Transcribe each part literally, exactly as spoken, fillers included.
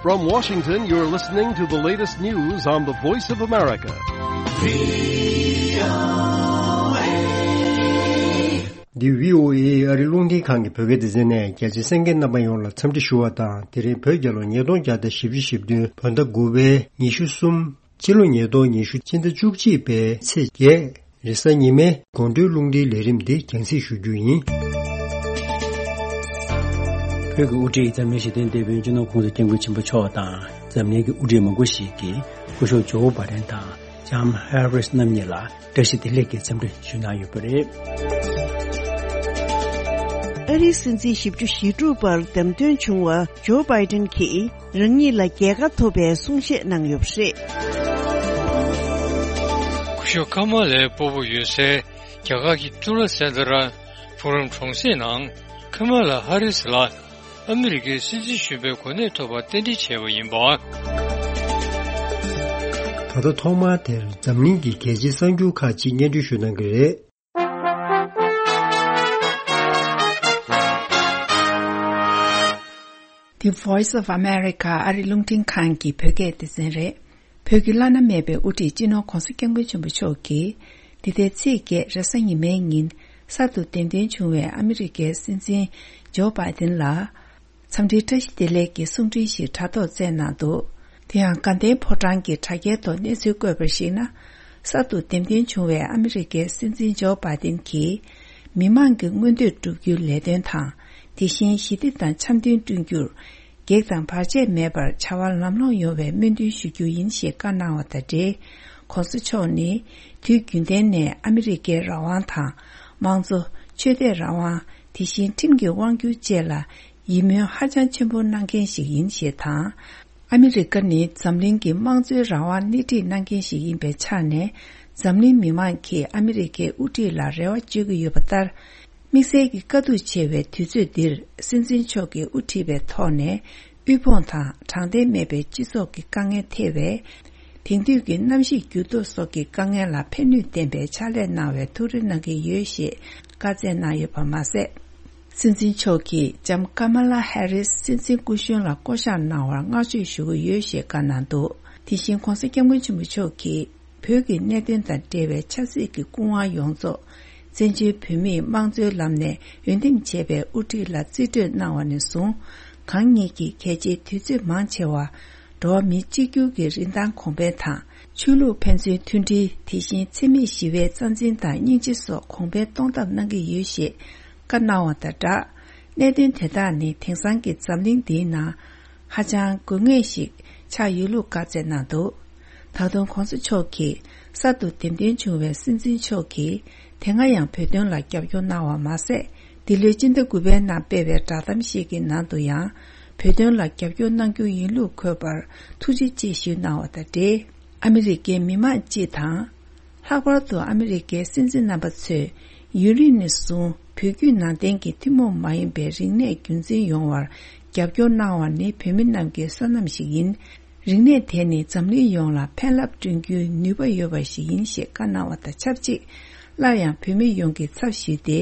From Washington, you're listening to the latest news on the Voice of America. འདི་བྷི་ཨོ་ཨེ་ཨ་རི་རླུང་འཕྲིན་ཁང་གི་བོད་སྐད་སྡེ་ཚན་ནས། རྒྱ་ཆེ་གསན་མཁན་རྣམ་པ་ཡོངས་ལ་འཚམས་འདྲི་ཞུ་བ་དང་། དེ་རིང་བོད་རྒྱལ་ལོ་ཉིས་སྟོང་བརྒྱ་དང་བཞི་བཅུ་ཞེ་བདུན། བོད་ཟླ་དགུ་པའི་ཉི་ཤུ་གསུམ། ཕྱི་ལོ་ཉིས་སྟོང་ཉི་ཤུ་སྤྱི་ཟླ་བཅུ་གཅིག་པའི་ཚེས་བརྒྱད། རེས་གཟའ་ཉི་མའི་དགོང་དྲོའི་རླུང་འཕྲིན་ལས་རིམ་འདི་རྒྱང་སྲིང་ཞུ་རྒྱུ་ཡིན། བོད་ཀྱི་དབུ་ཁྲིད་འཛམ་གླིང་ཞི་བདེའི་དེད་དཔོན་སྤྱི་ནོར་༸གོང་ས་༸སྐྱབས་མགོན་ཆེན་པོ་མཆོག་དང་། འཛམ་གླིང་གི་དབུ་ཁྲིད་མང་པོ་ཞིག་གིས་སྐུ་ཞབས་ཇོ་བྷ་དན་དང་ལྕམ་ཧེ་རིས་རྣམ་གཉིས་ལ་བཀྲ་ཤིས་བདེ་ལེགས་ཀྱི་འཚམས་འདྲི་ཞུས་གནང་ཡོད་པ་རེད། ཨ་རིའི་སྲིད་འཛིན་བཞི་བཅུ་ཞེ་དྲུག་པར་བདམས་ཐོན་བྱུང་བ་ཇོ་བྷ་དན་གྱིས། རང་ཉིད་ལ་རྒྱལ་ཁ་ཐོབ་པའི་གསུང་བཤད་གནང་ཡོད་པ་རེད། སྐུ་ཞབས་ཁ་མ་ལའི་སྤོ་བོ་ཡོད་སའི་རྒྱ་གར་གྱི་ཏུ་ལ་སེན་དྷ་ར་ཕུ་རམ་གྲོང་གསེབ་ནང་ཁ་མ་ལ་ཧ་རིས་ལ་ཨ་མི་རི་ཀའི་སྲིད་འཛིན་གཞོན་པའི་གོ་གནས་ཐོབ་པར་རྟེན་འབྲེལ་བྱས་པ་ཡིན་པ། ད་ལྟ་ཐོག་མར་དེར་འཛམ་གླིང་གི་གལ་ཆེའི་གསར་འགྱུར་ཁག་ཅིག་སྙན་སྒྲོན་ཞུ་གནང་གི་རེད། The Voice of America ཨ་རི་རླུང་འཕྲིན་ཁང་གི་བོད་སྐད་སྡེ་ཚན་རེད། བོད་ཀྱི་བླ་ན་མེད་པའི་དབུ་ཁྲིད་སྤྱི་ནོར་༸གོང་ས་༸སྐྱབས་མགོན་ཆེན་པོ་མཆོག་གིས། འདི་ཟླའི་ཚེས་བརྒྱད་རེས་གཟའ་ཉི་མའི་ཉིན་གསར་དུ་འདེམས་ཐོན་བྱུང་བའི་ཨ་མི་རི་ཀའི་སྲིད་འཛིན་ཇོ་བྷ་དན་ལ། འཚམས་འདྲིའི་བཀྲ་ཤིས་བདེ་ལེགས་ཀྱི་གསུང་འཕྲིན་ཞིག་དྲ་ཐོག་བསྩལ་གནང་འདུག་དེ་ཡང་དགའ་ལྡན་ཕོ་བྲང་གི་དྲ་རྒྱའི་ཐོག་གནས་ཚུལ་བཀོད་པར་གཞིགས་ན། གསར་དུ་འདེམས་ཐོན་བྱུང་བའི་ཨ་མི་རི་ཀའི་སྲིད་འཛིན་ཇོ་བྷ་དན་གྱིས། མི་མང་གི་མངོན་འདོད་བསྒྲུབ་རྒྱུའི་ལས་དོན་དང་། དེ་བཞིན་ཞི་བདེ་དང་འཆམ་མཐུན་བསྐྲུན་རྒྱུར། གེགས་དང་བར་ཆད་མེད་པར་བྱ་བ་ལམ་ལྷོང་ཡོང་བའི་སྨོན་འདུན་ཞུ་རྒྱུ་ཡིན་ཞེས་བཀའ་གནང་བ་དང་འབྲེལ། ༸གོང་ས་མཆོག་ནི་དུས་རྒྱུན་ལྡན་ནས་ཨ་མི་རི་ཀའི་རང་དབང་དང་། དམངས་གཙོ། ཆོས་དད་རང་དབང་། དེ་བཞིན་ཁྲིམས་ཀྱི་དབང་སྒྱུར་བཅས་ལ། ཡིད་སྨོན་ཧ་ཅང་ཆེན་པོ་གནང་མཁན་ཞིག་ཡིན་ཞེས་དང་། ཨ་མི་རི་ཀ་ནི་འཛམ་གླིང་གི་དམངས་གཙོའི་རང་དབང་སྣེ་ཁྲིད་གནང་མཁན་ཞིག་ཡིན་པའི་ཆ་ནས། འཛམ་གླིང་མི་མང་གིས་ཨ་མི་རི་ཀའི་དབུ་ཁྲིད་ལ་རེ་བ་བཅོལ་གྱི་ཡོད་པ་ལྟར། དམིགས་བསལ་གྱིས་དཀའ་སྡུག་ཆེ་བའི་དུས་ཚོད་འདིར། སྲིད་འཛིན་མཆོག་གིས་དབུ་ཁྲིད་པའི་ཐོག་ནས། དབུལ་ཕོངས་དང་དྲང་བདེན་མེད་པའི་སྤྱི་ཚོགས་ཀྱི་དཀའ་ངལ་ཐེ་བའི། དེང་དུས་ཀྱི་གནམ་གཤིས་འགྱུར་ལྡོག་སོགས་ཀྱི་དཀའ་ངལ་ལ་ཕན་ནུས་ལྡན་པའི་ཕྱག་ལས་གནང་བའི་ཐུགས་རེ་གནང་གི་ཡོད་ཞེས་བཀའ་སྩལ་གནང་ཡོད་པ་མ་ཟད། སྲིད་འཛིན་མཆོག་གིས་ལྕམ་ཀ་མ་ལ་ཧེ་རིས་སྲིད་འཛིན་སྐུ་གཞོན་ལ་བསྐོ་གཞག་གནང་བར་བསྔགས་བརྗོད་ཞུ་གི་ཡོད་ཞེས་བཀའ་གནང་འདུག་དེ་བཞིན་༸གོང་ས་༸སྐྱབས་མགོན་ཆེན་པོ་མཆོག་གིས། བོད་ཀྱི་གནད་དོན་དང་འབྲེལ་བའི་ཆབ་སྲིད་ཀྱི་སྐུ་དབང་ཡོངས་རྫོགས། བཙན་བྱོལ་བོད་མིས་དམངས་གཙོའི་ལམ་ནས་འོས་འདེམས་བྱས་པའི་དབུ་ཁྲིད་ལ་རྩིས་སྤྲོད་གནང་བ་ནས་བཟུང་། གང་ཉིད་ཀྱིས་གལ་ཆེའི་དུས་ཚོད་མང་ཆེ་བ། འགྲོ་བ་མི་གཅིག་གྱུར་གྱི་རིན་ཐང་གོང་འཕེལ་དང་། ཆོས་ལུགས་ཕན་ཚུན་མཐུན་སྒྲིལ། དེ་བཞིན་འཚེ་མེད་ཞི་བའི་རྩ་འཛིན་དང་སྙིང་རྗེ་སོགས་གོང་འཕེལ་གཏོང་ཐབས་གནང་གི་ཡོད་ཞེས་བཀའ་གནང་བ་དང་སྦྲགས། གནད་དོན་དེ་དག་ནི་དེང་སང་གི་འཛམ་གླིང་འདིའི་ནང་། ཧ་ཅང་དགོས་ངེས་ཤིག་ཆགས་ཡོད་ལུགས་བཀའ་སྩལ་གནང་འདུག་ད་དུང་༸གོང་ས་མཆོག་གིས་གསར་དུ་འདེམས་ཐོན་བྱུང་བའི་སྲིད་འཛིན་མཆོག་གིས་དེ་སྔ་ཡང་བོད་དོན་ལ་རྒྱབ་སྐྱོར་གནང་བ་མ་ཟད། འདི་ལོའི་སྤྱི་ཟླ་དགུ་པའི་ནང་སྤེལ་བའི་བསྒྲགས་གཏམ་ཞིག་གི་ནང་དུ་ཡང་། བོད་དོན་ལ་རྒྱབ་སྐྱོར་གནང་རྒྱུ་ཡིན་ལུགས་འཁོད་པར་ཐུགས་རྗེ་ཆེ་ཞུས་གནང་བ་དང་འབྲེལ། ཨ་མི་རི་ཀའི་མི་མང་སྤྱི་དང་། ལྷག་པར་དུ་ཨ་མི་རི་ཀའི་སྲིད་འཛིན་རྣམ་པ་ཚོས་ཡུན་རིང་ནས་བཟུང་བོད་བརྒྱུད་ནང་བསྟན་གྱི་ཐུན་མོང་མ་ཡིན་པའི་རིག་གནས་རྒྱུན་འཛིན་ཡོང་བར་རྒྱབ་སྐྱོར་གནང་བ་ནི་བོད་མི་རྣམས་ཀྱི་བསོད་ནམས་ཤིག་ཡིན། རིག་གནས་དེ་ནི་འཛམ་གླིང་ཡོངས་ལ་ཕན་རླབས་བསྐྲུན་རྒྱུའི་ནུས་པ་ཡོད་པ་ཞིག་ཡིན་ཞེས་བཀའ་གནང་བ་དང་ཆབས་ཅིག་སླར་ཡང་བོད་མི་ཡོངས་ཀྱི་ཚབ་ཞུས་ཏེ།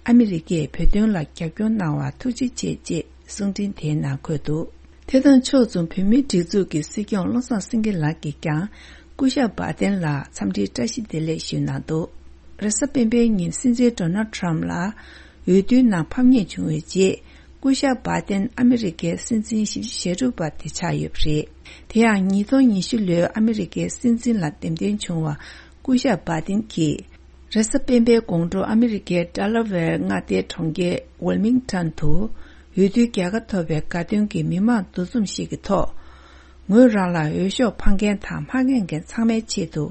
ཨ་མི་རི་ཀས་བོད་དོན་ལ་རྒྱབ་སྐྱོར་གནང་བར་ཐུགས་རྗེ་ཆེ་ཅེས། གསུང་འཕྲིན་དེའི་ནང་འཁོད་འདུག་དེ་དང་ཕྱོགས་མཚུངས་བོད་མིའི་སྒྲིག་འཛུགས་ཀྱི་སྲིད་སྐྱོང་བློ་བཟང་སེང་གེ་ལགས་ཀྱིས་ཀྱང་སྐུ་ཞབས་བྷ་དན་ལ་འཚམས་འདྲིའི་བཀྲ་ཤིས་བདེ་ལེགས་ཞུས་གནང་འདུག་རེས་གཟའ་སྤེན་པའི་ཉིན་སྲིད་འཛིན་ཌོ་ནལ་ཊམ་ལ་འོས་བསྡུའི་ནང་ཕམ་ཉེས་བྱུང་བའི་རྗེས། སྐུ་ཞབས་བྷ་དན་ཨ་མི་རི་ཀའི་སྲིད་འཛིན་བཞི་བཅུ་ཞེ་དྲུག་པ་དེ་ཆགས་ཡོད་པ་རེད། དེ་ཡང་ཉིས་སྟོང་ཉི་ཤུ་ལོའི་ཨ་མི་རི་ཀའི་སྲིད་འཛིན་ལ་འདེམས་ཐོན་བྱུང་བ། སྐུ་ཞབས་བྷ་དིན་གྱིས། རེས་གཟའ་སྤེན་པའི་དགོང་དྲོ་ཨ་མི་རི་ཀའི་ཌེ་ལ་ཝེར་མངའ་སྡེའི་གྲོང་ཁྱེར་ཝིལ་མིང་ཊོན་དུ། འོས་བསྡུའི་རྒྱལ་ཁ་ཐོབ་པའི་དགའ་སྟོན་གྱི་མི་མང་འདུ་འཛོམས་ཤིག་གི་ཐོག་ངོས་རང་ལ་འོས་ཤོག་འཕང་མཁན་དང་མ་འཕངས་མཁན་ཚང་མའི་ཆེད་དུ་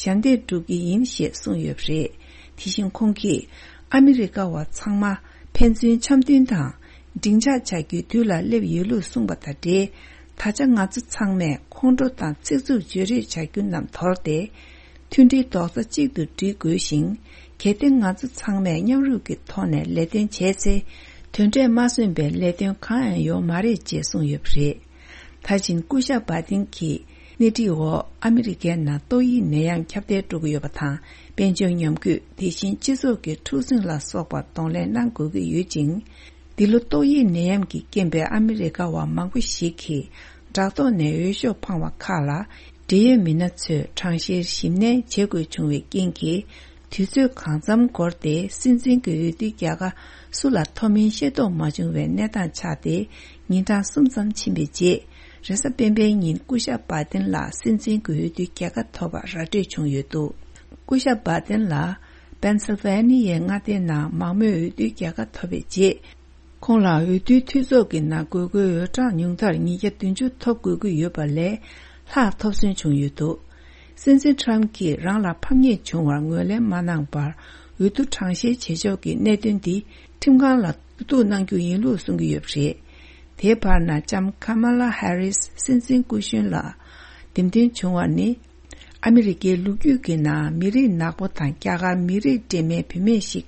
ཞབས་འདེགས་སྒྲུབ་ཀྱི་ཡིན་ཞེས་གསུངས་ཡོད་པ་རེད། དེ་བཞིན་ཁོང་གིས། ཨ་མི་རི་ཀ་བ་ཚང་མ་ཕན་ཚུན་འཆམ་མཐུན་དང་། འགྲིག་འཇགས་བྱ་རྒྱུའི་དུས་ལ་སླེབས་ཡོད་ལུགས་གསུངས་པ་དང་འབྲེལ། ད་ཆ་ང་ཚོ་ཚང་མས་ཁོང་ཁྲོ་དང་ཚིག་རྩུབ་བརྗོད་རེས་བྱ་རྒྱུ་རྣམས་དོར་ཏེ། མཐུན་སྒྲིལ་རྡོག་རྩ་གཅིག་ཏུ་སྒྲིལ་དགོས་ཤིང་། གལ་ཏེ་ང་ཚོ་ཚང་མས་མཉམ་རུབ་ཀྱི་ཐོག་ནས་ལས་དོན་བྱས་ཚེ། དོན་འབྲས་མ་སོན་པའི་ལས་དོན་གང་ཡང་ཡོང་མ་རེད་ཅེས་གསུངས་ཡོད་པ་རེད། ད་ཕྱིན་སྐུ་ཞབས་བྷ་ཏིན་གྱིས་སྣེ་ཁྲིད་འོག་ཨ་མི་རི་ཀའི་ནང་ཏོག་དབྱིབས་ནད་ཡམས་ཁྱབ་གདལ་འགྲོ་གི་ཡོད་པ་དང་། དཔལ་འབྱོར་ཉམས་རྒུད། དེ་བཞིན་སྤྱི་ཚོགས་ཀྱི་འཁྲུག་ཟིང་ལ་སོགས་པར་གདོང་ལེན་གནང་དགོས་ཀྱི་ཡོད་ཅིང་། འདི་ལོ་ཏོག་དབྱིབས་ནད་ཡམས་ཀྱི་རྐྱེན་པས་ཨ་མི་རི་ཀ་བ་མང་པོ་ཞིག་གིས་ བྲག་ཐོག་ནས་འོས་ཤོག་འཕངས་པ་ཁག་ལ་འབྲེལ་ཡོད་མི་སྣ་ཚོས་གྲངས་བཤེར་ཞིབ་ནན་བྱེད་དགོས་བྱུང་བའི་རྐྱེན་གྱིས། དུས་ཚོད་གང་འཚམ་འགོར་ཏེ་སྲིད་འཛིན་གྱི་འོས་བསྡུའི་རྒྱལ་ཁ་སུ་ལ་ཐོབ་མིན་ཤེས་རྟོགས་མ་བྱུང་བའི་གནས་སྟངས་ཆགས་ཏེ། ཉིན་གྲངས་གསུམ་ཙམ་ཕྱིན་པའི་རྗེས། རེས་གཟའ་སྤེན་པའི་ཉིན་སྐུ་ཞབས་བྷ་དན་ལ་སྲིད་འཛིན་གྱི་འོས་བསྡུའི་རྒྱལ་ཁ་ཐོབ་པར་ར་སྤྲོད་བྱུང་ཡོད་འདུག་སྐུ་ཞབས་བྷ་དན་ལ་པེན་སིལ་ཝེ་ནི་ཡའི་མངའ་སྡེའི་ནང་མང་མོས་འོས་བསྡུའི་རྒྱལ་ཁ་ཐོབ་པའི་རྗེས། ཁོང་ལ་འོས་བསྡུའི་འཐུས་ཚོགས་ཀྱི་ནང་དགོས་མཁོའི་འོས་གྲངས་ཉུང་མཐར་ཉིས་བརྒྱ་བདུན་ཅུ་ཐོབ་དགོས་ཀྱི་ཡོད་པ་ལས་ལྷག་ཐོབ་སོན་བྱུང་ཡོད་འདུག་སྲིད་འཛིན་ཊམ་གྱིས་རང་ལ་ཕམ་ཉེས་བྱུང་བར་ངོས་ལེན་མ་གནང་བར། འོས་བསྡུ་གྲངས་བཤེར་བྱེད་ཕྱོགས་ཀྱི་གནད་དོན་འདི་ཁྲིམས་ཁང་ལ་གཏུག་གནང་རྒྱུ་ཡིན་ལུགས་གསུང་གི་ཡོད་པ་རེད། དེའི་བར་ན་ལྕམ་ཀ་མ་ལ་ཧེ་རིས་སྲིད་འཛིན་སྐུ་གཞོན་ལ་འདེམས་ཐོན་བྱུང་བ་ནི། ཨ་མི་རི་ཀའི་ལོ་རྒྱུས་ཀྱི་ནང་མི་རིགས་ནག་པོ་དང་རྒྱ་གར་མི་རིགས་འདྲེས་མའི་བུད་མེད་ཞིག་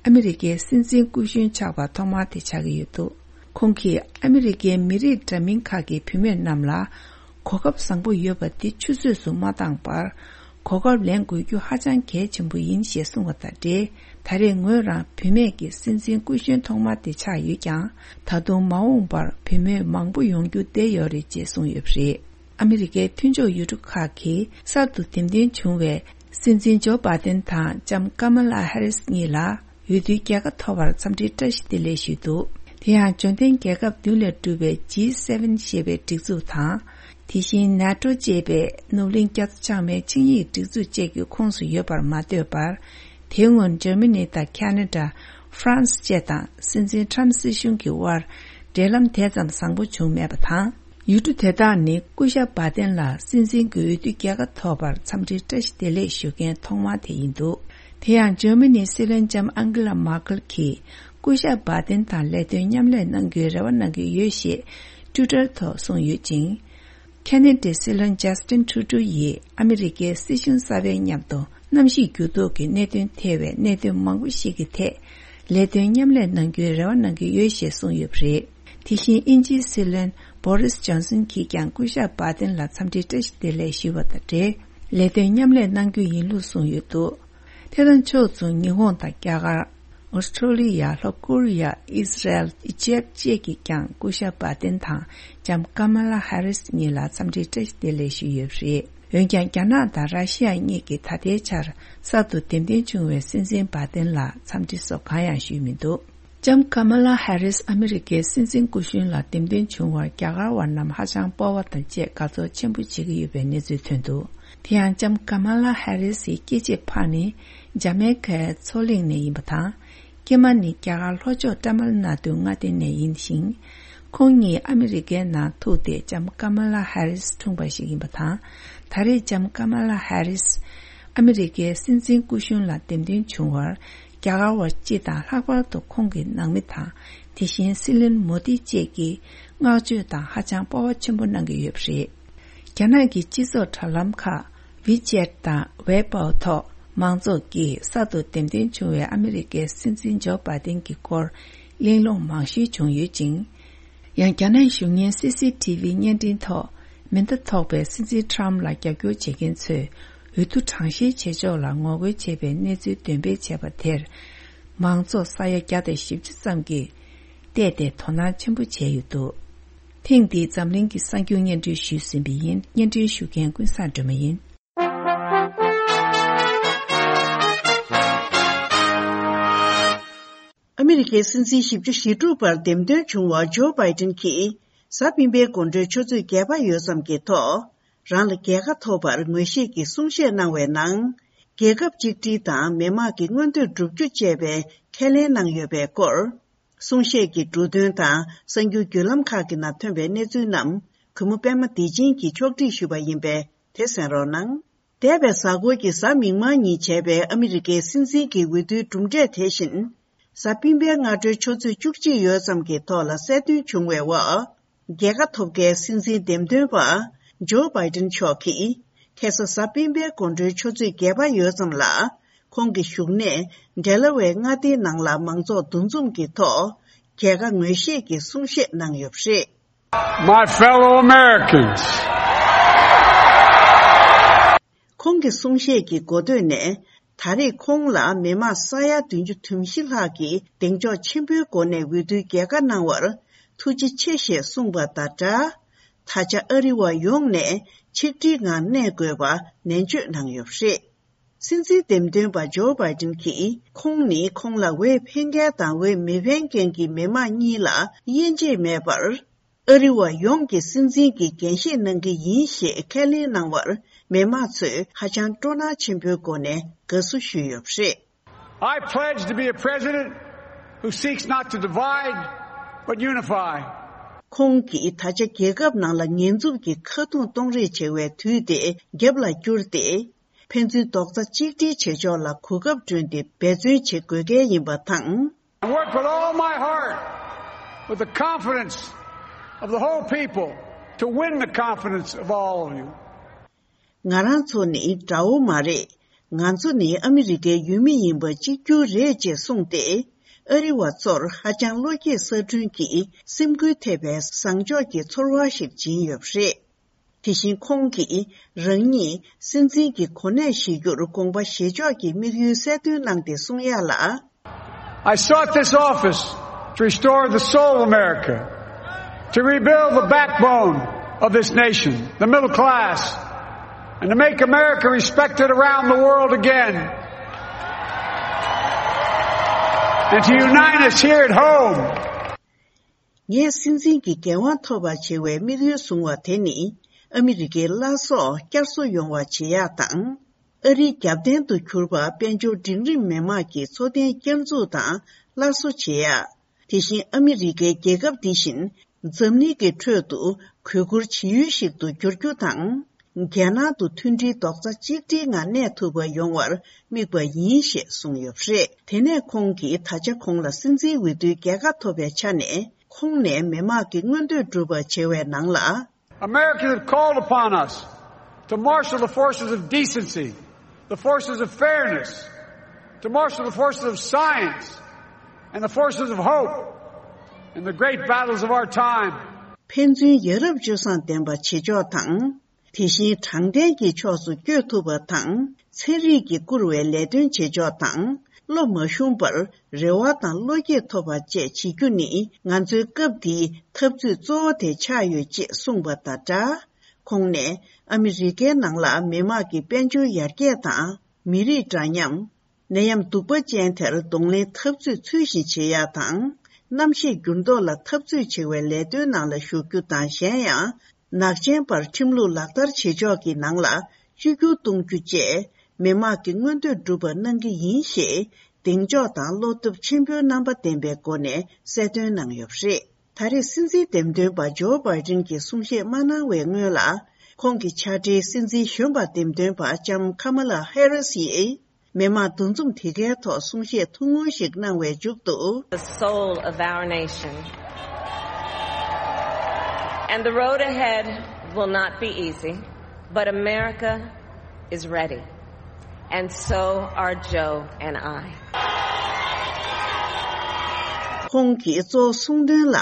ཨ་མི་རི་ཀའི་སྲིད་འཛིན་སྐུ་གཞོན་ཆགས་པ་ཐོག་མ་དེ་ཆགས་ཀྱི་ཡོད་འདུག་ཁོང་གིས་ཨ་མི་རི་ཀའི་མི་རིགས་འདྲ་མིན་ཁག་གི་བུད་མེད་རྣམས་ལ་གོ་སྐབས་བཟང་པོ་ཡོད་པ་དེ་ཆུད་ཟོས་སུ་མ་བཏང་བར། གོ་སྐབས་ལེན་དགོས་རྒྱུ་ཧ་ཅང་གལ་ཆེན་པོ་ཡིན་ཞེས་གསུངས་པ་དང་འབྲེལ། ད་རེས་ངོས་རང་བུད་མེད་ཀྱི་སྲིད་འཛིན་སྐུ་གཞོན་ཐོག་མ་དེ་ཆགས་ཡོད་ཀྱང་། ད་དུང་མ་འོངས་པར་བུད་མེད་མང་པོ་ཡོང་རྒྱུ་བསྡད་ཡོད་རེད་ཅེས་གསུངས་ཡོད་པ་རེད། ཨ་མི་རི་ཀའི་མཐུན་ཕྱོགས་ཡུལ་གྲུ་ཁག་གིས་གསར་དུ་འདེམས་ཐོན་བྱུང་བའི་སྲིད་འཛིན་ཇོ་བྷ་དན་དང་ལྕམ་ཀ་མ་ལ་ཧེ་རིས་གཉིས་ལ་འོས་བསྡུའི་རྒྱལ་ཁ་ཐོབ་པར་འཚམས་འདྲིའི་བཀྲ་ཤིས་བདེ་ལེགས་ཞུས་འདུག་དེ་ཡང་འབྱོར་ལྡན་རྒྱལ་ཁབ་བདུན་ལས་གྲུབ་པའི་ཇི་སེ་ཝེན་ཞེས་པའི་སྒྲིག་འཛུགས་དང་། དེ་བཞིན་ནེ་ཊོ་ཅེས་པའི་ནུབ་གླིང་རྒྱ་མཚོ་བྱང་མའི་ཆིངས་ཡིག་སྒྲིག་འཛུགས་བཅས་ཀྱི་ཁོངས་སུ་ཡོད་པར་མ་ལྟོས་པར། དེའི་སྔོན་འཇར་མ་ནི་དང་ཁ་ན་ཌ། ཧྥ་རན་སི་བཅས་དང་སྲིད་འཛིན་ཊམ་སྲིད་གཞུང་གི་དབར་འབྲེལ་ལམ་དེ་ཙམ་བཟང་པོ་བྱུང་མེད་པ་དང་། ཡུལ་གྲུ་དེ་དག་ནི་སྐུ་ཞབས་བྷ་དན་ལ་སྲིད་འཛིན་གྱི་འོས་བསྡུའི་རྒྱལ་ཁ་ཐོབ་པར་འཚམས་འདྲིའི་བཀྲ་ཤིས་བདེ་ལེགས་ཞུ་མཁན་ཐོག་མ་དེ་ཡིན་འདུག་དེ་ཡང་འཇར་མ་ནིའི་སྲིད་བློན་ལྕམ་ཨང་ཀེ་ལ་མར་ཀེལ་གྱིས་སྐུ་ཞབས་བྷ་དན་དང་ལས་དོན་མཉམ་ལས་གནང་རྒྱུའི་རེ་བ་གནང་གི་ཡོད་ཞེས་ཊུའི་ཊར་ཐོག་གསུངས་ཡོད་ཅིང་། ཁ་ན་ཌའི་སྲིད་བློན་ཇ་སི་ཊིན་ཊུ་རུ་ཌོ་ཡིས་ཨ་མི་རི་ཀའི་སྲིད་གཞུང་གསར་པའི་མཉམ་དུ་གནམ་གཤིས་འགྱུར་ལྡོག་གི་གནད་དོན་ཐེ་བའི་གནད་དོན་མང་པོ་ཞིག་གི་ཐད་ལས་དོན་མཉམ་ལས་གནང་རྒྱུའི་རེ་བ་གནང་གི་ཡོད་ཞེས་གསུངས་ཡོད་པ་རེད། དེ་བཞིན་དབྱིན་ཇིའི་སྲིད་བློན་བོ་རིས་ཇོན་སན་གྱིས་ཀྱང་སྐུ་ཞབས་བྷ་དན་ལ་འཚམས་འདྲིའི་བཀྲ་ཤིས་བདེ་ལེགས་ཞུས་པ་དང་འབྲེལ། ལས་དོན་མཉམ་ལས་གནང་རྒྱུ་ཡིན་ལུགས་གསུངས་ཡོད་འདུག་དེ་དང་ཕྱོགས་མཚུངས་ཉི་ཧོང་དང་རྒྱ་གར། ཨོ་སི་ཀྲོ་ལི་ཡ། ལྷོ་ཀོ་རི་ཡ། ཨི་ཟི་རལ། ཨི་ཇེབ་བཅས་ཀྱིས་ཀྱང་སྐུ་ཞབས་བྷ་དན་དང་ལྕམ་ཀ་མ་ལ་ཧེ་རིས་གཉིས་ལ་འཚམས་འདྲིའི་བཀྲ་ཤིས་བདེ་ལེགས་ཞུས་ཡོད་པ་རེད། འོན་ཀྱང་རྒྱ་ནག་དང་ར་ཤི་ཡ་གཉིས་ཀྱིས་ད་ལྟའི་ཆར་གསར་དུ་འདེམས་ཐོན་བྱུང་བའི་སྲིད་འཛིན་བྷ་དན་ལ་འཚམས་འདྲི་སོགས་གང་ཡང་ཞུས་མི་འདུག་ལྕམ་ཀ་མ་ལ་ཧེ་རིས་ཨ་མི་རི་ཀའི་སྲིད་འཛིན་སྐུ་གཞོན་ལ་འདེམས་ཐོན་བྱུང་བར་རྒྱ་གར་བ་རྣམས་ཧ་ཅང་སྤོབས་པ་དང་བཅས་དགའ་ཚོར་ཆེན་པོ་བྱེད་ཀྱི་ཡོད་པའི་གནས་ཚུལ་ཐོན་འདུག་དེ་ཡང་ལྕམ་ཀ་མ་ལ་ཧེ་རིས་ཡི་སྐྱེས་ཆེ་ཕ་ནི་ཇ་མེ་ཀའི་མཚོ་གླིང་ནས་ཡིན་པ་དང་། སྐྱེས་མ་ནི་རྒྱ་གར་ལྷོ་ཕྱོགས་ཏཱ་མིལ་ནཱ་ཏུའི་མངའ་སྡེ་ནས་ཡིན་ཞིང་། ཁོང་གཉིས་ཨ་མི་རི་ཀའི་ནང་ཐུག་སྟེ་ལྕམ་ཀ་མ་ལ་ཧེ་རིས་འཁྲུངས་པ་ཞིག་ཡིན་པ་དང་། ད་རེས་ལྕམ་ཀ་མ་ལ་ཧེ་རིས་ཨ་མི་རི་ཀའི་སྲིད་འཛིན་སྐུ་གཞོན་ལ་འདེམས་ཐོན་བྱུང་བར། རྒྱ་གར་བ་སྤྱི་དང་ལྷག་པར་དུ་ཁོང་གི་ནང་མི་དང་། དེ་བཞིན་སྲིད་བློན་མོ་དི་བཅས་ཀྱིས་བསྔགས་བརྗོད་དང་ཧ་ཅང་སྤོབས་པ་ཆེན་པོ་གནང་གི་ཡོད་པ་རེད། རྒྱ་ནག་གི་སྤྱི་ཚོགས་དྲ་ལམ་ཁག་ཝི་ཅེད་དང་ཝེ་པའོ་ཐོག་མང་ཚོགས་ཀྱིས་གསར་དུ་འདེམས་ཐོན་བྱུང་བའི་ཨ་མི་རི་ཀའི་སྲིད་འཛིན་ཇོ་བྷ་དན་གྱི་སྐོར་གླེང་སློང་མང་ཤོས་བྱུང་ཡོད་ཅིང་། ཡང་རྒྱ་ནག་གཞུང་གཉེར་སི་སི་ཊི་ཝི་བརྙན་འཕྲིན་ཐོག་མེ་མདའ་ཐོགས་པའི་སྲིད་འཛིན་ཊམ་ལ་རྒྱབ་སྐྱོར་བྱེད་མཁན་ཚོས་འོས་བསྡུ་གྲངས་བཤེར་བྱེད་ཕྱོགས་ལ་ངོ་རྒོལ་བྱས་པའི་གནས་ཚུལ་འདོན་སྤེལ་བྱས་པ་དེར། མང་ཚོགས་ས་ཡ་བརྒྱ་དང་བཞི་བཅུ་ཙམ་གྱིས་བལྟས་ཏེ་དོ་སྣང་ཆེན་པོ་བྱས་ཡོད་འདུག་ཐེངས་འདིའི་འཛམ་གླིང་གི་གསར་འགྱུར་སྙན་སྒྲོན་ཞུས་ཟིན་པ་ཡིན། སྙན་སྒྲོན་ཞུ་མཁན་ཀུན་བཟང་སྒྲོལ་མ་ཡིན། ཨ་མི་རི་ཀའི་སྲིད་འཛིན་བཞི་བཅུ་ཞེ་དྲུག་པར་འདེམས་ཐོན་བྱུང་བ་ཇོ་བྷའི་ཏིན་གྱིས་གཟའ་སྤེན་པའི་དགོང་དྲོའི་ཆུ་ཚོད་བརྒྱད་པ་ཡོལ་ཙམ་གྱི་ཐོག་རང་ལ་རྒྱལ་ཁ་ཐོབ་པར་ངོས་བཞེས་ཀྱི་གསུང་བཤད་གནང་བའི་ནང་། རྒྱལ་ཁབ་གཅིག་སྒྲིལ་དང་མི་དམངས་ཀྱི་མངོན་འདོད་བསྒྲུབ་རྒྱུ་བཅས་པའི་ཁས་ལེན་གནང་ཡོད་པའི་སྐོར། གསུང་བཤད་ཀྱི་འབྲུ་དོན་དང་གསར་འགྱུར་བརྒྱུད་ལམ་ཁག་གི་ནང་ཐོན་པའི་གནས་ཚུལ་རྣམས་གུས་མོ་པད་མ་བདེ་ཆེན་གྱིས་ཕྱོགས་སྒྲིག་ཞུས་པ་ཡིན་པས་དེ་གསན་རོགས་གནང་། འདས་པའི་གཟའ་འཁོར་གྱི་གཟའ་མིག་དམར་ཉིན་བྱས་པའི་ཨ་མི་རི་ཀའི་སྲིད་འཛིན་གྱི་འོས་བསྡུའི་གྲུབ་འབྲས་དེ་བཞིན། གཟའ་སྤེན་པའི་སྔ་དྲོའི་ཆུ་ཚོད་བཅུ་གཅིག་ཡོལ་ཙམ་གྱི་ཐོག་ལ་གསལ་སྟོན་བྱུང་བའི་འོག་རྒྱལ་ཁ་ཐོབ་མཁན་སྲིད་འཛིན་འདེམས་ཐོན་པ་ཇོ་བྷའི་ཏིན་མཆོག་གིས་ཁ་སང་གཟའ་སྤེན་པའི་དགོང་དྲོའི་ཆུ་ཚོད་བརྒྱད་པ་ཡོལ་ཙམ་ལ་ཁོང་གི་བཞུགས་གནས་ཌེ་ལ་ཝེ་མངའ་སྡེའི་ནང་ལ་མང་ཚོགས་འདུ་འཛོམས་ཀྱི་ཐོག་རྒྱལ་ཁ་ངོས་བཞེས་ཀྱི་གསུང་བཤད་གནང་ཡོད་པ་རེད། My fellow Americans. ཁོང་གི་གསུང་བཤད་ཀྱི་འགོ་སྟོད་ནས་ད་རེས་ཁོང་ལ་མི་དམངས་ས་ཡ་བདུན་ཅུ་དོན་བཞི་ལྷག་གིས་གདེང་འཇོག་ཆེན་པོའི་སྒོ་ནས་འོས་བསྡུའི་རྒྱལ་ཁ་གནང་བར་ཐུགས་རྗེ་ཆེ་ཞེས་གསུངས་པ་དང་སྦྲགས། ད་ཆ་ཨ་རི་བ་ཡོངས་ནས་ཆིག་སྒྲིལ་ངང་གནས་དགོས་པ་ནན་བརྗོད་གནང་ཡོད་པ་རེད། སྲིད་འཛིན་འདེམས་ཐོན་པ་ཇོ་བྷའི་ཏིན་གྱིས་ཁོང་ནི་ཁོང་ལ་འོས་འཕེན་མཁན་དང་འོས་མི་འཕེན་མཁན་གྱི་མི་མང་གཉིས་ལ་དབྱེ་འབྱེད་མེད་པར། ཨ་རི་བ་ཡོངས་ཀྱི་སྲིད་འཛིན་གྱི་འགན་བཞེས་གནང་གི་ཡིན་ཞེས་ཁས་ལེན་གནང་བར་མི་མང་ཚོས་ཧ་ཅང་སྤྲོ་སྣང་ཆེན་པོའི་སྒོ་ནས་དགའ་བསུ་ཞུས་ཡོད་པ་རེད། I pledge to be a president who seeks not to divide, but unify. ཁོང་གིས་ད་ཆ་རྒྱལ་ཁབ་ནང་ལ་ཉེས་འཛུགས་ཀྱི་ཁ་རྡུང་གཏོང་རེས་བྱེད་པའི་དུས་དེ་རྒྱབ་ལ་བསྐྱུར་ཏེ། ཕན་ཚུན་རྡོག་རྩ་གཅིག་སྒྲིལ་བྱེད་ཕྱོགས་ལ་གོ་སྐབས་བསྐྲུན་ཏེ་འབད་བརྩོན་བྱེད་དགོས་གལ་ཡིན་པ་དང་། I work with all my heart, with the confidence of the whole people, to win the confidence of all of you. ང་རང་ཚོ་ནི་དགྲ་བོ་མ་རེད། ང་ཚོ་ནི་ཨ་མི་རི་ཀའི་ཡུལ་མི་ཡིན་པ་གཅིག་གྱུར་རེད་ཅེས་གསུངས་ཏེ། ཨ་རི་བ་ཚོར་ཧ་ཅང་བློ་སྐྱེད་ས་བསྐྲུན་གྱིས་སེམས་འགུལ་ཐེབས་པའི་བཟང་ཕྱོགས་ཀྱི་ཚོར་བ་ཞིག་སྦྱིན་ཡོད་པ་རེད། དེ་བཞིན་ཁོང་གིས་རང་ཉིད་སྲིད་འཛིན་གྱི་གོ་གནས་བཞེས་རྒྱུར་དགོངས་པ་བཞེས་ཕྱོགས་ཀྱི་དམིགས་ཡུལ་གསལ་སྟོན་གནང་སྟེ་གསུང་ཡག་ལ། I sought this office to restore the soul of America, to rebuild the backbone of this nation, the middle class, and to make America respected around the world again, and to unite us here at home. ངས་སྲིད་འཛིན་གྱི་འགན་དབང་ཐོབ་པར་བྱེད་པའི་དམིགས་ཡུལ་བཟུང་བ་དེ་ནི་ཨ་མི་རི་ཀའི་བླ་སྲོག་བསྐྱར་གསོ་ཡོང་བ་བྱེད་ཡག་དང་། ཨ་རིའི་རྒྱབ་རྟེན་དུ་གྱུར་པ་དཔལ་འབྱོར་འབྲིང་རིམ་མི་དམངས་ཀྱི་འཚོ་རྟེན་བསྐྱར་འཛུགས་དང་སླར་གསོ་བྱེད་ཡག་དེ་བཞིན་ཨ་མི་རི་ཀའི་རྒྱལ་ཁབ་འདི་བཞིན་འཛམ་གླིང་གི་ཁྲོད་དུ་གུས་བཀུར་བྱེད་ཡུལ་ཞིག་ཏུ་འགྱུར་རྒྱུ་དང་། རྒྱལ་ནང་དུ་མཐུན་སྒྲིལ་རྡོག་རྩ་གཅིག་སྒྲིལ་ངང་གནས་ཐུབ་པ་ཡོང་བར་དམིགས་པ་ཡིན་ཞེས་གསུངས་ཡོད་པ་རེད། དེ་ནས་ཁོང་གིས་ད་ཆ་ཁོང་ལ་སྲིད་འཛིན་འོས་བསྡུའི་རྒྱལ་ཁ་ཐོབ་པའི་ཆ་ནས་ཁོང་ནས་མི་དམངས་ཀྱི་མངོན་འདོད་སྒྲུབ་པར་བྱེད་པའི་ནང་ལ། Americans have called upon us to marshal the forces of decency, the forces of fairness, to marshal the forces of science, and the forces of hope in the great battles of our time. ཕན་ཚུན་ཡ་རབས་སྤྱོད་བཟང་ལྡན་པ་བྱེད་ཕྱོགས་དང་། དེ་བཞིན་དྲང་བདེན་གྱི་ཕྱོགས་སུ་བསྐྱོད་ཐུབ་པ་དང་། ཚན་རིག་གིས་བསྐུར་བའི་ལས་དོན་བྱེད་ཕྱོགས་དང་། བློ་མ་ཞུམ་པར་རེ་བ་དང་བློ་སྐྱེད་ཐོབ་པ་བཅས་བྱེད་རྒྱུ་ནི་ང་ཚོའི་སྐབས་འདིའི་འཐབ་རྩོད་གཙོ་བོ་དེ་ཆགས་ཡོད་ཅེས་གསུངས་པ་དང་སྦྲགས། ཁོང་ནས་ཨ་མི་རི་ཀའི་ནང་ལ་མི་དམངས་ཀྱི་དཔལ་འབྱོར་ཡར་རྒྱས་དང་། མི་རིགས་འདྲ་མཉམ། ནད་ཡམས་གདུག་པ་ཅན་དེར་གདོང་ལེན་འཐབ་རྩོད་ཚུལ་བཞིན་བྱེད་ཡག་དང་། གནམ་གཤིས་འགྱུར་ལྡོག་ལ་འཐབ་རྩོད་བྱེད་པའི་ལས་དོན་ནང་ལ་ཞུགས་རྒྱུ་དང་། གཞན་ཡང་། ནག་ཅན་པར་ཁྲིམས་ལུགས་ལག་བསྟར་བྱེད་ཕྱོགས་ཀྱི་ནང་ལ་བཅོས་བསྒྱུར་གཏོང་རྒྱུ་བཅས། མི་དམངས་ཀྱི་མངོན་འདོད་སྒྲུབ་པ་གནང་གི་ཡིན་ཞེས། གདེང་འཇོག་དང་བློ་སྟོབས་ཆེན་པོའི་རྣམ་པ་ལྡན་པའི་སྒོ་ནས་གསལ་སྟོན་གནང་ཡོད་པ་རེད། ད་རེས་སྲིད་འཛིན་འདེམས་ཐོན་པ་ཇོ་བྷའི་ཏིན་གྱི་གསུང་བཤད་མ་གནང་བའི་སྔོན་ལ། ཁོང་གི་ཕྱག་སྦྲེལ་སྲིད་འཛིན་གཞོན་པ་འདེམས་ཐོན་པ་ལྕམ་ཁ་མ་ལ་ཧེ་རིས་ཡིས། མི་དམངས་འདུ་འཛོམས་དེ་གའི་ཐོག་གསུང་བཤད་ཐུང་ངུ་ཞིག་གནང་བའི་མཇུག་ཏུ། The soul of our nation. And the road ahead will not be easy, but America is ready. And so are Joe and I. ཁོང་གིས་གཙོ་བོ་གསུང་དོན་ལ།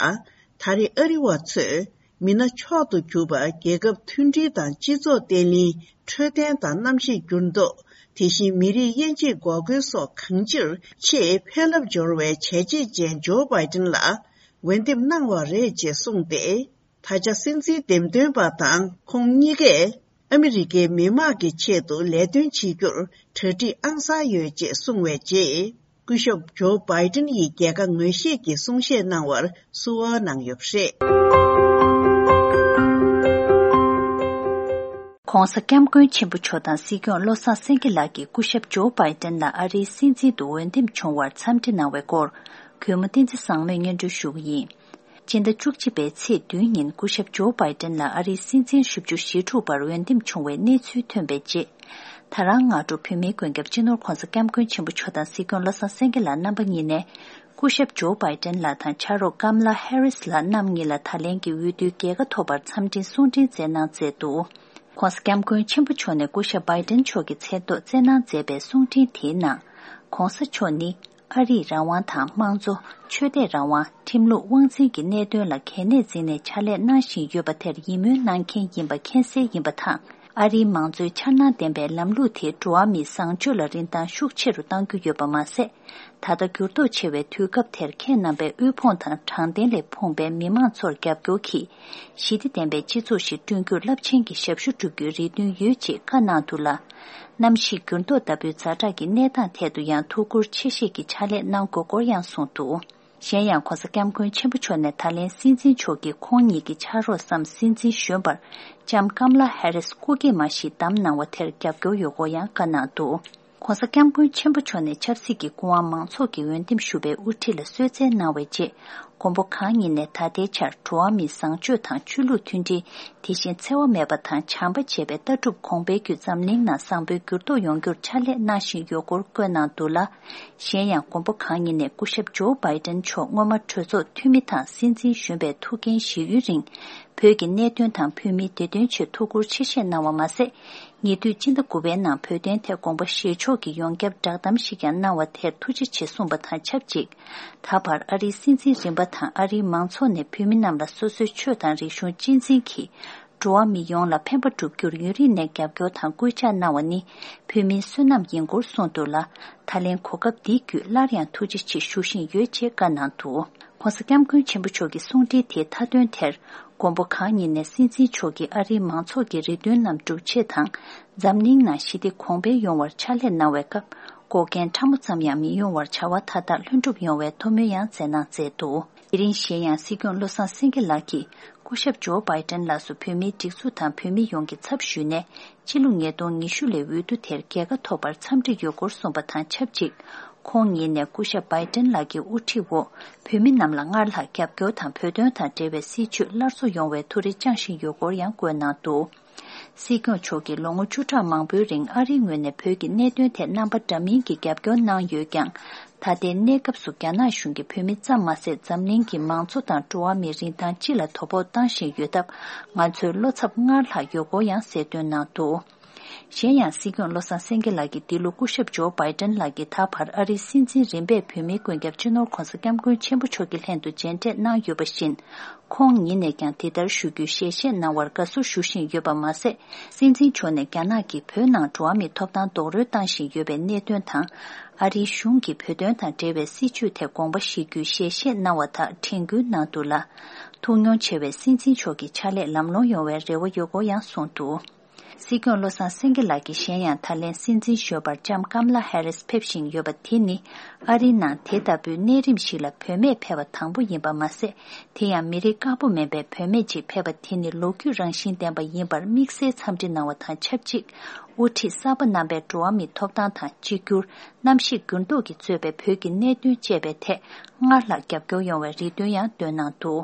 ད་རེས་ཨ་རི་བ་ཚོས་མི་སྣ་མཆོག་ཏུ་གྱུར་པ་རྒྱལ་ཁབ་མཐུན་སྒྲིལ་དང་སྤྱི་ཚོགས་བརྟན་ལྷིང་། འཕྲོད་བསྟེན་དང་གནམ་གཤིས་འགྱུར་ལྡོག་དེ་བཞིན་མི་རིགས་དབྱེ་འབྱེད་འགོག་རྒོལ་སོགས་གང་ཅིར་ཆེས་ཕན་རླབས་འབྱོར་བའི་བྱས་རྗེས་ཅན་ཇོ་བྷའི་ཏིན་ལ་འོས་འདེམས་གནང་བ་རེད་ཅེས་གསུངས་ཏེ། ད་ཆ་སྲིད་འཛིན་འདེམས་ཐོན་པ་དང་ཁོང་གཉིས་ཀས་ཨ་མི་རི་ཀའི་མི་དམངས་ཀྱི་ཆེད་དུ་ལས་དོན་བྱེད་རྒྱུར་གྲ་སྒྲིག་ཨང་གསར་ཡོད་ཅེས་གསུངས་པའི་རྗེས། སྐུ་ཞབས་ཇོ་བྷའི་ཏིན་ཡིས་རྒྱལ་ཁ་ངོས་བཞེས་ཀྱི་གསུང་བཤད་གནང་བར་བསུ་བ་གནང་ཡོད་པ་རེད། ྋགོང་ས་ྋསྐྱབས་མགོན་ཆེན་པོ་མཆོག་དང་སྲིད་སྐྱོང་བློ་བཟང་སེང་གེ་ལགས་ཀྱིས་སྐུ་ཞབས་ཇོ་བྷའི་ཏིན་ལ་ཨ་རིའི་སྲིད་འཛིན་དུ་འོས་འདེམས་བྱུང་བར་འཚམས་འདྲི་གནང་བའི་སྐོར། གུས་མོ་བསྟན་འཛིན་བཟང་མོས་སྙན་སྒྲོན་ཞུ་གི་ཡིན། སྤྱི་ཟླ་བཅུ་གཅིག་པའི་ཚེས་བདུན་ཉིན་སྐུ་ཞབས་ཇོ་བྷའི་ཏིན་ལ་ཨ་རིའི་སྲིད་འཛིན་བཞི་བཅུ་ཞེ་དྲུག་པར་འོས་འདེམས་བྱུང་བའི་གནས་ཚུལ་ཐོན་པའི་རྗེས། ད་རང་སྔ་དྲོ་བོད་མིའི་མགོན་སྐྱབས་སྤྱི་ནོར་༧གོང་ས་༧སྐྱབས་མགོན་ཆེན་པོ་མཆོག་དང་སྲིད་སྐྱོང་བློ་བཟང་སེང་གེ་ལགས་རྣམ་པ་གཉིས་ནས། སྐུ་ཞབས་ཇོ་བྷའི་ཏིན་ལགས་དང་ཕྱག་རོགས་ཀམ་ལ་ཧེ་རིས་ལགས་རྣམ་གཉིས་ལ་ད་ལན་གྱི་འོས་བསྡུའི་རྒྱལ་ཁ་ཐོབ་པར་འཚམས་འདྲིའི་གསུང་འཕྲིན་བསྩལ་གནང་མཛད་འདུག ྋགོང་ས་ྋསྐྱབས་མགོན་ཆེན་པོ་མཆོག་ནས་སྐུ་ཞབས་བྷའི་ཏིན་མཆོག་གི་མཚན་ཐོག་བསྩལ་གནང་མཛད་པའི་གསུང་འཕྲིན་དེའི་ནང་། ྋགོང་ས་མཆོག་ནི། ཨ་རིས་རང་དབང་དང་དམངས་གཙོ། ཆོས་དད་རང་དབང་། ཁྲིམས་ལུགས་དབང་འཛིན་གྱི་གནད་དོན་ལ་གལ་གནད་འཛིན་ནས་ཕྱག་ལས་གནང་བཞིན་ཡོད་པ་དེར་ཡིད་སྨོན་གནང་མཁན་ཡིན་པ་མཁྱེན་གསལ་ཡིན་པ་དང་ ཨ་རིའི་མང་གཙོའི་འཆར་སྣང་ལྡན་པའི་ལམ་ལུགས་དེས་འགྲོ་བ་མིའི་བཟང་སྤྱོད་ལ་རིན་ཐང་ཤུགས་ཆེ་རུ་གཏང་རྒྱུ་ཡོད་པ་མ་ཟད། ད་ལྟ་འགྱུར་ལྡོག་ཆེ་བའི་དུས་སྐབས་དེར་ཁྱེད་རྣམ་པས་དབུལ་ཕོངས་དང་དྲང་བདེན་ལས་ཕོངས་པའི་མི་མང་ཚོར་རྒྱབ་སྐྱོར་གྱིས། ཞི་བདེ་ལྡན་པའི་སྤྱི་ཚོགས་ཤིག་བསྐྲུན་རྒྱུར་རླབས་ཆེན་གྱི་ཞབས་ཞུ་སྒྲུབ་རྒྱུའི་རེ་འདུན་ཡོད་ཅེས་བཀའ་གནང་འདུག་ལ། གནམ་གཤིས་འགྱུར་ལྡོག་ལྟ་བུའི་ཛ་དྲག་གི་གནས་སྟངས་ཐད་དུ་ཡང་ཐུགས་ཁུར་ཆེ་བཞེས་ཀྱིས་ཕྱག་ལས་གནང་དགོས་སྐོར་ཡང་གསུངས་འདུག་གཞན་ཡང་༧གོང་ས་༧སྐྱབས་མགོན་ཆེན་པོ་མཆོག་ནས་ད་ལན་སྲིད་འཛིན་མཆོག་གིས་ཁོང་ཉིད་ཀྱི་ཕྱག་རོགས་སམ་སྲིད་འཛིན་གཞོན་པར་ལྕམ་ཀམ་ལ་ཧེ་རིས་སྐུ་སྐྱེས་མ་ཞིག་བདམས་གནང་བ་དེར་རྒྱབ་སྐྱོར་ཡོད་སྐོར་ཡང་བཀའ་གནང་འདུག ༸གོང་ས་༸སྐྱབས་མགོན་ཆེན་པོ་མཆོག་ནས་ཆབ་སྲིད་ཀྱི་སྐུ་དབང་མང་ཚོགས་ཀྱིས་འོས་འདེམས་ཞུ་བའི་དབུ་ཁྲིད་ལ་གསོལ་སྩལ་གནང་བའི་རྗེས། མགོན་པོ་གང་ཉིད་ནས་ད་ལྟའི་ཆར་འགྲོ་བ་མིའི་བཟང་སྤྱོད་དང་ཆོས་ལུགས་མཐུན་སྒྲིལ། དེ་བཞིན་འཚེ་བ་མེད་པ་དང་བྱམས་པ་ཅེས་པའི་ལྟ་གྲུབ་གོང་འཕེལ་བརྒྱུད་འཛམ་གླིང་ནང་བཟང་པོའི་འགྱུར་ལྡོག་ཡོང་རྒྱུར་ཕྱག་ལས་གནང་བཞིན་ཡོད་སྐོར་བཀོད་གནང་འདུག་ལ། གཞན་ཡང་མགོན་པོ་གང་ཉིད་ནས་སྐུ་ཞབས་ཇོ་བྷའི་ཏན་མཆོག་སྔོན་མ་གྲོས་ཚོགས་འཐུས་མི་དང་སྲིད་འཛིན་གཞོན་པའི་ཐུགས་འགན་བཞེས་ཡུན་རིང་། བོད་ཀྱི་གནད་དོན་དང་བོད་མིའི་བདེ་དོན་ཆེད་ཐུགས་ཁུར་ཆེ་བཞེས་གནང་བ་མ་ཟད། ཉེ་དུས་སྤྱི་ཟླ་དགུ་པའི་ནང་བོད་དོན་ཐད་དགོངས་པ་བཞེས་ཕྱོགས་ཀྱི་ཡོངས་ཁྱབ་བསྒྲགས་གཏམ་ཞིག་ཀྱང་གནང་བ་དེར་ཐུགས་རྗེ་ཆེ་གསུངས་པ་དང་ཆབས་ཅིག་ད་བར་ཨ་རིའི་སྲིད་འཛིན་རིམ་པ་དང་ཨ་རིའི་མང་ཚོགས་ནས་བོད་མི་རྣམས་ལ་སོ་སོའི་ཆོས་དང་རིག་གཞུང་གཅེས་འཛིན་གྱིས། འགྲོ་བ་མི་ཡོངས་ལ་ཕན་པ་བསྒྲུབ་རྒྱུར་ཡུན་རིང་ནས་རྒྱབ་སྐྱོར་དང་སྐུལ་ལྕག་གནང་བ་ནི་བོད་མིའི་བསོད་ནམས་ཡིན་སྐོར་གསུངས་འདུག་ལ། ད་ལན་གོ་སྐབས་འདི་བརྒྱུད་སླར་ཡང་ཐུགས་རྗེ་ཆེ་ཞུ་བཞིན་ཡོད་ཅེས་བཀའ་གནང་འདུག ༸གོང་ས་༸སྐྱབས་མགོན་ཆེན་པོ་མཆོག་གི་གསུང་འཕྲིན་དེའི་མཐའ་དོན་དེར། མགོན་པོ་གང་ཉིད་ནས་སྲིད་འཛིན་མཆོག་གིས་ཨ་རིའི་མང་ཚོགས་ཀྱི་རེ་འདུན་རྣམས་སྒྲུབ་ཆེད་དང་། འཛམ་གླིང་ནང་ཞི་བདེ་གོང་འཕེལ་ཡོང་བར་ཕྱག་ལས་གནང་བའི་སྐབས། འགོག་རྐྱེན་ཕྲ་མོ་ཙམ་ཡང་མི་ཡོང་བར་བྱ་བ་མཐའ་དག་ལྷུན་གྲུབ་ཡོང་བའི་ཐུགས་སྨོན་ཡང་སྩལ་གནང་མཛད་འདུག་དེ་རིང་གཞན་ཡང་སྲིད་སྐྱོང་བློ་བཟང་སེང་གེ་ལགས་ཀྱིས་སྐུ་ཞབས་ཇོ་བྷའི་ཏན་ལགས་སུ་བོད་མིའི་སྒྲིག་འཛུགས་དང་བོད་མི་ཡོངས་ཀྱི་ཚབ་ཞུས་ནས། ཕྱི་ལོ་ཉིས་སྟོང་ཉི་ཤུ་ལོའི་འོས་བསྡུ་དེར་རྒྱལ་ཁ་ཐོབ་པར་འཚམས་འདྲི་ཡོད་སྐོར་གསུངས་པ་དང་ཆབས་ཅིག་ཁོང་ཉིད་ནས་སྐུ་ཞབས་བྷའི་ཏན་ལགས་ཀྱི་དབུ་ཁྲིད་འོག་བོད་མི་རྣམས་ལ་སྔར་ལྷག་རྒྱབ་སྐྱོར་དང་བོད་དོན་དང་འབྲེལ་བའི་སྲིད་བྱུས་སླར་གསོ་ཡོང་བའི་ཐུགས་རེ་བཅངས་བཞིན་ཡོད་སྐོར་ཡང་བཀོད་གནང་འདུག་སྲིད་སྐྱོང་མཆོག་གིས་ལོ་ངོ་བཅུ་ཕྲག་མང་པོའི་རིང་ཨ་རིའི་ངོས་ནས་བོད་ཀྱི་གནད་དོན་ཐད་རྣམ་པ་འདྲ་མིན་གྱི་རྒྱབ་སྐྱོར་གནང་ཡོད་ཀྱང་། ད་ལྟའི་གནས་སྐབས་སུ་རྒྱ་ནག་གཞུང་གིས་བོད་མི་ཙམ་མ་ཟད་འཛམ་གླིང་གི་མང་གཙོ་དང་འགྲོ་བ་མིའི་རིན་ཐང་སྤྱི་ལ་དོ་ཕོག་བཏང་བཞིན་ཡོད་སྟབས། ང་ཚོའི་བློ་འཚབ་སྔར་ལྷག་ཡོད་སྐོར་ཡང་གསལ་སྟོན་གནང་འདུག་གཞན་ཡང་སྲིད་སྐྱོང་བློ་བཟང་སེང་གེ་ལགས་ཀྱིས་འདི་ལོ་སྐུ་ཞབས་ཇོ་བྷའི་ཏན་ལགས་ཀྱིས་ད་བར་ཨ་རིའི་སྲིད་འཛིན་རིམ་པས་བོད་མིའི་མགོན་སྐྱབས་སྤྱི་ནོར་༸གོང་ས་༸སྐྱབས་མགོན་ཆེན་པོ་མཆོག་གི་ལྷན་དུ་མཇལ་འཕྲད་གནང་ཡོད་པ་བཞིན། ཁོང་ཉིད་ནས་ཀྱང་དེ་ལྟར་ཞུ་རྒྱུའི་ཞལ་བཞེས་གནང་བར་དགའ་བསུ་ཞུ་བཞིན་ཡོད་པ་མ་ཟད། སྲིད་འཛིན་མཆོག་ནས་རྒྱ་ནག་གིས་བོད་ནང་འགྲོ་བ་མིའི་ཐོབ་ཐང་རྡོག་རོལ་བཏང་བཞིན་ཡོད་པའི་གནད་དོན་དང་། ཨ་རིའི་གཞུང་གིས་བོད་དོན་དང་འབྲེལ་བའི་སྲིད་བྱུས་ཐད་དགོངས་པ་བཞེས་རྒྱུའི་ཞལ་བཞེས་གནང་བ་དག་དྲན་སྐུལ་གནང་འདུག་ལ། ཐུགས་མྱོང་ཆེ་བའི་སྲིད་འཛིན་མཆོག་གི་ཕྱག་ལས་ལམ་ལྷོང་ཡོང་བའི་རེ་བ་ཡོད་སྐོར་ཡང་གསུངས་འདུག་སྲིད་སྐྱོང་བློ་བཟང་སེང་གེ་ལགས་ཀྱིས་གཞན་ཡང་ད་ལན་སྲིད་འཛིན་གཞོན་པར་ལྕམ་ཀམ་ལ་ཧེ་རིས་ཕེབས་བཞིན་ཡོད་པ་དེ་ནི། ཨ་རིའི་ནང་དེ་ལྟ་བུའི་གནས་རིམ་ཞིག་ལ་བུད་མེད་ཕེབས་པ་དང་པོ་ཡིན་པ་མ་ཟད། དེ་ཡང་མི་རིགས་དཀར་པོ་མིན་པའི་བུད་མེད་ཅིག་ཕེབས་པ་དེ་ནི་ལོ་རྒྱུས་རང་བཞིན་ལྡན་པ་ཡིན་པར་དམིགས་བསལ་འཚམས་འདྲི་གནང་བ་དང་ཆབས་ཅིག་དབུ་ཁྲིད་གསར་པ་རྣམ་པས་འགྲོ་བ་མིའི་ཐོབ་ཐང་དང་གཅིག་གྱུར། གནམ་གཤིས་འགྱུར་ལྡོག་གིས་གཙོས་པའི་བོད་ཀྱི་གནད་དོན་བཅས་པའི་ཐད་སྔར་ལྷག་རྒྱབ་སྐྱོར་ཡོང་བའི་རེ་འདུན་ཡང་བཏོན་གནང་འདུག་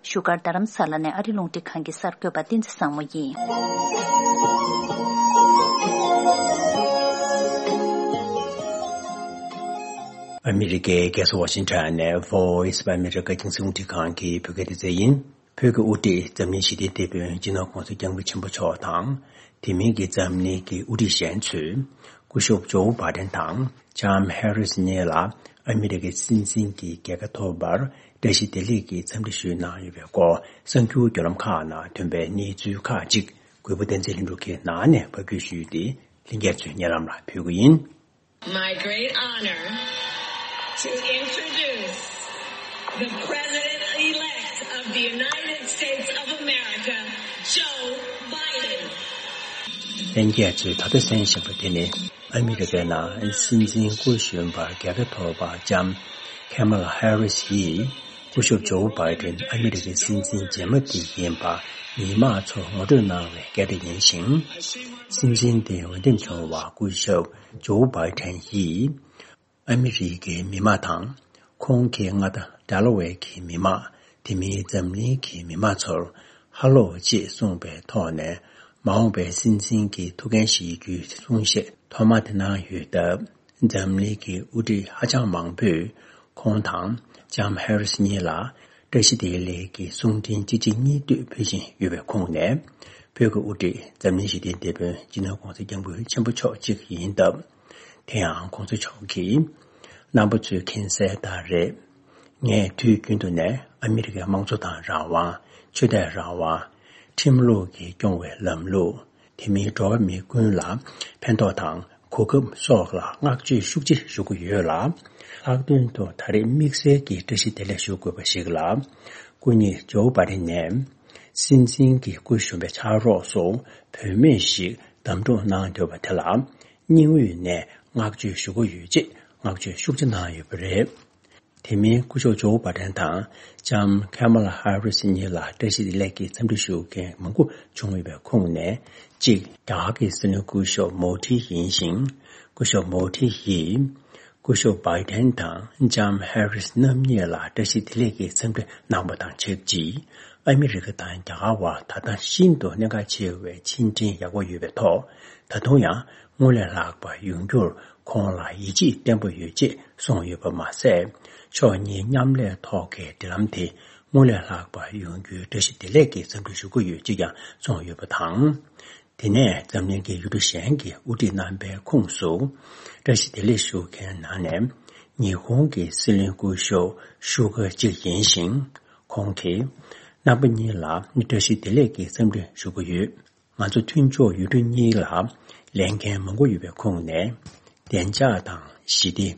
བཞུགས་སྒར་རྡ་རམ་ས་ལ་ནས་ཨ་རི་རླུང་འཕྲིན་ཁང་གི་གསར་འགོད་པ་བསྟན་འཛིན་བཟང་མོ་ཡིན། ཨ་མི་རི་ཀའི་རྒྱལ་ས་ཝ་ཤིང་ཊོན་ནས་Voice of America་རྒྱང་སྲིང་རླུང་འཕྲིན་ཁང་གི་བོད་སྐད་སྡེ་ཚན་ཡིན། བོད་ཀྱི་དབུ་ཁྲིད་འཛམ་གླིང་ཞི་བདེའི་དེད་དཔོན་སྤྱི་ནོར་༸གོང་ས་༸སྐྱབས་མགོན་ཆེན་པོ་མཆོག་དང་། དེ་མིན་གྱི་འཛམ་གླིང་གི་དབུ་ཁྲིད་གཞན་ཚོས། སྐུ་ཞབས་ཇོ་བྷའི་ཏན་དང་ལྕམ་ཧེ་རིས་གཉིས་ལ་ཨ་མི་རི་ཀའི་སྲིད་འཛིན་གྱི་རྒྱལ་ཁ་ཐོབ་པར་བཀྲ་ཤིས་བདེ་ལེགས་ཀྱི་འཚམས་འདྲི་ཞུས་གནང་ཡོད་པའི་སྐོར་གསར་འགྱུར་བརྒྱུད་ལམ་ཁག་ནང་ཐོན་པའི་གནས་ཚུལ་ཁག་ཅིག་གུས་པ་བསྟན་འཛིན་ལྷུན་གྲུབ་ཀྱིས་ནང་ནས་ཕབ་སྒྱུར་ཞུས་ཏེ་ལྷན་རྒྱས་ཚོའི་སྙན་ལམ་ལ་ཕུལ་གྱི་ཡིན། My great honor to introduce the President-elect of the United States of America, Joe Biden. ལྷན་རྒྱས་ཚོས་ད་ལྟ་གསན་བཞིན་པ་དེ་ནི་ཨ་མི་རི་ཀའི་ནང་སྲིད་འཛིན་སྐུ་གཞོན་པར་རྒྱལ་ཁ་ཐོབ་པ་ལྕམ་ཁེ་མ་ལ་ཧེ་རིས་ཡིས། སྐུ་ཞབས་ཇོ་བྷའི་ཏན་ཨ་མི་རི་ཀའི་སྲིད་འཛིན་རྗེས་མ་དེ་ཡིན་པ་མི་མང་ཚོར་ངོ་སྤྲོད་གནང་བའི་སྐད་སྒྲ་ཡིན་ཞིང་། སྲིད་འཛིན་དེ་འོས་འདེམས་བྱུང་བ་སྐུ་ཞབས་ཇོ་བྷའི་ཏན་ཡིས། ཨ་མི་རི་ཀའི་མི་མང་དང་། ཁོང་གི་མངའ་བདག་ཌེ་ལ་ཝེར་གྱི་མི་མང་། དེ་མིན་འཛམ་གླིང་གི་མི་མང་ཚོར་ཧ་ལོ་ཅེས་གསུངས་པའི་ཐོག་ནས། མ་འོངས་པའི་སྲིད་འཛིན་གྱི་ཐུགས་འགན་བཞེས་རྒྱུའི་གསུང་བཤད་ཐོག་མ་དེ་གནང་ཡོད་སྟབས། འཛམ་གླིང་གི་དབུ་ཁྲིད་ཧ་ཅང་མང་པོས་ཁོང་དང་ལྕམ་ཧེ་རིས་གཉིས་ལ་བཀྲ་ཤིས་བདེ་ལེགས་ཀྱི་གསུང་འཕྲིན་གཅིག་རྗེས་གཉིས་མཐུད་ཕུལ་བཞིན་ཡོད་པའི་ཁོངས་ནས། བོད་ཀྱི་དབུ་ཁྲིད་འཛམ་གླིང་ཞི་བདེའི་དེད་དཔོན་སྤྱི་ནོར་༸གོང་ས་༸སྐྱབས་མགོན་ཆེན་པོ་མཆོག་གཅིག་ཡིན་སྟབས། དེ་ཡང་༸གོང་ས་མཆོག་གིས། རྣམ་པ་ཚོས་མཁྱེན་གསལ་ལྟར་རེད། ངས་དུས་རྒྱུན་དུ་ནས་ཨ་མི་རི་ཀའི་དམངས་གཙོ་དང་རང་དབང་། ཆོས་དད་རང་དབང་། ཁྲིམས་ལུགས་ཀྱིས་སྐྱོང་བའི་ལམ་ལུགས། དེ་མིན་འགྲོ་བ་མི་ཀུན་ལ་ཕན་ཐོགས་དང་གོ་སྐབས་སོགས་ལ་བསྔགས་བརྗོད་ཤུགས་ཆེ་ཞུ་གི་ཡོད་ལ། ལྷག་དོན་དུ་ད་རེས་དམིགས་བསལ་གྱི་བཀྲ་ཤིས་བདེ་ལེགས་ཞུ་དགོས་པ་ཞིག་ལ། སྐུ་ཉིད་ཇོ་བྷ་ཌེན་ནས་སྲིད་འཛིན་གྱི་སྐུ་གཞོན་པའི་ཕྱག་རོགས་སུ་བུད་མེད་ཞིག་གདམ་འཐུ་གནང་འདོད་པ་དེ་ལ་སྙིང་དབུས་ནས་བསྔགས་བརྗོད་ཞུ་གི་ཡོད་ཅེས་བསྔགས་བརྗོད་ཤུགས་ཆེ་གནང་ཡོད་པ་རེད། དེ་མིན་སྐུ་ཞབས་ཇོ་བྷ་ཌེན་དང་ལྕམ་ཁ་མ་ལ་ཧ་རིས་གཉིས་ལ་བཀྲ་ཤིས་བདེ་ལེགས་ཀྱི་འཚམས་འདྲི་ཞུ་མཁན་མང་པོ་བྱུང་ཡོད་པའི་ཁོངས་ནས། གཅིག་རྒྱ་གར་གྱི་སྲིད་བློན་སྐུ་ཞབས་མོ་དྷི་ཡིན་ཞིང་། སྐུ་ཞབས་མོ་དྷི་ཡིས་སྐུ་ཞབས་བྷའི་ཌེན་དང་ལྕམ་ཧ་རིས་རྣམ་གཉིས་ལ་བཀྲ་ཤིས་བདེ་ལེགས་ཀྱི་འཚམས་འདྲི་གནང་བ་དང་ཆབས་ཅིག་ཨ་མི་རི་ཀ་དང་རྒྱ་གར་བར་ད་ལྟ་ཤིན་ཏུ་གནད་འགག་ཆེ་བའི་ཕྱི་འབྲེལ་ཡག་པོ་ཡོད་པའི་ཐོག་ད་དུང་ཡང་སྔོན་ལས་ལྷག་པ་ཡོང་རྒྱུར་ཁོང་ལ་ཡིད་ཆེས་བརྟན་པོ་ཡོད་ཅེས་གསུངས་ཡོད་པ་མ་ཟད། ཕྱོགས་གཉིས་མཉམ་ལས་ཐོག་གི་འབྲེལ་ལམ་དེ་སྔོན་ལས་ལྷག་པ་ཡོང་རྒྱུའི་བཀྲ་ཤིས་བདེ་ལེགས་ཀྱི་འཚམས་འདྲི་ཞུ་གི་ཡོད་ཅེས་ཀྱང་གསུངས་ཡོད་པ་དང་། དེ་ནས་འཛམ་གླིང་གི་ཡུལ་གྲུ་གཞན་གྱི་དབུ་ཁྲིད་རྣམ་པའི་ཁོངས་སུ་བཀྲ་ཤིས་བདེ་ལེགས་ཞུ་མཁན་ནང་ནས་ཉི་ཧོང་གི་སྲིད་བློན་སྐུ་ཞབས་ཤུ་ག་གཅིག་ཡིན་ཞིང་། ཁོང་གིས་རྣམ་པ་གཉིས་ལ་བཀྲ་ཤིས་བདེ་ལེགས་ཀྱི་འཚམས་འདྲི་ཞུ་གི་ཡོད། ང་ཚོ་མཐུན་ཕྱོགས་ཡུལ་གྲུ་གཉིས་ལ་ལས་འགན་མང་པོ་ཡོད་པའི་ཁོངས་ནས། བདེ་འཇགས་དང་ཞི་བདེ།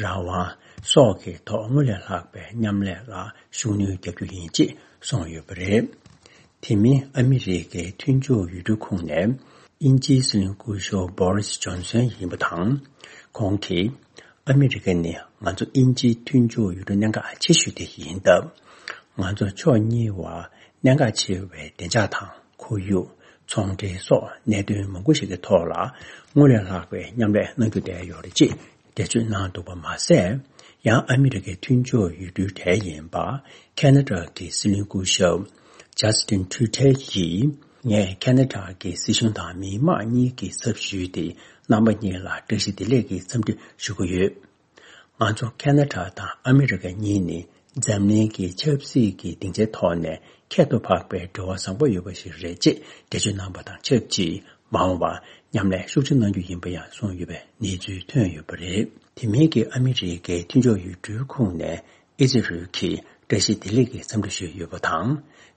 རང་དབང་སོགས་ཀྱི་ཐོག་སྔོན་ལས་ལྷག་པའི་མཉམ་ལས་ལ་ཤུགས་སྣོན་རྒྱག་རྒྱུ་ཡིན་ཅེས་གསུངས་ཡོད་པ་རེད། དེ་མིན་ཨ་མི་རི་ཀའི་མཐུན་ཕྱོགས་ཡུལ་གྲུའི་ཁོངས་ནས་དབྱིན་ཇིའི་སྲིད་བློན་སྐུ་ཞབས་བྷོ་རིས་ཇོན་སན་ཡིན་པ་དང་། ཁོང་གིས། ཨ་མི་རི་ཀ་ནི་ང་ཚོ་དབྱིན་ཇིའི་མཐུན་ཕྱོགས་ཡུལ་གྲུ་གནད་འགག་ཆེ་ཤོས་དེ་ཡིན་སྟབས། ང་ཚོ་ཕྱོགས་གཉིས་བར་གནད་འགག་ཆེ་བའི་བདེ་འཇགས་དང་ཁོར་ཡུག་ཚོང་འབྲེལ་སོགས་གནད་དོན་མང་པོ་ཞིག་གི་ཐོག་ལ་སྔོན་ལས་ལྷག་པའི་མཉམ་ལས་གནང་རྒྱུ་བསྡད་ཡོད་རེད་ཅེས་འགྲེལ་བརྗོད་གནང་འདུག་པ་མ་ཟད། ཡང་ཨ་མི་རི་ཀའི་མཐུན་ཕྱོགས་ཡུལ་གྲུའི་གྲས་ཡིན་པ་ཁེ་ན་ཌ་གི་སྲིད་བློན་སྐུ་ཞབས་ཇ་སི་ཏིན་ཐུ་ཏེ་ཡིས། ངས་ཁེ་ན་ཌ་གི་སྲིད་གཞུང་དང་མི་དམངས་གཉིས་ཀྱི་ཚབ་ཞུས་ཏེ་རྣམ་པ་གཉིས་ལ་བཀྲ་ཤིས་བདེ་ལེགས་ཀྱི་འཚམས་འདྲི་ཞུ་གི་ཡོད། ང་ཚོ་ཁེ་ན་ཌ་དང་ཨ་མི་རི་ཀ་གཉིས་ནི་འཛམ་གླིང་གི་ཆབ་སྲིད་ཀྱི་སྡིངས་ཆའི་ཐོག་ནས་ཁྱད་དུ་འཕགས་པའི་འབྲེལ་བ་བཟང་པོ་ཡོད་པ་ཞིག་རེད་ཅེས་འགྲེལ་བརྗོད་གནང་པ་དང་ཆབས་ཅིག་མ་འོངས་པར་མཉམ་ལས་ཤུགས་ཆེ་གནང་རྒྱུ་ཡིན་པ་ཡང་གསུངས་ཡོད་པའི་གནས་ཚུལ་ཐོན་ཡོད་པ་རེད། དེ་མིན་གྱི་ཨ་མི་རི་ཀའི་མཐུན་ཕྱོགས་ཡུལ་གྲུའི་ཁོངས་ནས་ཨི་ཛི་རལ་གྱིས་བཀྲ་ཤིས་བདེ་ལེགས་ཀྱི་འཚམས་འདྲི་ཞུས་ཡོད་པ་དང་།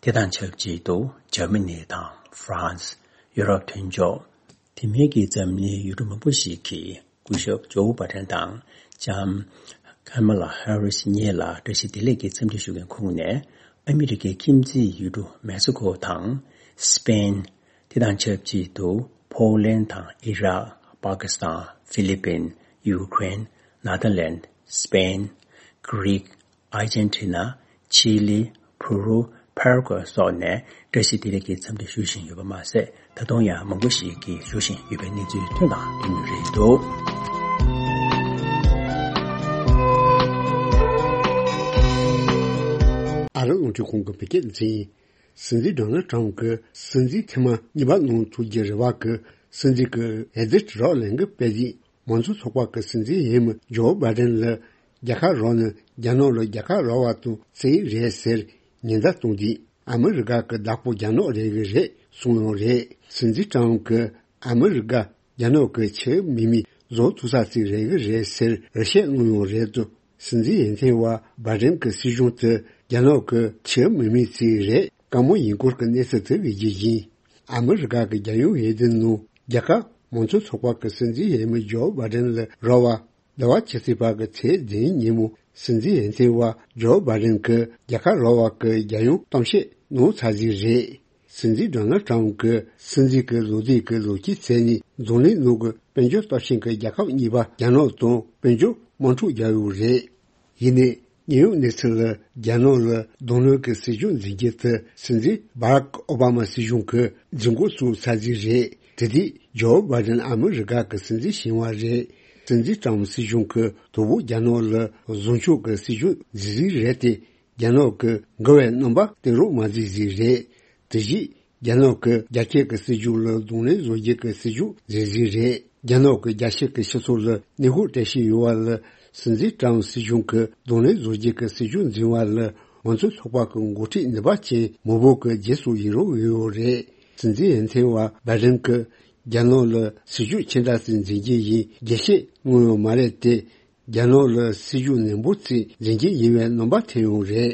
དེ་དང་ཆབས་ཅིག་ཏུ་འཇར་མ་ནི་དང་ཧྥ་རན་སི། ཡུ་རོབ་མཐུན་ཕྱོགས། དེ་མིན་གྱི་འཛམ་གླིང་ཡུལ་གྲུ་མང་པོ་ཞིག་གིས་སྐུ་ཞབས་ཇོ་བྷ་ཌེན་དང་ལྕམ་ཁ་མ་ལ་ཧ་རིས་གཉིས་ལ་བཀྲ་ཤིས་བདེ་ལེགས་ཀྱི་འཚམས་འདྲི་ཞུ་མཁན་ཁོངས་ནས་ཨ་མི་རི་ཀའི་ཁྱིམ་མཚེས་ཡུལ་གྲུ་མེག་སི་ཀོ་དང་སི་པེན། དེ་དང་ཆབས་ཅིག་ཏུ་ཕོ་ལན་དང་ཨི་རག་པ་ཀི་སི་ཐན། ཧྥི་ལི་པིན། ཡུ་ཀེ་རེན། ནེ་དར་ལན། སི་པེན། གྷི་རིག་ཨར་ཇན་ཊི་ན། ཆི་ལི། ཕུ་རུ། ཕ་ར་གུ་ཝེ་སོགས་ནས་བཀྲ་ཤིས་བདེ་ལེགས་ཀྱི་འཚམས་འདྲི་ཞུ་བཞིན་ཡོད་པ་མ་ཟད། ད་དུང་ཡང་མང་པོ་ཞིག་གིས་ཞུ་བཞིན་ཡོད་པའི་གནས་ཚུལ་ཐོན་དང་ཐོན་མུས་རེད་འདུག་ཨ་རི་རླུང་འཕྲིན་ཁང་གི་བོད་སྐད་སྡེ་ཚན། སྲིད་འཛིན་ཌོ་ནལ་ཊམ་གྱིས་སྲིད་འཛིན་ཐེངས་མ་གཉིས་པ་གནང་ཐུབ་རྒྱུ་རེ་བ་གིས་སྲིད་འཛིན་གྱི་ཨེ་ཛི་ཊི་རོག་ལེན་གྱི་དཔལ་ཡིག་མང་གཙོ་ཚོགས་པ་གི་སྲིད་འཛིན་འོས་མི་ཇོ་བྷའི་ཌེན་ལ་རྒྱལ་ཁ་རག་ན་རྒྱ་ནག་ལ་རྒྱལ་ཁ་རག་པ་དང་གཅིག་རེད་ཟེར་ཉེན་བརྡ་བཏང་དུས། ཨ་མི་རི་ཀ་གི་བདག་པོ་རྒྱ་ནག་རེད་གི་རེད་གསུངས་ཡོད་རེད། སྲིད་འཛིན་ཊམ་གྱིས་ཨ་མི་རི་ཀ་རྒྱ་ནག་གི་ཕྱི་མི་མི་བཟོ་ཐུབ་ས་ཞིག་རེད་གི་རེད་ཟེར་རེ་བཤད་གནང་ཡོད་རེད་དུ། སྲིད་འཛིན་འོས་ཐེངས་བ་བྷའི་ཌེན་གྱི་སྲིད་གཞུང་དེ་རྒྱ་ནག་གི་ཕྱི་མི་མི་ཞིག་རེད། དཀའ་མོ་ཡིན་སྐོར་གྱི་གནས་ཚུལ་དེ་གི་རྒྱུ་ཡིན། ཨ་མི་རི་ཀ་གི་རྒྱལ་ཡོངས་འོས་བསྡུ་ནང་རྒྱལ་ཁབ་མང་གཙོ་ཚོགས་པ་གི་སྲིད་འཛིན་འོས་མི་ཇོ་བྷའི་ཌེན་ལ་རག་པ། ཟླ་བ་ཕྱི་ཚེས་པ་གི་ཚེས་བདུན་ཉིན་མོ་སྲིད་འཛིན་འོས་ཐེངས་བ་ཇོ་བྷའི་ཌེན་གྱི་རྒྱལ་ཁ་རག་པ་གི་རྒྱལ་ཡོངས་གཏམ་བཤད་གནང་ཚར་ཟིག་རེད། སྲིད་འཛིན་ཌོ་ནལ་ཊམ་གྱིས་སྲིད་འཛིན་གྱི་ལོ་དུས་ཀྱི་ལོ་རྒྱུས་ཚད་ནས་འཛམ་གླིང་ནང་གི་དཔལ་འབྱོར་སྟོབས་ཆེན་གྱི་རྒྱལ་ཁབ་གཉིས་པ་རྒྱ་ནག་དང་དཔལ་འབྱོར་དམག་འཁྲུག་རྒྱག་ཡོད་རེད། ཡིན་ནའི་དངོས་ཡོད་གནས་ཚུལ་ལ་རྒྱ་ནག་ལ་གདོང་ལེན་གྱི་སྲིད་ཇུས་འཛིན་རྒྱུ་དེ་སྲིད་འཛིན་བྷ་རག་ཨོ་བྷ་མ་སྲིད་གཞུང་གིས་འཛིན་འགོ་བཙུགས་ཚར་ཟིག་རེད། དེ་དུས་ཇོ་བྷའི་ཌེན་ཨ་མི་རི་ཀ་གི་སྲིད་འཛིན་ཞིག་པ་རེད། སྲིད་འཛིན་ཊམ་སྲིད་གཞུང་གིས་དོ་བོ་རྒྱ་ནག་ལ་བཟང་ཕྱོགས་ཀྱི་སྲིད་ཇུས་འཛིན་ཟིག་རེད་དེ། རྒྱ་ནག་གི་འགལ་བའི་རྣམ་པ་སྟོན་རོགས་མ་བྱེད་ཟིག་རེད། དེ་བཞིན་རྒྱ་ནག་གི་རྒྱ་སྐྱེད་ཀྱི་སྲིད་ཇུས་ལ་གདོང་ལེན་བཟོ་རྒྱུ་གི་སྲིད་ཇུས་འཛིན་ཟིག་རེད། རྒྱ་ནག་གི་རྒྱ་ཆེ་གི་སྤྱི་ཚོགས་ལ་གནོན་ཤུགས་སྤྲད་བཞིན་ཡོད་པ་ལ་སྲིད་འཛིན་ཀྲམ་སྲིད་གཞུང་གི་གདོང་ལེན་བཟོ་རྒྱུ་གི་སྲིད་ཇུས་འཛིན་པ་ལ་མང་གཙོ་ཚོགས་པ་གི་འགོ་ཁྲིད་ནུས་པ་ཅན་མང་པོ་གི་རྗེས་སུ་ཡི་རང་ཡོད་ཡོད་རེད། སྲིད་འཛིན་འོས་ཐེངས་བ་བྷའི་ཌེན་གྱིས་རྒྱ་ནག་ལ་སྲིད་ཇུས་ཆེ་དྲགས་ཤིག་འཛིན་རྒྱུ་ཡིན་རྒྱས་བཤད་གནང་ཡོད་མ་རེད་དེ། རྒྱ་ནག་ལ་སྲིད་ཇུས་ནན་པོ་ཅིག་འཛིན་རྒྱུ་ཡིན་པའི་རྣམ་པ་ཐོན་ཡོད་རེད།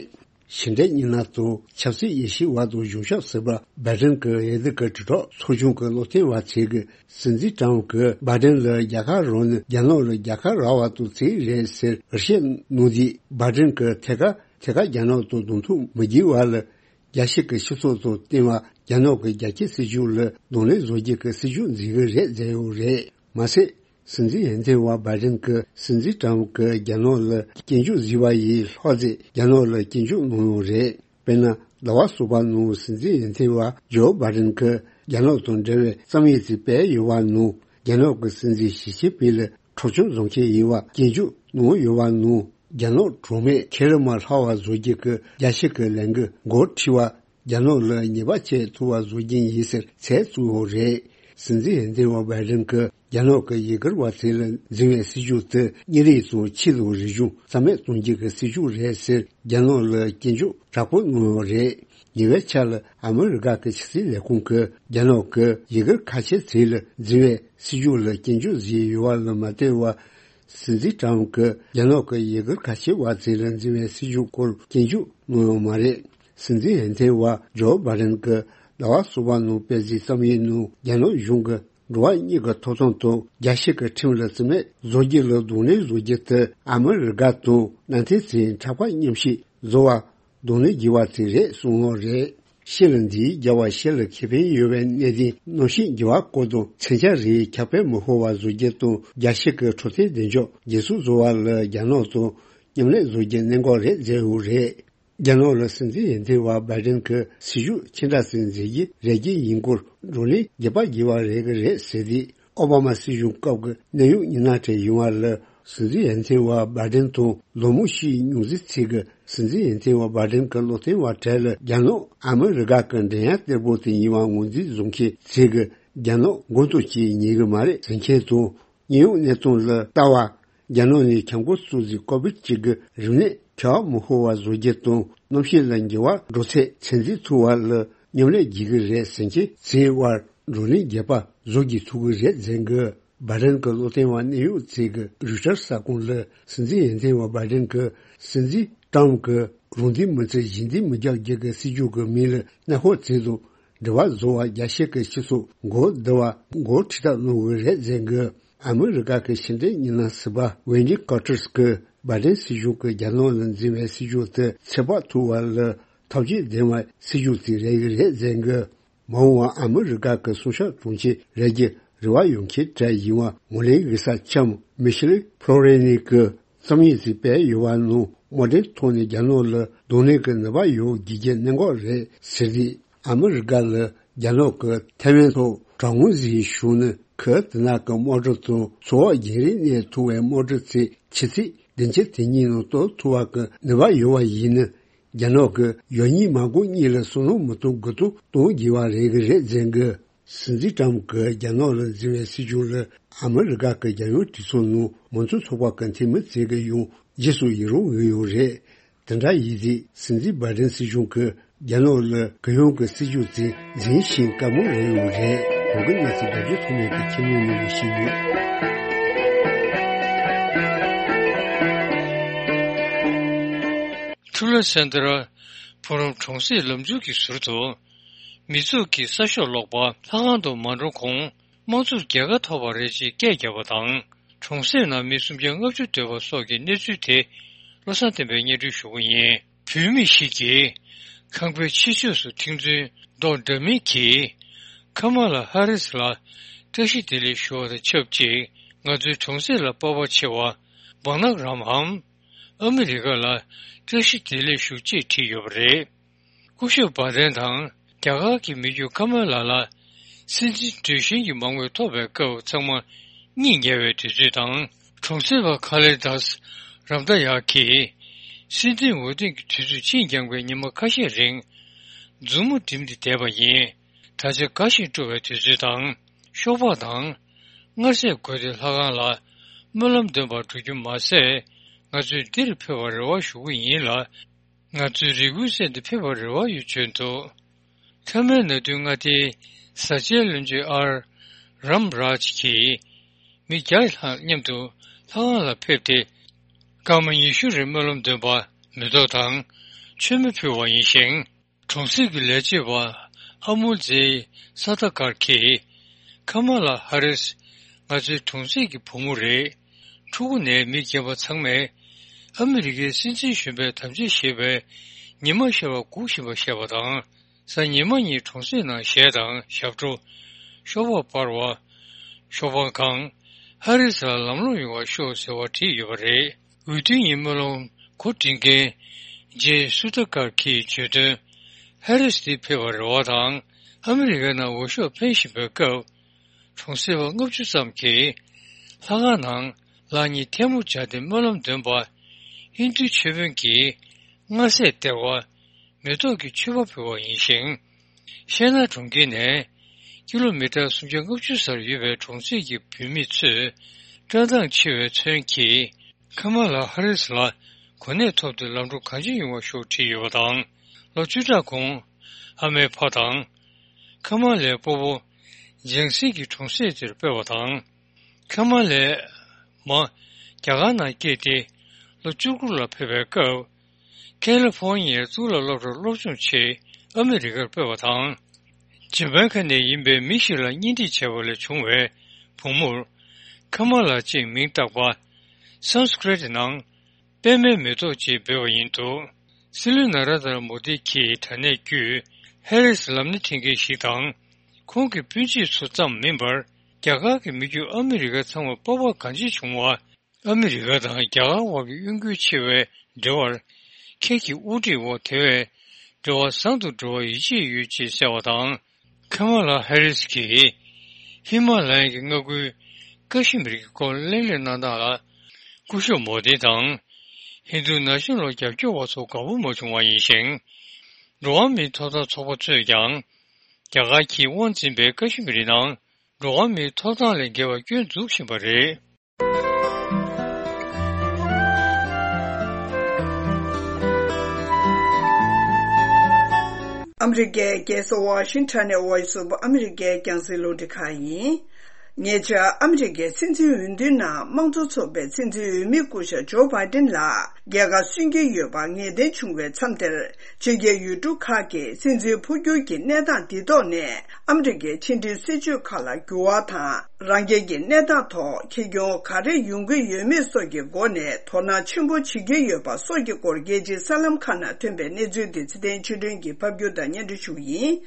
ཕྱི་འབྲེལ་གཉིས་སྣ་དང་ཆབ་སྲིད་དབྱེ་ཞིབ་བར་དུ་གཞུང་ཞབས་ཟུར་པ་བྷའི་ཌེན་གྱི་འོས་བསྡུ་གི་དྲིལ་སྒྲོག་ཚོགས་ཆུང་གི་བློ་མཐུན་བ་ཚོས་ཀྱིས་སྲིད་འཛིན་ཊམ་གྱིས་བྷའི་ཌེན་ལ་རྒྱལ་ཁ་རག་ནས་རྒྱ་ནག་ལ་རྒྱལ་ཁ་རག་པ་དང་གཅིག་རེད་ཟེར་འགྲེལ་བཤད་གནང་དུས། བྷའི་ཌེན་གྱིས་ཐད་ཀར་ཐད་ཀར་རྒྱ་ནག་དང་གདོང་ཐུག་མི་བྱེད་པ་ལ། རྒྱལ་སྤྱི་གི་སྤྱི་ཚོགས་དང་བསྟུན་པར་རྒྱ་ནག་གི་རྒྱ་སྐྱེད་སྲིད་ཇུས་ལ་གདོང་ལེན་བཟོ་རྒྱུ་གི་སྲིད་ཇུས་འཛིན་གྱི་རེད་ཟེར་ཡོད་རེད། མ་ཟད། སྲིད་འཛིན་འོས་ཐོན་བ་བྷའི་ཌེན་གྱིས་སྲིད་འཛིན་ཊམ་གྱིས་རྒྱ་ནག་ལ་སྐྱོན་བརྗོད་བཟོས་པ་ཡིས་ལྷག་ཙམ་རྒྱ་ནག་ལ་སྐྱོན་བརྗོད་གནང་ཡོད་རེད། དཔེར་ན། ཟླ་བ་གསུམ་པ་ནང་སྲིད་འཛིན་འོས་ཐོན་བ་ཇོ་བྷའི་ཌེན་གྱིས་རྒྱ་ནག་དང་འབྲེལ་བའི་རྩོམ་ཡིག་ཅིག་སྤེལ་ཡོད་པ་ནང་། རྒྱ་ནག་གི་སྲིད་འཛིན་ཞི་ཅིན་ཕིང་ལ་འཕྲོག་བཅོམ་བཟོ་མཁན་ཡིན་པ་སྐྱོན་བརྗོད་གནང་ཡོད་པ་ནང་། རྒྱ་ནག་གྲོགས་མེད་ཁེ་ལས་མ་ལྷག་པ་བཟོ་རྒྱུ་གི་རྒྱལ་སྤྱི་གི་ལས་འགུལ་འགོ་ཁྲིད་པ། རྒྱ་ནག་ལ་ཉེས་པ་བཅད་ཐུབ་པ་བཟོ་རྒྱུ་ཡིན་ཟེར་ཚིག་བཙུགས་ཡོད་རེད། སྲིད་འཛིན་འོས་ཐོན་བ་བྷའི་ཌེན་གྱིས་རྒྱ་ནག་གི་ཡུ་གུར་བ་ཚོ་ལ་འཛིན་པའི་སྲིད་ཇུས་དེ་དམྱལ་རིམ་དང་ཆོས་དང་རིག་གཞུང་རྩ་མེད་གཏོང་རྒྱུ་གི་སྲིད་ཇུས་རེད་ཟེར་རྒྱ་ནག་ལ་སྐྱོན་བརྗོད་དྲག་པོ་གནང་ཡོད་རེད། ཉེ་བའི་ཆར་ལ་ཨ་མི་རི་ཀ་གི་ཕྱི་སྲིད་ལས་ཁུངས་ཀྱིས་རྒྱ་ནག་གིས་ཡུ་གུར་ཁ་ཆེ་ཚོ་ལ་འཛིན་པའི་སྲིད་ཇུས་ལ་སྐྱོན་བརྗོད་བཟོས་ཡོད་པ་ལ་མ་ལྟོས་པར། སྲིད་འཛིན་ཊམ་གྱིས་རྒྱ་ནག་གི་ཡུ་གུར་ཁ་ཆེ་བ་ཚོ་ལ་འཛིན་པའི་སྲིད་ཇུས་སྐོར་སྐྱོན་བརྗོད་གནང་ཡོད་མ་རེད། སྲིད་འཛིན་འོས་ཐོན་བ་ཇོ་བྷའི་ཌེན་གྱིས་ཟླ་བ་གསུམ་པ་ནང་སྤེལ་གཟིགས་བསམ་ཡས་ནང་རྒྱ་ནག་གཞུང་གིས་འགྲོ་བ་མིའི་ཐོབ་ཐང་དང་རྒྱལ་སྤྱི་གི་ཁྲིམས་ལ་བརྩི་མེད་བཟོ་རྒྱུ་ལ་གདོང་ལེན་བཟོ་རྒྱུ་དེ་ཨ་མི་རི་ཀ་དང་མནའ་མཐུན་ཚོས་འཕྲལ་ཕུགས་མཉམ་བཞག་བཟོ་བར་གདོང་ལེན་བགྱི་བ་དེ་རེད་གསུངས་ཡོད་རེད། ཤེལ་འདིའི་རྒྱལ་བ་ཤེལ་ལ་ཁེ་ཕན་ཡོད་པའི་གནད་དོན་གནམ་གཤིས་འགྱུར་བ་སྐོར་དང་མཚོན་ཆ་རིགས་ཁྱབ་སྤེལ་མི་ཤོར་བ་བཟོ་རྒྱུ་དང་རྒྱལ་སྤྱི་གི་འཕྲོད་བསྟེན་བདེ་འཇགས་སྒྲིག་སྲོལ་བཟོ་བ་ལ་རྒྱ་ནག་དང་མཉམ་ལས་བཟོ་རྒྱུ་གནད་འགག་རེད་ཟེར་ཡོད་རེད། རྒྱ་ནག་ལ་སྲིད་འཛིན་འོས་ཐོན་བ་བྷའི་ཌེན་གྱིས་སྲིད་ཇུས་ཅི་འདྲ་ཞིག་འཛིན་རྒྱུ་རེ་རྒྱུ་ཡིན་སྐོར་བགྲོ་གླེང་རྒྱས་པ་བགྱིས་པ་རེད་ཀྱི་རེད་ཟེར་དུས། ཨོ་བྷ་མ་སྲིད་གཞུང་སྐབས་ཀྱི་གནད་ཡོད་མི་སྣ་གྲས་ཡིན་པ་ལ་སྲིད་འཛིན་འོས་ཐོན་བ་བྷའི་ཌེན་དང་ལོ་མང་ཞིག་མྱོང་ཚད་ཚིག་གི་སྲིད་འཛིན་འོས་ཐོན་བ་བྷའི་ཌེན་གྱི་བློ་མཐུན་བ་གྲས་ལ་རྒྱ་ནག་ཨ་མི་རི་ཀ་གི་འགྲན་ཡ་གཏེར་པོ་དེ་ཡིན་པ་ངོས་འཛིན་བཟོ་མཁན་ཚིག་གི་རྒྱ་ནག་མགོ་འཐོམ་བྱེད་ཉན་གི་མ་རེད་ཟེར་མཁན་དང་། དངོས་ཡོད་གནས་སྟངས་ལ་ལྟ་བ། རྒྱ་ནག་ནས་ཁྱབ་ཁོངས་སུ་གཟིགས་ཀོ་བིད་གཅིག་གི་རིམས་ནད་ཁྱབ་མི་ཤོར་བ་བཟོ་རྒྱུ་དང་གནམ་གཤིས་ལ་འགྱུར་བ་འགྲོ་ཚད་ཚོད་འཛིན་ཐུབ་པ་ལ་མཉམ་ལས་བགྱིད་ཀྱི་རེད་ཟེར་མཁན་ཚོའི་དབར་བགྲོ་གླེང་རྒྱས་པ་བཟོ་བགྱིད་ཐུབ་ཀྱི་རེད་ཟེར་གི། བྷའི་ཌེན་གྱི་བློ་མཐུན་བ་གནད་ཡོད་ཚོས་ཀྱིས་རོའི་ཊར་གསར་ཁང་ལ་སྲིད་འཛིན་འོས་ཐོན་བ་བྷའི་ཌེན་གྱིས་སྲིད་འཛིན་ཊམ་གྱིས་རང་འདོད་མི་བརྩི་གཞན་འདོད་མི་རྒྱག་རྒྱུ་གི་སྲིད་ཇུས་ཀྱི་མིང་ལ་གནས་སྐབས་ཚོད་དང་འབྲེལ་བ་བཟོ་བར་རྒྱལ་སྤྱི་གི་སྤྱི་ཚོགས་མགོ་བསྡུ་བར་འགོ་ཁྲིད་ཐབས་གནང་གི་རེད་ཟེར་གི། ཨ་མི་རི་ཀ་གི་ཕྱི་འབྲེལ་མི་སྣ་ཟུར་པ་ཝེན་ཌི་ཀར་ཊར་གྱིས་བྷའི་ཌེན་སྲིད་གཞུང་གིས་རྒྱ་ནག་ལ་འཛིན་པའི་སྲིད་ཇུས་དེ་ཚོད་དཔག་ཐུབ་པ་ལ་ཐབས་ཇུས་ལྡན་པའི་སྲིད་ཇུས་ཅིག་རེད་ཀྱི་རེད་ཟེར་གི། མ་འོངས་པར་ཨ་མི་རི་ཀ་གི་སྲུང་སྐྱོབ་དྲུང་ཆེ་རེད་ཀྱི་རེ་བ་ཡོད་མཁན་གྲས་ཡིན་པ་ངོས་ལེན་ཡོད་ས་འཆམ་མི་ཤེལ་ཕློ་རེ་ནི་གིས་རྩོམ་ཡིག་ཅིག་སྤེལ་ཡོད་པ་ནང་དམག་འཁྲུག་ཐོག་ནས་རྒྱ་ནག་ལ་གདོང་ལེན་གྱི་ནུས་པ་ཡོད་དགོས་རྒྱུ་གནད་འགག་རེད་ཟེར་ཏེ། ཨ་མི་རི་ཀ་ལ་རྒྱ་ནག་གིས་ཐའེ་ཝན་ཐོག་དྲག་གནོན་ཞིག་བྱུང་ན་ཁུལ་དེ་དག་གི་དམག་གྲུ་དང་མཚོ་འོག་རྒྱང་རིང་ནས་ཐོན་པའི་དམག་གྲུ་ཚོས་ཆུ་ཚོད་བདུན་ཅུ་དེ་གཉིས་ནང་གཏོར་ཐུབ་པ་གི་ནུས་པ་ཡོད་པ་ཡིན་ན། རྒྱ་ནག་གིས་ཡོད་གཉིས་མ་དགོས་གཉིས་ལ་བསམ་བློ་མི་གཏོང་དགུ་གཏོང་གཏོང་དགོས་པ་རེད་ཀྱི་རེད་ཟེར་གི། སྲིད་འཛིན་ཊམ་གྱིས་རྒྱ་ནག་ལ་འཛིན་པའི་སྲིད་ཇུས་ལ་ཨ་མི་རི་ཀ་གི་རྒྱལ་ཡོངས་གྲོས་ཚོགས་ནང་མང་གཙོ་ཚོགས་པ་གི་འཐུས་མི་ཚོས་ཀྱིས་ཡང་རྗེས་སུ་ཡི་རང་ཡོད་ཡོད་རེད། དེ་འདྲ་ཡིན་དུས་སྲིད་འཛིན་བྷའི་ཌེན་སྲིད་གཞུང་གིས་རྒྱ་ནག་ལ་གུ་ཡངས་ཀྱི་སྲིད་ཇུས་དེ་འཛིན་ཤིང་དཀའ་མོ་རེད་ཡོད་རེད། གོང་གི་གནས་ཚུལ་རྒྱབ་ལྗོངས་ཐོག་ནས་ཀྱི་ཁྱིམ་ནང་ནས་ཞིག་ཡོད། ཊུ་ལ་སན་ཏི་ར་ཕུ་རམ་གྲོང་གསེབ་ལམ་འཛུལ་གྱི་ཟུར་དུ། མི་ཚོགས་ཀྱིས་གསར་ཤོག་ཀློག་པ་ལྷ་ཁང་དུ་མ་འགྲོ་གོང་། དམངས་གཙོར་རྒྱལ་ཁ་ཐོབ་པ་རེད་ཅེས་སྐད་བརྒྱབ་པ་དང་། གྲོང་གསེབ་ནང་མི་སུམ་བརྒྱ་ལྔ་བཅུ་སྡོད་པ་སོགས་ཀྱི་གནས་ཚུལ་དེ་བློ་བཟང་བསྟན་པས་སྙན་སྒྲོན་ཞུ་གི་ཡིན། བུད་མེད་ཞིག་གིས་ཁང་པའི་ཕྱི་ཕྱོགས་སུ་ཐིག་མཛོད་མདོག་འདྲ་མིན་གྱིས་ཁ་མ་ལ་ཧ་རིས་ལ་བཀྲ་ཤིས་བདེ་ལེགས་ཞུ་བ་དང་ཆབས་ཅིག་ང་ཚོའི་གྲོང་གསེབ་ལ་སྤོབས་པ་ཆེ་བ་སྦག་ནག་རམ་འམ་ཨ་མི་རི་ཀ་ལ་བཀྲ་ཤིས་བདེ་ལེགས་ཞུ་ཅེས་བྲིས་ཡོད་པ་རེད། སྐུ་ཞབས་བྷ་དན་དང་རྒྱ་གར་གྱི་མི་རྒྱུད་ཀ་མ་ལ་ལ་སྲིད་འཛིན་གྲོས་གཞིའི་མང་མོས་ཐོབ་པའི་སྐབས་ཚང་མ་གཉིད་ཉལ་བའི་དུས་ཚོད་དང་། གྲོང་གསེབ་པ་ཁ་ལེ་དཱས་རམ་ད་ཡ་གིས་སྲིད་འཛིན་འོས་ཐོན་གྱི་དུས་ཚོད་ཕྱིན་འགྱངས་པའི་ཉི་མ་ཁ་ཤས་རིང་མཛུབ་མོ་བསྒྲིམས་ཏེ་བསྡད་པ་ཡིན། ད་ཆ་དགའ་ཞིང་སྤྲོ་བའི་དུས་ཚོད་དང་ཤོག་སྦག་དང་མངར་ཟས་བགོས་ཏེ་ལྷ་ཁང་ལ་སྨོན་ལམ་འདོན་པར་འགྲོ་རྒྱུ་མ་ཟད། ང་ཚོས་འདིར་ཕེབས་པར་རེ་བ་ཞུ་གི་ཡིན་ལ། ང་ཚོས་རེ་སྐུལ་གསན་ཏེ་ཕེབས་པར་རེ་བ་ཡོད་བརྗོད་འདུག་མཐའ་མའི་ན་དུས་མངའ་སྡེའི་བཟའ་བཅའི་བློན་ཆེན་ཨར་རམ་རཱཇ་གྱིས་མི་བརྒྱ་ལྷག་མཉམ་དུ་ལྷ་ཁང་ལ་ཕེབས་ཏེ། སྐར་མ་ཉི་ཤུ་རིང་སྨོན་ལམ་འདོན་པ་མེ་ཏོག་དང་ མཆོད་མེ་ཕུལ་བ་ཡིན་ཞིང་། གྲོང་གསེབ་ཀྱི་ལས་བྱེད་པ་ཨ་མུལ་ཛེ་སཱ་ཐ་ཀར་གྱིས། ཁ་མ་ལ་ཧ་རིས་ང་ཚོའི་གྲོང་གསེབ་ཀྱི་བུ་མོ་རེད། ཕྲུ་གུ་ནས་མི་རྒན་པ་ཚང་མས་ཨ་མི་རི་ཀའི་སྲིད་འཛིན་གཞོན་པའི་དམ་བཅའ་བཞེས་པའི་ཉི་མ་ཤར་བ་སྒུག་བཞིན་པ་བཤད་པ་དང་། གཟའ་ཉི་མ་ཉིན་གྲོང་གསེབ་ནང་གཞས་དང་ཞབས་བྲོ། ཤོག་སྦག་འབར་བ། ཤོག་སྦག་གང་། ཧ་རིས་ལ་ལམ་ལྷོང་ཡོང་བར་ཤོག་ཟེར་བ་བྲིས་ཡོད་པ་རེད། འོས་བསྡུ་ཡི་སྨོན་ལམ་གོ་སྒྲིག་མཁན་ཇེ་སུ་ཏ་ཀར་གྱིས་བརྗོད་དོན། ཧ་རིས་འདི་ཕེབས་པར་རེ་བ་དང་ཨ་མི་རི་ཀའི་ནང་འོས་ཤོག་འཕེན་བཞིན་པའི་སྐབས། གྲོང་གསེབ་པ་ལྔ་བཅུ་ཙམ་གྱིས་ལྷ་ཁང་ནང་ལག་གཉིས་ཐལ་མོ་སྦྱར་ཏེ་སྨོན་ལམ་འདོན་པ། ཧིན་རྡུ་ཆོས་དཔོན་གྱིས་སྔ་སེར་སྟེར་བ། མེ་ཏོག་གི་མཆོད་པ་ཕུལ་བ་ཡིན་ཞིང་། ཤེ་ན་གྲོང་ཁྱེར་ནས་ཀི་ལོ་མི་ཊར་སུམ་བརྒྱ་ལྔ་བཅུ་སར་ཡོད་པའི་གྲོང་གསེབ་ཀྱི་བུད་མེད་ཚོས་བཀྲག་མདངས་ཆེ་བའི་ཚོན་གྱིས་ཁ་མ་ལ་ཧ་རིས་ལ་གོ་གནས་ཐོབ་སྟེ་ལམ་འགྲོ་གང་ཅི་ཡོང་བ་ཤོག་བྲིས་ཡོད་པ་དང་། ལོ་བཅུ་ཕྲག་གོང་ཨ་མའི་ཕ་དང་། ཁ་མ་ལའི་སྤོ་བོ་ལྗང་སེར་གྱི་གྲོང་གསེབ་དེར་སྤོས་པ་དང་། ཁ་མ་ལའི་མ་རྒྱ་གར་ནང་སྐྱེས་ཏེ་ལོ་བཅུ་དགུ་ལ་ཕེབས་པའི་སྐབས། ཁ་ལི་ཧྥོ་ནི་ཡའི་གཙུག་ལག་སློབ་གྲྭར་སློབ་སྦྱོང་ཆེད་ཨ་མི་རི་ཀར་སྤོས་པ་དང་། ཇ་མའི་ཁ་ནས་ཡིན་པའི་མི་ཞིག་ལ་གཉེན་སྒྲིག་བྱས་པ་ལས་བྱུང་བའི་བུ་མོར་ཁ་མ་ལ་ཅེས་མིང་བཏགས་པ། སཾ་སྐྲྀ་ཏ་ནང་པད་མའི་མེ་ཏོག་ཅེས་འབོད་པ་ཡིན་འདུག་སྲིད་བློན་ན་ར་དྲ་མོ་དི་གིས་དྲ་གནས་བརྒྱུད་ཧེ་རིས་ལམ་སྣེ་འཁྲིད་མཁན་ཞིག་དང་། ཁོང་གི་སྤུན་མཆེད་ཚོ་ཙམ་མིན་པར་རྒྱ་གར་གྱི་མི་རྒྱུད་ཨ་མི་རི་ཀ་ཚང་མ་སྤོབས་པ་གང་ཅི་བྱུང་བ། ཨ་མི་རི་ཀ་དང་རྒྱ་གར་དབར་གྱི་གཡོ་འགུལ་ཆེ་བའི་འབྲེལ་བར། ཁྱེད་ཀྱི་དབུ་ཁྲིད་འོག་དེ་བས་འབྲེལ་བ་བཟང་དུ་འགྲོ་བར་ཡིད་ཆེས་ཡོད་ཅེས་གསལ་བ་དང་། ཁ་མ་ལ་ཧེ་རིས་ཀྱིས་ཧི་མ་ལ་ཡའི་མངའ་ཁུལ་ཀ་ཤི་མིར་གྱི་སྐོར་གླེང་སློང་གནང་སྟངས་ལ་སྐུ་ཞབས་མོ་དི་དང་། ཧིན་རྡུ་ན་གཞོན་ལ་རྒྱབ་སྐྱོར་བ་ཚོ་དགའ་པོ་མ་བྱུང་བ་ཡིན་ཞིང་། འགྲོ་བ་མིའི་ཐོབ་ཐང་ཚོགས་པ་ཚོས་ཀྱང་། རྒྱ་གར་གྱིས་དབང་འཛིན་པའི་ཀ་ཤི་མིར་ནང་འགྲོ་བ་མིའི་ཐོབ་ཐང་ལས་འགལ་བ་སྐྱོན་འཛུགས་བཞིན་པ་རེད། ཨ་མི་རི་ཀའི་རྒྱལ་ས་ཝ་ཤིང་ཊོན་ནས་Voice of America་རྒྱང་སྲིང་རླུང་འཕྲིན་ཁང་ཡིན། ཉེ་ཆར་ཨ་མི་རི་ཀའི་སྲིད་འཛིན་འོས་བསྡུའི་ནང་དམངས་གཙོ་ཚོགས་པའི་སྲིད་འཛིན་འོས་མི་སྐུ་ཞབས་ཇོ་བྷའི་ཏིན་ལ་རྒྱལ་ཁ་སོན་གྱི་ཡོད་པ་ངེས་གཏན་བྱུང་བའི་མཚམས་དེར། ཕྱི་རྒྱལ་ཡུལ་གྲུ་ཁག་གིས་སྲིད་འཛིན་འཕོ་འགྱུར་གྱི་གནས་སྟངས་འདི་ཐོག་ནས་ཨ་མི་རི་ཀའི་ཕྱི་འབྲེལ་སྲིད་ཇུས་ཁག་ལ་འགྱུར་བ་དང་། རང་རྒྱལ་གྱི་གནས་སྟངས་ཐོག་ཁེ་གྱོང་ག་རེ་ཡོང་གི་ཡོད་མེད་སོགས་ཀྱི་སྒོ་ནས་དོ་སྣང་ཆེན་པོ་བྱེད་ཀྱི་ཡོད་པ་སོགས་ཀྱི་སྐོར་རྒྱལ་སྤྱིའི་གསར་ལམ་ཁག་ནང་ཐོན་པའི་གནས་ཚུལ་དེ་ཚེ་བརྟན་ཆོས་སྒྲོན་གྱིས་ཕབ་སྒྱུར་དང་སྙན་སྒྲོན་ཞུ་གི་ཡིན།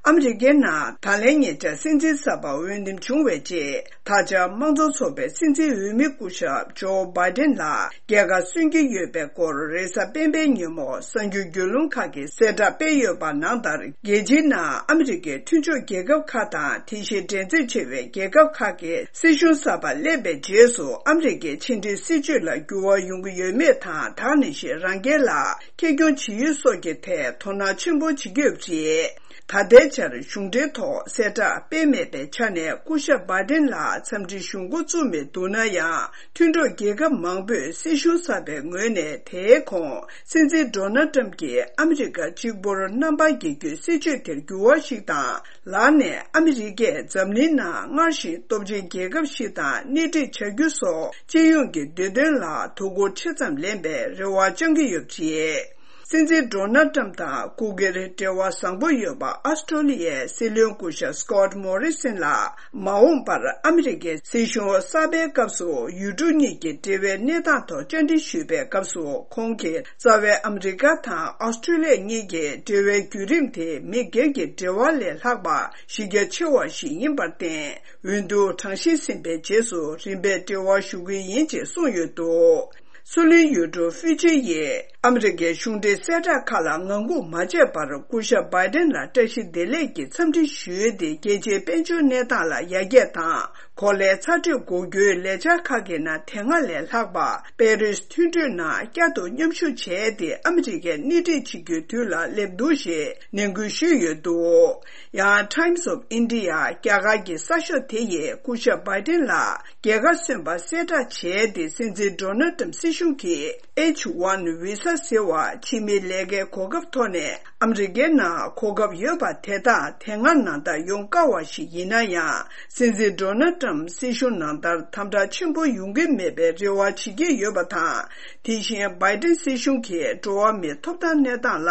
ཨ་མི་རི་ཀའི་ནང་ད་ལན་ཉེ་ཆར་སྲིད་འཛིན་གསར་པ་འོས་འདེམས་བྱུང་བའི་རྗེས། ད་ཆ་དམངས་གཙོ་ཚོགས་པའི་སྲིད་འཛིན་འོས་མི་སྐུ་ཞབས་ཇོ་བྷའི་ཏིན་ལ་རྒྱལ་ཁ་སོན་གྱི་ཡོད་པའི་སྐོར་རེས་གཟའ་སྤེན་པའི་ཉིན་མོ་གསར་འགྱུར་བརྒྱུད་ལམ་ཁག་གིས་གསལ་བསྒྲགས་སྤེལ་ཡོད་པ་ནང་ལྟར། རྒྱལ་སྤྱིའི་ནང་ཨ་མི་རི་ཀའི་མཐུན་ཕྱོགས་རྒྱལ་ཁབ་ཁག་དང་། དེ་བཞིན་འགྲན་རྩོད་ཆེ་བའི་རྒྱལ་ཁབ་ཁག་གི་སྲིད་གཞུང་གསར་པ་སླེབས་པའི་རྗེས་སུ། ཨ་མི་རི་ཀའི་ཕྱི་འབྲེལ་སྲིད་ཇུས་ལ་འགྱུར་བ་ཡོང་གི་ཡོད་མེད་དང་། ད་ག་ནང་བཞིན་རང་རྒྱལ་ལ་ཁེ་གྱོང་ཇི་ཡོད་སོགས་ཀྱི་ཐད་དོ་སྣང་ཆེན་པོ་བྱེད་ཀྱི་ཡོད་པ་རེད། ད་ལྟའི་ཆར་གཞུང་འབྲེལ་ཐོག་གསལ་བསྒྲགས་སྤེལ་མེད་པའི་ཆ་ནས། སྐུ་ཞབས་བྷའི་ཏིན་ལ་འཚམས་འདྲི་ཞུ་འགོ་བཙུགས་མི་འདུག་ན་ཡང་། མཐུན་གྲོགས་རྒྱལ་ཁབ་མང་པོས་སྲིད་གཞུང་གསར་པའི་ངོས་ནས། དེའི་གོང་སྲིད་འཛིན་ཌོ་ནལ་ཏྲམ་གྱིས་ཨ་མི་རི་ཀ་གཅིག་པུར་རྣམ་པར་རྒྱལ་རྒྱུའི་སྲིད་ཇུས་དེར་འགྱུར་བ་ཞིག་དང་། ལར་ནས་ཨ་མི་རི་ཀས་འཛམ་གླིང་ནང་སྔར་བཞིན་སྟོབས་ཆེན་རྒྱལ་ཁབ་ཞིག་དང་སྣེ་ཁྲིད་བྱ་རྒྱུ་སོགས། སྤྱི་ཡོངས་ཀྱི་བདེ་དོན་ལ་དོ་ཁུར་ཆེ་ཙམ་ལེན་པའི་རེ་བ་བཅང་གི་ཡོད་པ་རེད། སྲིད་འཛིན་ཌོ་ནལ་ཏྲམ་དང་སྐུ་སྒེར་འབྲེལ་བ་བཟང་པོ་ཡོད་པ་ཨོ་སི་ཀྲོ་ལི་ཡའི་སྲིད་བློན་སྐུ་ཞབས་སྐོཊ་མོ་རི་སན་ལ། མ་འོངས་པར་ཨ་མི་རི་ཀའི་སྲིད་གཞུང་གསར་པའི་སྐབས་སུ། ཡུལ་གྲུ་གཉིས་ཀྱི་འབྲེལ་བའི་གནས་སྟངས་ཐོག་བཅར་འདྲི་ཞུས་པའི་སྐབས་སུ། ཁོང་གིས་རྩ་བའི་ཨ་མི་རི་ཀ་དང་ཨོ་སི་ཀྲོ་ལི་ཡ་གཉིས་ཀྱི་འབྲེལ་བའི་བརྒྱུད་རིམ་དེ་མི་སྒེར་གྱི་འབྲེལ་བ་ལས་ལྷག་པ་གཞི་རྒྱ་ཆེ་བ་ཞིག་ཡིན་པར་བརྟེན། འོས་བསྡུ་གྲངས་བཤེར་ཟིན་པའི་རྗེས་སུ་རིམ་པས་འབྲེལ་བ་ཞུ་གི་ཡིན་ཅེས་གསུངས་ཡོད་འདུག་སུའུ་ལེན་ཡུལ་གྲུ་ཧྥུའུ་ཅི་ཡིས་ཨ་མི་རི་ཀའི་གཞུང་འབྲེལ་གསལ་བསྒྲགས་ཁག་ལ་ངང་སྒུག་མ་བྱས་པར། སྐུ་ཞབས་བྷའི་ཏིན་ལ་བཀྲ་ཤིས་བདེ་ལེགས་ཀྱི་འཚམས་འདྲི་ཞུས་ཏེ། རྒྱལ་སྤྱིའི་དཔལ་འབྱོར་གནས་སྟངས་ལ་ཡར་རྒྱས་དང་། གོ་ལའི་ཚ་དྲོད་འགོག་རྒྱུའི་ལས་འཆར་ཁག་གི་ནང་དེ་སྔ་ལས་ལྷག་པ། པེ་རིས་མཐུན་གྲོས་ནང་བསྐྱར་དུ་མཉམ་ཞུགས་བྱས་ཏེ། ཨ་མི་རི་ཀས་སྣེ་ཁྲིད་བྱེད་རྒྱུའི་དུས་ལ་སླེབས་འདུག་ཞེས་ནན་སྐུལ་ཞུས་ཡོད་འདུག་ཡང་Times of India་རྒྱ་གར་གྱི་གསར་ཤོག་དེ་ཡིས་སྐུ་ཞབས་བྷའི་ཏིན་ལ་རྒྱལ་ཁ་སོན་པ་གསལ་བསྒྲགས་བྱས་ཏེ། སྲིད་འཛིན་ཌོ་ནལ་ཏྲམ་སྲིད་གཞུང་གིས། ཨེཆ་ཝན་བི་ས་ཟེར་བ་ཕྱི་མི་ལས་ཀའི་གོ་སྐབས་ཐོག་ནས་ཨ་མི་རི་ཀའི་ནང་གོ་སྐབས་ཡོད་པ་དེ་དག་དེ་སྔ་ནང་ལྟར་ཡོང་དཀའ་བ་ཞིག་ཡིན་ན་ཡང་། སྲིད་འཛིན་ཌོ་ནལ་ཊམ་སྲིད་གཞུང་ནང་ལྟར་དམ་དྲག་ཆེན་པོ་ཡོང་གི་མེད་པའི་རེ་བ་བྱེད་ཀྱི་ཡོད་པ་དང་། དེ་བཞིན་བྷའི་ཌེན་སྲིད་གཞུང་གིས་འགྲོ་བ་མིའི་ཐོབ་ཐང་གནས་སྟངས་ལ་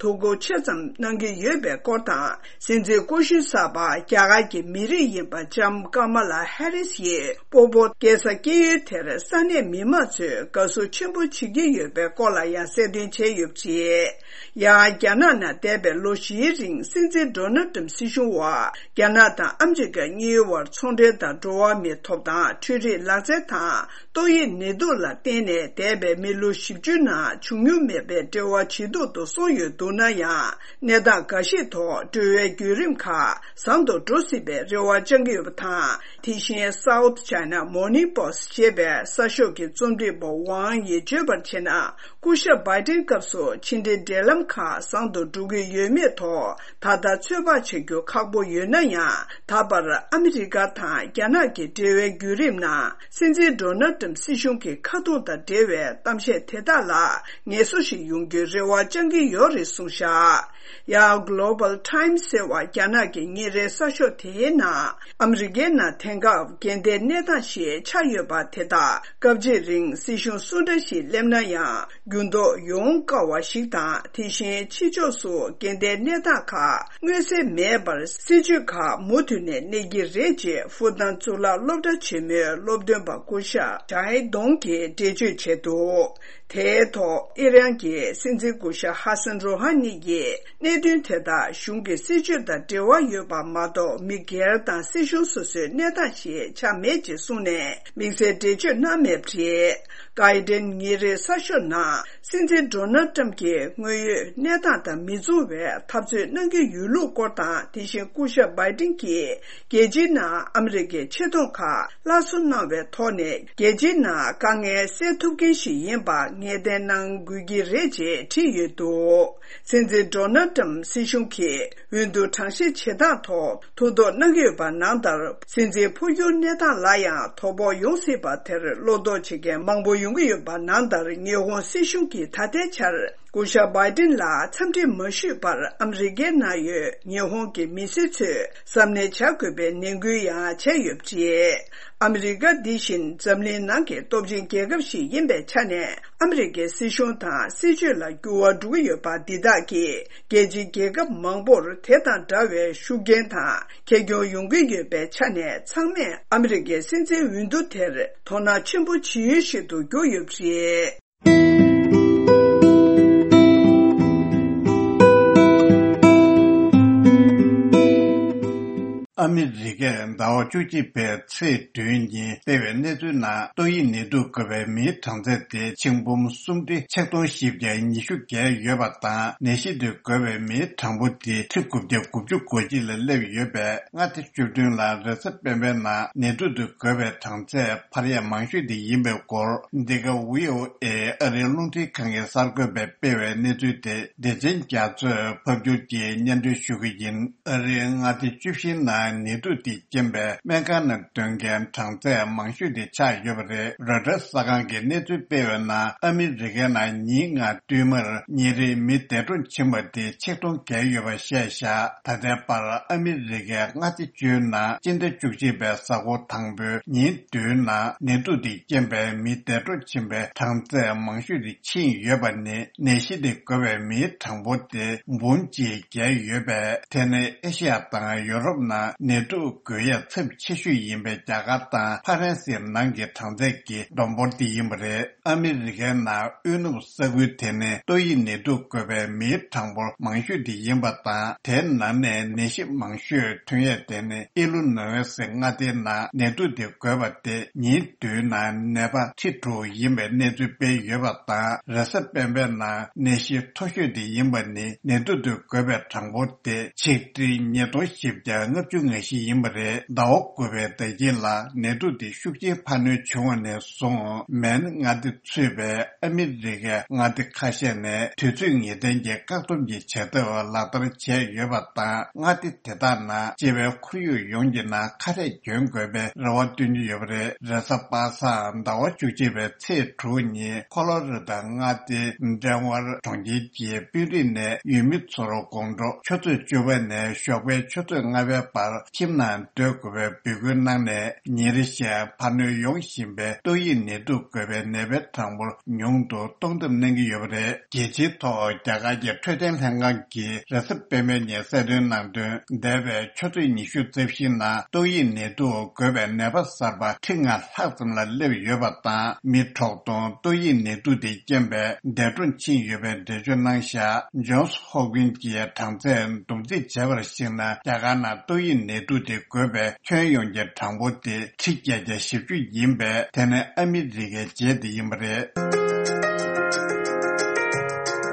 དོ་ཁུར་ཆེ་ཙམ་གནང་གི་ཡོད་པའི་སྐོར་དང་། སྲིད་འཛིན་སྐུ་གཞོན་གསར་པ་རྒྱ་གར་གྱི་མི་རིགས་ཡིན་པ་ལྕམ་ཀ་མ་ལ་ཧེ་རིས་ཡིས་སྤོ་བོ་སྐྱེས་ས་སྐྱེས་ཡུལ་དེར་ས་གནས་མི་མང་ཚོས་དགའ་བསུ་ཆེན་པོ་བྱེད་ཀྱི་ཡོད་པའི་སྐོར་ལ་ཡང་གསལ་སྟོན་བྱས་ཡོད་པ་རེད། ཡང་རྒྱ་ནག་ནང་འདས་པའི་ལོ་བཞིའི་རིང་སྲིད་འཛིན་ཌོ་ནལ་ཊམ་སྲིད་གཞུང་འོག་རྒྱ་ནག་དང་ཨ་མི་རི་ཀ་གཉིས་བར་ཚོང་འབྲེལ་དང་འགྲོ་བ་མིའི་ཐོབ་ཐང་། འཕྲུལ་རིག་ལག་རྩལ་དང་། ཏོག་དབྱིབས་ནད་དུག་ལ་བརྟེན་ནས་འདས་པའི་མི་ལོ་བཞི་བཅུ་ནང་བྱུང་མྱོང་མེད་པའི་འབྲེལ་བ་ཇེ་སྡུག་ཏུ་སོང་ཡོད་འདུག་ན་ཡང་། གནས་སྟངས་འགའ་ཤས་ཐོག་འབྲེལ་བའི་བརྒྱུད་རིམ་ཁག་བཟང་དུ་འགྲོ་སྲིད་པའི་རེ་བ་བཅང་གི་ཡོད་པ་དང་། དེ་བཞིན་South China Morning Post་ཞེས་པའི་གསར་ཤོག་གི་རྩོམ་སྒྲིག་པ་ཝང་ཡིས་བརྗོད་པར་བྱས་ན། སྐུ་ཞབས་བྷའི་ཏིན་སྐབས་སུ་ཕྱི་འབྲེལ་འབྲེལ་ལམ་ཁག་བཟང་དུ་འགྲོ་གི་ཡོད་མེད་ཐོག་ད་ལྟ་ཚོད་དཔག་བྱ་རྒྱུ་ཁག་པོ་ཡོད་ན་ཡང་། ད་བར་ཨ་མི་རི་ཀ་དང་རྒྱ་ནག་གི་འབྲེལ་བའི་བརྒྱུད་རིམ་ནང་སྲིད་འཛིན་ཌོ་ནལ་ཊམ་སྲིད་གཞུང་གི་ཁ་རྡུང་དང་འབྲེལ་བའི་གཏམ་བཤད་དེ་དག་ལ་ངལ་གསོ་ཞིག་ཡོང་རྒྱུའི་རེ་བ་བཅང་གི་ཡོད་རེད་གསུངས་བཞག་ཡང་Global Times་ཟེར་བ་རྒྱ་ནག་གི་ཉིན་རེའི་གསར་ཤོག་དེའི་ནང་། ཨ་མི་རི་ཀའི་ནང་དེང་སྐབས་འགལ་ཟླའི་གནས་སྟངས་ཤིག་ཆགས་ཡོད་པ་དེ་དག་སྐབས་གཅིག་རིང་སྲིད་གཞུང་སུ་འདྲ་ཞིག་སླེབས་ན་ཡང་འགྱུར་ལྡོག་ཡོང་དཀའ་བ་ཞིག་དང་། དེ་བཞིན་ཕྱི་ཕྱོགས་སུ་འགལ་ཟླའི་གནས་སྟངས་ཁག་མངོན་གསལ་མེད་པར་སྲིད་ཇུས་ཁག་མུ་མཐུད་ནས་གནས་ཀྱི་རེད་ཅེས་ཧྥུ་ཏན་གཙུག་ལག་སློབ་གྲྭ་ཆེན་མོའི་སློབ་སྟོན་པ་སྐུ་ཞབས་ཇའི་ཏོང་གིས་འགྲེལ་བརྗོད་བྱས་འདུག་དེའི་ཐོག་ཨི་རན་གྱི་སྲིད་འཛིན་སྐུ་ཞབས་ཧ་སན་རོ་ཧ་ནི་ཡིས་གནད་དོན་དེ་དག་གཞུང་གི་སྲིད་བྱུས་དང་འབྲེལ་བ་ཡོད་པ་མ་གཏོགས། མི་སྒེར་དང་སྲིད་གཞུང་སོ་སོའི་གནས་སྟངས་ཤིག་ཆགས་མེད་ཅེས་གསུངས་ནས། དམིགས་བསལ་འགྲེལ་བརྗོད་གནང་མེད་པ་རེད། གྷར་ཌེན་ཉིན་རེའི་གསར་ཤོག་ནང་སྲིད་འཛིན་ཌོ་ནལ་ཊམ་གྱིས་དངོས་ཡོད་གནས་སྟངས་དང་མི་མཚུངས་པའི་འཐབ་རྩོད་གནང་གི་ཡོད་ལུགས་སྐོར་དང་། དེ་བཞིན་སྐུ་ཞབས་བྷའི་ཏིན་གྱིས་རྒྱལ་སྤྱིའི་ནང་ཨ་མི་རི་ཀའི་ཆེ་མཐོང་ཁག་སླར་གསོ་གནང་བའི་ཐོག་ནས། རྒྱལ་སྤྱིའི་ནང་དཀའ་ངལ་སེལ་ཐུབ་མཁན་ཞིག་ཡིན་པ་ངེས་གཏན་གནང་དགོས་ཀྱི་རེད་ཅེས་བྲིས་ཡོད་འདུག་སྲིད་འཛིན་ཌོ་ནལ་ཊམ་སྲིད་གཞུང་གིས་འོས་བསྡུ་གྲངས་བཤེར་བྱེད་སྟངས་ཐོག་ཐུགས་དོགས་གནང་གི་ཡོད་པ་ནང་ལྟར། སྲིད་འཛིན་འཕོ་འགྱུར་གནས་སྟངས་ལ་ཡང་དོ་ཕོག་ཡོང་སྲིད་པ་དེར་བློ་དོགས་བྱེད་མཁན་མང་པོ་ཡོང་གི་ཡོད་པ་ནང་ལྟར། ཉི་ཧོང་སྲིད་གཞུང་གིས་ད་ལྟའི་ཆར་སྐུ་ཞབས་བྷའི་ཏིན་ལ་འཚམས་འདྲི་མ་ཞུས་པར། ཨ་མི་རི་ཀའི་ནང་ཡོད་ཉི་ཧོང་གི་མི་སེར་ཚོས་གཟབ་ནན་བྱ་དགོས་པའི་ནན་སྐུལ་ཡང་བྱས་ཡོད་པ་རེད། ཨ་མི་རི་ཀ་འདི་བཞིན་འཛམ་གླིང་ནང་གི་སྟོབས་ཆེན་རྒྱལ་ཁབ་ཞིག་ཡིན་པའི་ཆ་ནས། ཨ་མི་རི་ཀའི་སྲིད་གཞུང་དང་སྲིད་བྱུས་ལ་འགྱུར་བ་འགྲོ་གི་ཡོད་པ་འདི་དག་གིས། རྒྱལ་སྤྱིའི་རྒྱལ་ཁབ་མང་པོར་དེ་དང་འདྲ་བའི་ཤུགས་རྐྱེན་དང་ཁེ་གྱོང་ཡོང་གི་ཡོད་པའི་ཆ་ནས། ཚང་མས་ཨ་མི་རི་ཀའི་སྲིད་འཛིན་འོས་བསྡུ་དེར་དོ་སྣང་ཆེན་པོ་བྱེད་ཡུལ་ཞིག་ཏུ་གྱུར་ཡོད་པ་རེད། ཨ་མི་རི་ཀས་ཟླ་བ་བཅུ་གཅིག་པའི་ཚེས་བདུན་ཉིན་སྤེལ་བའི་གནས་ཚུལ་ནང་། ཏོག་དབྱིབས་ནད་དུག་འགོས་པའི་མིའི་གྲངས་ཚད་དེ་ཆིག་འབུམ་སུམ་ཁྲི་ཆིག་སྟོང་བཞི་བརྒྱ་ཉི་ཤུ་བརྒལ་ཡོད་པ་དང་། ནད་གཞི་དེ་འགོས་པའི་མིའི་གྲངས་འབོར་དེ་ཁྲི་དགུ་བརྒྱ་དགུ་བཅུ་གོ་གཅིག་ལ་སླེབས་ཡོད་པས། མངའ་སྡེ་བཅུ་བདུན་ལ་རེས་གཟའ་སྤེན་པའི་ནང་ནད་དུག་དེ་འགོས་པའི་གྲངས་ཚད་འཕར་ཡག་མང་ཤོས་དེ་ཡིན་པའི་སྐོར། འདི་ག་ཝི་ཨོ་ཨེ་ཨ་རིའི་རླུང་འཕྲིན་ཁང་གི་གསར་འགོད་པས་སྤེལ་བའི་གནས་ཚུལ་དེ་བདེ་ཆེན་རྒྱ་མཚོས་ཕབ་སྒྱུར་གྱིས་སྙན་སྒྲོན་ཞུ་གི་ཡིན། ཨ་རིའི་མངའ་སྡེ་བཅུ་བཞིའི་ནང་ནད་དུག་དེས་རྐྱེན་པས་སྨན་ཁང་ནང་སྡོད་མཁན་གྲངས་ཚད་མང་ཤོས་དེ་ཆགས་ཡོད་པ་རེད། རོའི་ཊར་གསར་ཁང་གིས་གནས་ཚུལ་སྤེལ་བའི་ནང་། ཨ་མི་རི་ཀའི་ནང་ཉིན་ལྔ་བསྟུད་མར་ཉིན་རེའི་མི་འདས་གྲོངས་ཕྱིན་པ་དེ་ཆིག་སྟོང་བརྒལ་ཡོད་པ་བཤད་བཞག་ད་ལྟའི་བར་ཨ་མི་རི་ཀའི་མངའ་སྡེ་བཅུའི་ནང་སྤྱི་ཟླ་བཅུ་གཅིག་པའི་གཟའ་འཁོར་དང་པོའི་ཉིན་བདུན་ནང་ནད་དུག་དེས་རྐྱེན་པས་མི་འདས་གྲོངས་ཕྱིན་པའི་གྲངས་ཚད་མང་ཤོས་དེ་ཕྱིན་ཡོད་པ་ནི། ནད་གཞི་དེ་འགོས་པའི་མིའི་གྲངས་འབོར་དེ་འབུམ་གཅིག་བརྒལ་ཡོད་པས། དེ་ནི་ཨེ་ཤི་ཡ་དང་ཡོ་རོབ་ནང་ནད་དུག་འགོས་ཡས་ཚབས་ཆེ་ཤོས་ཡིན་པའི་རྒྱ་གར་དང་ཕ་རན་སིའི་ནང་གི་གྲངས་ཚད་ཀྱི་བསྡོམས་འབོར་དེ་ཡིན་པ་རེད། ཨ་མི་རི་ཀའི་ནང་དབུས་ནུབ་ས་ཁུལ་དེ་ནི་ཏོག་དབྱིབས་ནད་དུག་འགོས་པའི་མིའི་གྲངས་འབོར་མང་ཤོས་དེ་ཡིན་པ་དང་། དེའི་ནང་ནས་ནད་གཞི་མང་ཤོས་ཐོན་ཡས་དེ་ནི་ཨི་ལི་ནོའི་སི་མངའ་སྡེའི་ནང་ནད་དུག་དེ་འགོས་པ་དེ་ཉིན་བདུན་ནང་ནད་པ་ཁྲི་དྲུག་ཡིན་པའི་གནས་ཚུལ་སྤེལ་ཡོད་པ་དང་། རེས་གཟའ་སྤེན་པའི་ནང་ནད་གཞི་མཐོ་ཤོས་དེ་ཡིན་པ་ནི་ནད་དུག་དེ་འགོས་པའི་གྲངས་འབོར་དེ་ཆིག་ཁྲི་ཉིས་སྟོང་བཞི་བརྒྱ་ལྔ་བཅུ་ ནད་གཞི་ཡིན་པ་རེད། ཟླ་བ་དགུ་པའི་ཟླ་དཀྱིལ་ལ་ནད་དུག་དེ་ཤུགས་ཆེན་འཕར་སྣོན་བྱུང་བ་ནས་བཟུང་མེན་མངའ་སྡེ་ཚུད་པའི་ཨ་མི་རི་ཀའི་མངའ་སྡེ་ཁ་ཤས་ནས་དུས་ཚོད་ངེས་གཏན་གྱི་བཀག་སྡོམ་གྱི་བྱ་ཐབས་ལག་བསྟར་བྱས་ཡོད་པ་དང་མངའ་སྡེ་དེ་དག་ནང་སྤྱི་པའི་ཁོར་ཡུག་ཡོངས་ཀྱི་ནང་ཁ་རས་གྱོན་དགོས་པའི་རེ་བ་བཏོན་གྱི་ཡོད་པ་རེད། རེས་གཟའ་པ་སངས་ཟླ་བ་བཅུ་གཅིག་པའི་ཚེས་དྲུག་ཉིན་ཁོ་ལོ་ར་ཌོ་མངའ་སྡེ་ཌེན་ཝར་གྲོང་ཁྱེར་གྱི་དཔོན་རིགས་ནས་ཡུལ་མི་ཚོར་དགོང་དྲོ་ཆུ་ཚོད་བཅུ་པ་ནས་ཞོགས་པའི་ཆུ་ཚོད་ལྔ་པའི་བར་ཁྱིམ་ནང་སྡོད་དགོས་པའི་འབོད་སྐུལ་གནང་ནས། ཉིན་རེ་བཞིན་འཕར་སྣོན་ཡོང་བཞིན་པའི་ཏོག་དབྱིབས་ནད་དུག་འགོས་པའི་ནད་པའི་གྲངས་འབོར་ཉུང་དུ་གཏོང་ཐབས་གནང་གི་ཡོད་པ་རེད། རྒྱལ་སྤྱིའི་ཐོག་རྒྱ་གར་གྱི་འཕྲོད་བསྟེན་ལྷན་ཁང་གིས་རེས་གཟའ་སྤེན་པའི་ཉིན་གསལ་སྟོན་གནང་དོན། འདས་པའི་ཆུ་ཚོད་ཉི་ཤུ་རྩ་བཞི་ནང་ཏོག་དབྱིབས་ནད་དུག་འགོས་པའི་ནད་པ་གསར་པ་ཁྲི་ལྔ་ལྷག་ཙམ་ལ་སླེབས་ཡོད་པ་དང་། མི་དྲུག་སྟོང་ཏོག་དབྱིབས་ནད་དུག་དེ་རྐྱེན་པས་འདས་གྲོངས་ཕྱིན་ཡོད་པའི་འགྲེལ་བརྗོད་གནང་བཞག་ཇོན་སི་ཧོབ་ཀིན་གྱི་གྲངས་ཚད་བསྡོམས་རྩིས་བྱས་པར་གཞིགས་ན། རྒྱ་གར་ནང་ཏོག་དབྱིབས་ནད་དུག་དེ་འགོས་པའི་ཁྱོན་ཡོངས་ཀྱི་གྲངས་འབོར་དེ་ཁྲི་བརྒྱད་བརྒྱ་བཞི་བཅུ་ཡིན་པས། དེ་ནི་ཨ་མི་རི་ཀའི་རྗེས་དེ་ཡིན་པ་རེད།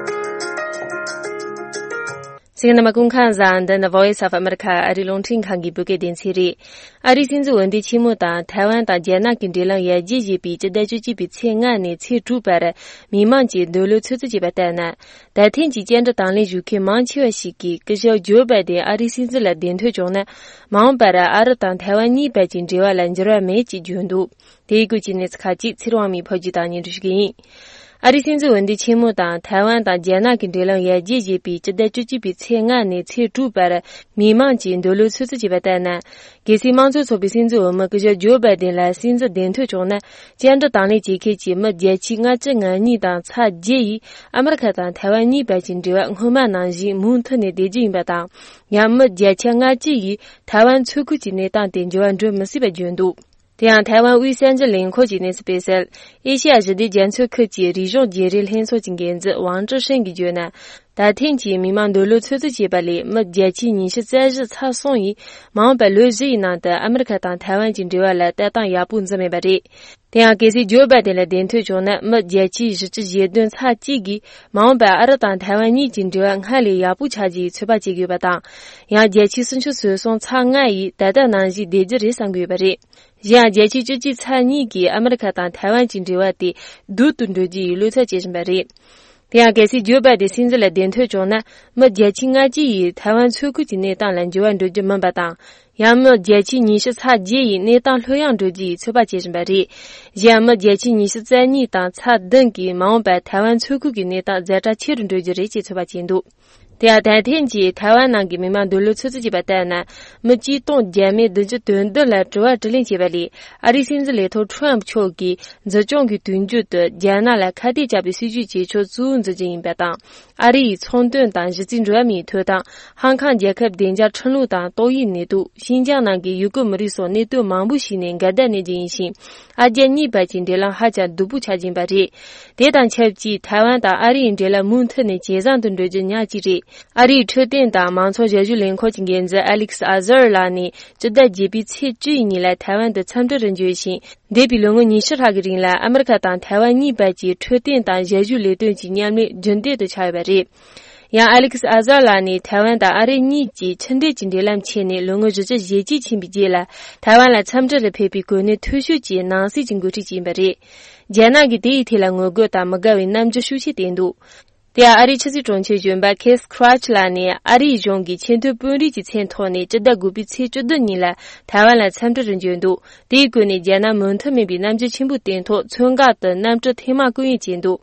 གསན་མཁན་རྣམ་པ་སྐུ་ཁམས་བཟང་། འདི་ནི་Voice of America ཨ་རིའི་རླུང་འཕྲིན་ཁང་གི་བོད་སྐད་སྡེ་ཚན་རེད། ཨ་རིའི་སྲིད་འཛིན་འོས་འདེམས་ཆེན་མོ་དང་ཐའེ་ཝན་དང་རྒྱ་ནག་གི་འབྲེལ་ལམ་ཡར་རྒྱས་བྱེད་པའི་སྤྱི་ཟླ་བཅུ་གཅིག་པའི་ཚེས་ལྔ་ནས་ཚེས་དྲུག་བར་མི་མང་གིས་འདོད་བློ་ཚོད་རྩིས་བྱས་པ་ལྟར་ན། ད་ཐེངས་ཀྱི་བཅར་འདྲི་དང་ལེན་ཞུ་མཁན་མང་ཆེ་བ་ཞིག་གིས་སྐུ་ཞབས་ཇོ་བྷའི་ཌེན་ཨ་རིའི་སྲིད་འཛིན་ལ་གདན་འཐོན་བྱུང་ན། མ་འོངས་པར་ཨ་རི་དང་ཐའེ་ཝན་གཉིས་བར་གྱི་འབྲེལ་བ་ལ་འགྱུར་བ་མེད་ཅེས་བརྗོད་འདུག་དེའི་སྐོར་གྱི་གནས་ཚུལ་ཁག་ཅིག་ཚེ་རིང་དབང་མོས་ཕབ་སྒྱུར་དང་སྙན་སྒྲོན་ཞུ་གི་ཡིན། ཨ་རིའི་སྲིད་འཛིན་འོས་འདེམས་ཆེན་མོ་དང་ཐའེ་ཝན་དང་རྒྱ་ནག་གི་འབྲེལ་ལམ་ཡར་རྒྱས་བྱེད་པའི་སྤྱི་ཟླ་བཅུ་གཅིག་པའི་ཚེས་ལྔ་ནས་ཚེས་དྲུག་བར་མི་མང་གིས་འདོད་བློ་ཚོད་རྩིས་བྱས་པ་ལྟར་ན། གལ་སྲིད་དམངས་གཙོ་ཚོགས་པའི་སྲིད་འཛིན་འོས་མི་སྐུ་ཞབས་ཇོ་བྷའི་ཌེན་ལ་སྲིད་འཛིན་གདན་འཐོན་བྱུང་ན། བཅར་འདྲི་དང་ལེན་བྱེད་མཁན་གྱི་མི་བརྒྱ་ཆ་ལྔ་བཅུ་ང་གཉིས་དང་ཚེག་བརྒྱད་ཡིས་ཨ་མི་རི་ཁ་དང་ཐའེ་ཝན་གཉིས་བར་གྱི་འབྲེལ་བ་སྔོན་མ་ནང་བཞིན་མུ་མཐུད་ནས་བསྡད་རྒྱུ་ཡིན་པ་དང་། ཡང་མི་བརྒྱ་ཆ་ལྔ་བཅུ་ཡིས་ཐའེ་ཝན་མཚོ་ཁུལ་གྱི་གནས་སྟངས་དེ་འགྱུར་བ་འགྲོ་མི་སྲིད་པ་བརྗོད་འདུག་དེ་ཡང་ཐའེ་ཝན་དབུས་གསར་འགྱུར་ལས་ཁུངས་ཀྱི་གནས་ཚུལ་སྤེལ་གསལ། ཨེ་ཤེ་ཡ་ཞི་བདེ་རྒྱ་མཚོའི་ཁུལ་གྱི་རིག་གཞུང་བརྗེ་རེས་ལྷན་ཚོགས་ཀྱི་འགན་འཛིན་ཝང་ཀྲི་ཧྲེང་གིས་བརྗོད་ན། ད་ཐེངས་ཀྱི་མི་མང་འདོད་བློ་ཚོད་རྩིས་བྱས་པ་ལས་མི་བརྒྱ་ཆ་ཉི་ཤུ་རྩ་བཞི་ཚེག་གསུམ་ཡིས་མ་འོངས་པའི་ལོ་བཞི་ཡི་ནང་དུ་ཨ་མི་རི་ཁ་དང་ཐའེ་ཝན་གྱི་འབྲེལ་བ་ལ་ལྟ་སྟངས་ཡག་པོ་འཛིན་མེད་པ་རེད། དེ་ཡང་གལ་སྲིད་ཇོ་བྷའི་ཌེན་ལ་གདན་འཐོན་བྱུང་ན། མི་བརྒྱ་ཆ་བཞི་བཅུ་ཞེ་བདུན་ཚེག་གཅིག་གིས་མ་འོངས་པར་ཨ་རི་དང་ཐའེ་ཝན་གཉིས་ཀྱི་འབྲེལ་བ་སྔར་ལས་ཡག་པོ་ཆགས་རྒྱུའི་ཚོད་དཔག་བྱེད་ཀྱི་ཡོད་པ་དང་། ཡང་བརྒྱ་ཆ་སུམ་ཅུ་སོ་གསུམ་ཚེག་ལྔ་ཡིས་ད་ལྟ་ནང་བཞིན་བསྡད་རྒྱུ་རེད་བསམ་གྱི་ཡོད་པ་རེད། གཞན་ཡང་བརྒྱ་ཆ་བཅུ་གཅིག་ཚེག་གཉིས་ཀྱིས་ཨ་མི་རི་ཁ་དང་ཐའེ་ཝན་གྱི་འབྲེལ་བ་དེ་སྡུག་ཏུ་འགྲོ་རྒྱུ་ཡི་བློ་འཚབ་བྱེད་བཞིན་པ་རེད། དེ་ཡང་གལ་སྲིད་ཇོ་བྷའི་ཌེན་སྲིད་འཛིན་ལ་གདན་འཐོན་བྱུང་ན། མི་བརྒྱ་ཆ་ལྔ་བཅུ་ཡིས་ཐའེ་ཝན་མཚོ་ཁུལ་གྱི་གནས་སྟངས་ལ་འགྱུར་བ་འགྲོ་རྒྱུ་མིན་པ་དང་། ཡང་མི་བརྒྱ་ཆ་ཉི་ཤུ་ཚེག་བརྒྱད་ཡིས་གནས་སྟངས་ལྷོད་ཡངས་འགྲོ་རྒྱུ་ཡི་ཚོད་དཔག་བྱེད་བཞིན་པ་རེད། གཞན་མི་བརྒྱ་ཆ་ཉི་ཤུ་རྩ་གཉིས་དང་ཚེག་བདུན་གྱིས་མ་འོངས་པར་ཐའེ་ཝན་མཚོ་ཁུལ་གྱི་གནས་སྟངས་ཛ་དྲག་ཆེ་རུ་འགྲོ་རྒྱུ་རེད་ཅེས་ཚོད་དཔག་བྱས་འདུག་དེ་ཡང་ད་ཐེངས་ཀྱི་ཐའེ་ཝན་ནང་གི་མི་མང་འདོད་བློ་ཚོད་རྩིས་བྱས་པ་ལྟར་ན། མི་གཅིག་སྟོང་བརྒྱ་མེད་བདུན་ཅུ་དོན་བདུན་ལ་དྲི་བ་དྲིས་ལན་བྱས་པ་ལས། ཨ་རིའི་སྲིད་འཛིན་ལས་ཐོག་ཁྲོམ་མཆོག་གིས་འཛིན་སྐྱོང་གི་དུས་མཇུག་ཏུ་རྒྱ་ནག་ལ་ཁ་གཏད་བཅག་པའི་སྲིད་ཇུས་བྱེད་ཕྱོགས་གཙོ་བོ་འཛིན་རྒྱུ་ཡིན་པ་དང་། ཨ་རི་ཡི་ཚོང་དོན་དང་གཞི་རྩའི་འགྲོ་བ་མིའི་ཐོབ་ཐང་། ཧང་ཀང་རྒྱལ་ཁབ་བདེ་འཇགས་ཁྲིམས་ལུགས་དང་ཏོག་དབྱིབས་ནད་དུག་ཤིན་ཅང་ནང་གི་ཡུ་གུར་མི་རིགས་སོགས་གནད་དོན་མང་པོ་ཞིག་ནས་འགལ་ཟླ་གནས་རྒྱུ་ཡིན་ཞིང་། ཨ་རྒྱ་གཉིས་བར་གྱི་འབྲེལ་ལམ་ཧ་ཅང་སྡུག་པོ་ཆགས་ཀྱིན་པ་རེད། དེ་དང་ཆབས་ཅིག་ཐའེ་ཝན་དང་ཨ་རི་ཡི་འབྲེལ་ལམ་མུ་མཐུད་ནས་ཇེ་བཟང་དུ་འགྲོ་རྒྱུ་ཉག་གཅིག་རེད། ཨ་རིའི་འཕྲོད་བསྟེན་དང་མང་ཚོགས་ཞབས་ཞུ་ལས་ཁུངས་ཀྱི་འགན་འཛིན་ཨ་ལིག་སི་ཨ་ཟར་ལགས་ནས་སྤྱི་ཟླ་བརྒྱད་པའི་ཚེས་བཅུ་ཡི་ཉིན་ལ་ཐའེ་ཝན་དུ་འཚམས་འདྲིར་འབྱོར་ཞིང་། འདས་པའི་ལོ་ངོ་ཉི་ཤུ་ལྷག་གི་རིང་ལ་ཨ་མི་རི་ཁ་དང་ཐའེ་ཝན་གཉིས་བར་གྱི་འཕྲོད་བསྟེན་དང་ཞབས་ཞུའི་ལས་དོན་གྱི་མཉམ་ལས་རྒྱུན་ལྡན་དུ་ཆགས་ཡོད་པ་རེད། ཡང་ཨ་ལིག་སི་ཨ་ཟར་ལགས་ནི་ཐའེ་ཝན་དང་ཨ་རི་གཉིས་ཀྱིས་ཕྱི་འབྲེལ་གྱི་འབྲེལ་ལམ་ཆད་ནས་ལོ་ངོ་བཞི་བཅུ་ཞེ་གཅིག་ཕྱིན་པའི་རྗེས་ལ། ཐའེ་ཝན་ལ་འཚམས་འདྲི་ལ་ཕེབས་པའི་གོ་གནས་མཐོ་ཤོས་ཀྱི་ནང་སྲིད་ཀྱི་འགོ་ཁྲིད་ཅིག་ཡིན་པ་རེད། རྒྱ་ནག་གིས་དེ་ཡི་ཐད་ལ་ངོ་རྒོལ་དང་མི་དགའ་བའི་རྣམ་འགྱུར་ཤུགས་ཆེ་བསྟན་འདུག་དེ་ཡང་ཨ་རིའི་ཕྱི་སྲིད་དྲུང་ཆེ་གཞོན་པ་ཁེ་སི་ཁྲ་ཆི་ལགས་ནས་ཨ་རིའི་གཞུང་གི་ཆེས་མཐོའི་དཔོན་རིགས་ཀྱི་མཚན་ཐོག་ནས་སྤྱི་ཟླ་དགུ་པའི་ཚེས་བཅུ་བདུན་ཉིན་ལ་ཐའེ་ཝན་ལ་འཚམས་འདྲིར་འབྱོར་འདུག་དེའི་སྒོ་ནས་རྒྱ་ནག་མོས་མཐུན་མིན་པའི་རྣམ་འགྱུར་ཆེན་པོ་བསྟན་ཐོག་མཚོན་ཁ་དུ་གནམ་གྲུ་ཐེངས་མང་བསྐོར་ཡོང་བྱས་འདུག་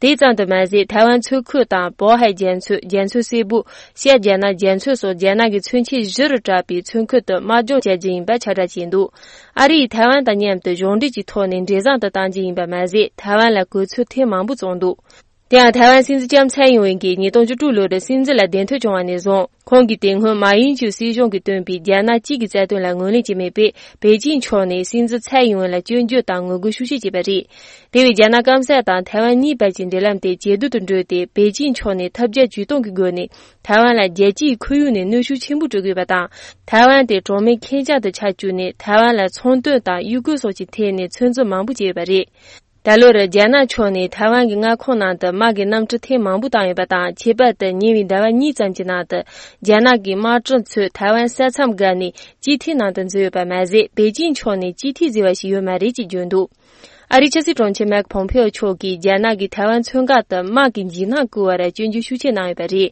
དེ་ཙམ་དུ་མ་ཟད། ཐའེ་ཝན་མཚོ་ཁུལ་དང་པོ་ཧའེ་རྒྱ་མཚོ། རྒྱ་མཚོ་སེར་པོ། ཤར་རྒྱ་ནག་རྒྱ་མཚོ་སོགས་རྒྱ་ནག་གི་མཚོན་ཆ་བཞི་རུ་གྲགས་པའི་མཚོ་ཁུལ་དུ་དམག་སྦྱོང་བྱ་རྒྱུ་ཡིན་པ་ཁྱབ་བསྒྲགས་བྱས་འདུག་ཨ་རི་ཡིས་ཐའེ་ཝན་དང་མཉམ་དུ་གཞུང་འབྲེལ་གྱི་ཐོག་ནས་འབྲས་བཟང་དུ་གཏང་རྒྱུ་ཡིན་པ་མ་ཟད། ཐའེ་ཝན་ལ་གོ་མཚོན་ཐེངས་མང་པོ་བཙུགས་འདུག་དེ་ཡང་ཐའེ་ཝན་སྲིད་འཛིན་ལྕམ་ཚའེ་ཡིན་ཝེན་གྱིས་ཉིས་སྟོང་བཅུ་དྲུག་ལོར་སྲིད་འཛིན་ལ་གདན་འཐོན་བྱུང་བ་ནས་བཟུང་། ཁོང་གིས་དེ་སྔོན་མཱ་ཡིན་ཅུའི་སྲིད་གཞུང་གིས་བཏོན་པའི་རྒྱ་ནག་གཅིག་གི་རྩ་དོན་ལ་ངོས་ལེན་བྱས་མེད་པས། པེ་ཅིང་ཕྱོགས་ནས་སྲིད་འཛིན་ཚའེ་ཡིན་ཝེན་ལ་སྐྱོན་བརྗོད་དང་ངོ་རྒོལ་ཤུགས་ཆེ་བྱས་པ་རེད། དེ་བས་རྒྱ་ནག་སྐམ་ས་དང་ཐའེ་ཝན་གཉིས་བར་གྱི་འབྲེལ་ལམ་དེ་ཇེ་སྡུག་ཏུ་འགྲོས་ཏེ། པེ་ཅིང་ཕྱོགས་ནས་ཐབས་བརྒྱ་ཇུས་སྟོང་གི་སྒོ་ནས་ཐའེ་ཝན་ལ་རྒྱལ་སྤྱིའི་ཁོར་ཡུག་ནས་གནོན་ཤུགས་ཆེན་པོ་སྤྲོད་དགོས་པ་དང་། ཐའེ་ཝན་དེ་གྲོགས་མེད་ཁེར་རྐྱང་དུ་ཆགས་བཅུག་ནས། ཐའེ་ཝན་ལ་ཚོང་དོན་དང་གཡུལ་སྐོར་སོགས་ཀྱི་ཐད་ནས་ཚོད་འཛིན་མང་པོ་བྱས་ཡོད་པ་རེད། ད་ལོར་རྒྱ་ནག་ཕྱོགས་ནས་ཐའེ་ཝན་གྱི་མངའ་ཁོངས་ནང་དུ་དམག་གི་གནམ་གྲུ་ཐེངས་མང་པོ་བཏང་ཡོད་པ་དང་། ཁྱད་པར་དུ་ཉེ་བའི་ཟླ་བ་གཉིས་ཙམ་གྱི་ནང་དུ་རྒྱ་ནག་གི་དམག་གྲུ་ཚོས་ཐའེ་ཝན་ས་མཚམས་བརྒལ་ནས་ཅིག་ཐིག་ནང་དུ་འཛུལ་ཡོད་པ་མ་ཟད། པེ་ཅིང་ཕྱོགས་ནས་ཅིག་ཐིག་འཛུལ་བ་ཞིག་ཡོད་མ་རེད་ཅེས་བརྗོད་འདུག་ཨ་རིའི་ཕྱི་སྲིད་དྲུང་ཆེ་མེག་ཕོམ་ཕེའོ་མཆོག་གིས་རྒྱ་ནག་གིས་ཐའེ་ཝན་མཚོ་འགག་ཏུ་དམག་གི་འཇིགས་སྣང་བསྐུལ་བར་སྐྱོན་བརྗོད་ཤུགས་ཆེ་གནང་ཡོད་པ་རེད།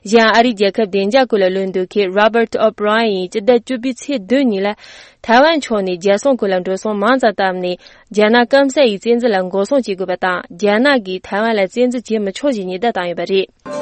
གཞན་ཨ་རིའི་རྒྱལ་ཁབ་བདེ་འཇགས་སྐོར་ལ་བློ་འདྲི་མཁན་Robert O'Brien་ཡིས་སྤྱི་ཟླ་བཅུ་པའི་ཚེས་བདུན་ཉིན་ལ། ཐའེ་ཝན་ཕྱོགས་ནས་རྒྱལ་སྲུང་ཁུལ་ལ་འགྲོ་སོང་མང་ཙམ་བཏབ་ནས། རྒྱ་ནག་སྐམ་ས་ཡི་བཙན་འཛུལ་ལ་འགོག་སྲུང་བྱེད་དགོས་པ་དང་། རྒྱ་ནག་གིས་ཐའེ་ཝན་ལ་བཙན་འཛུལ་བྱེད་མི་ཆོག་ཅེས་ཉེན་བརྡ་བཏང་ཡོད་པ་རེད།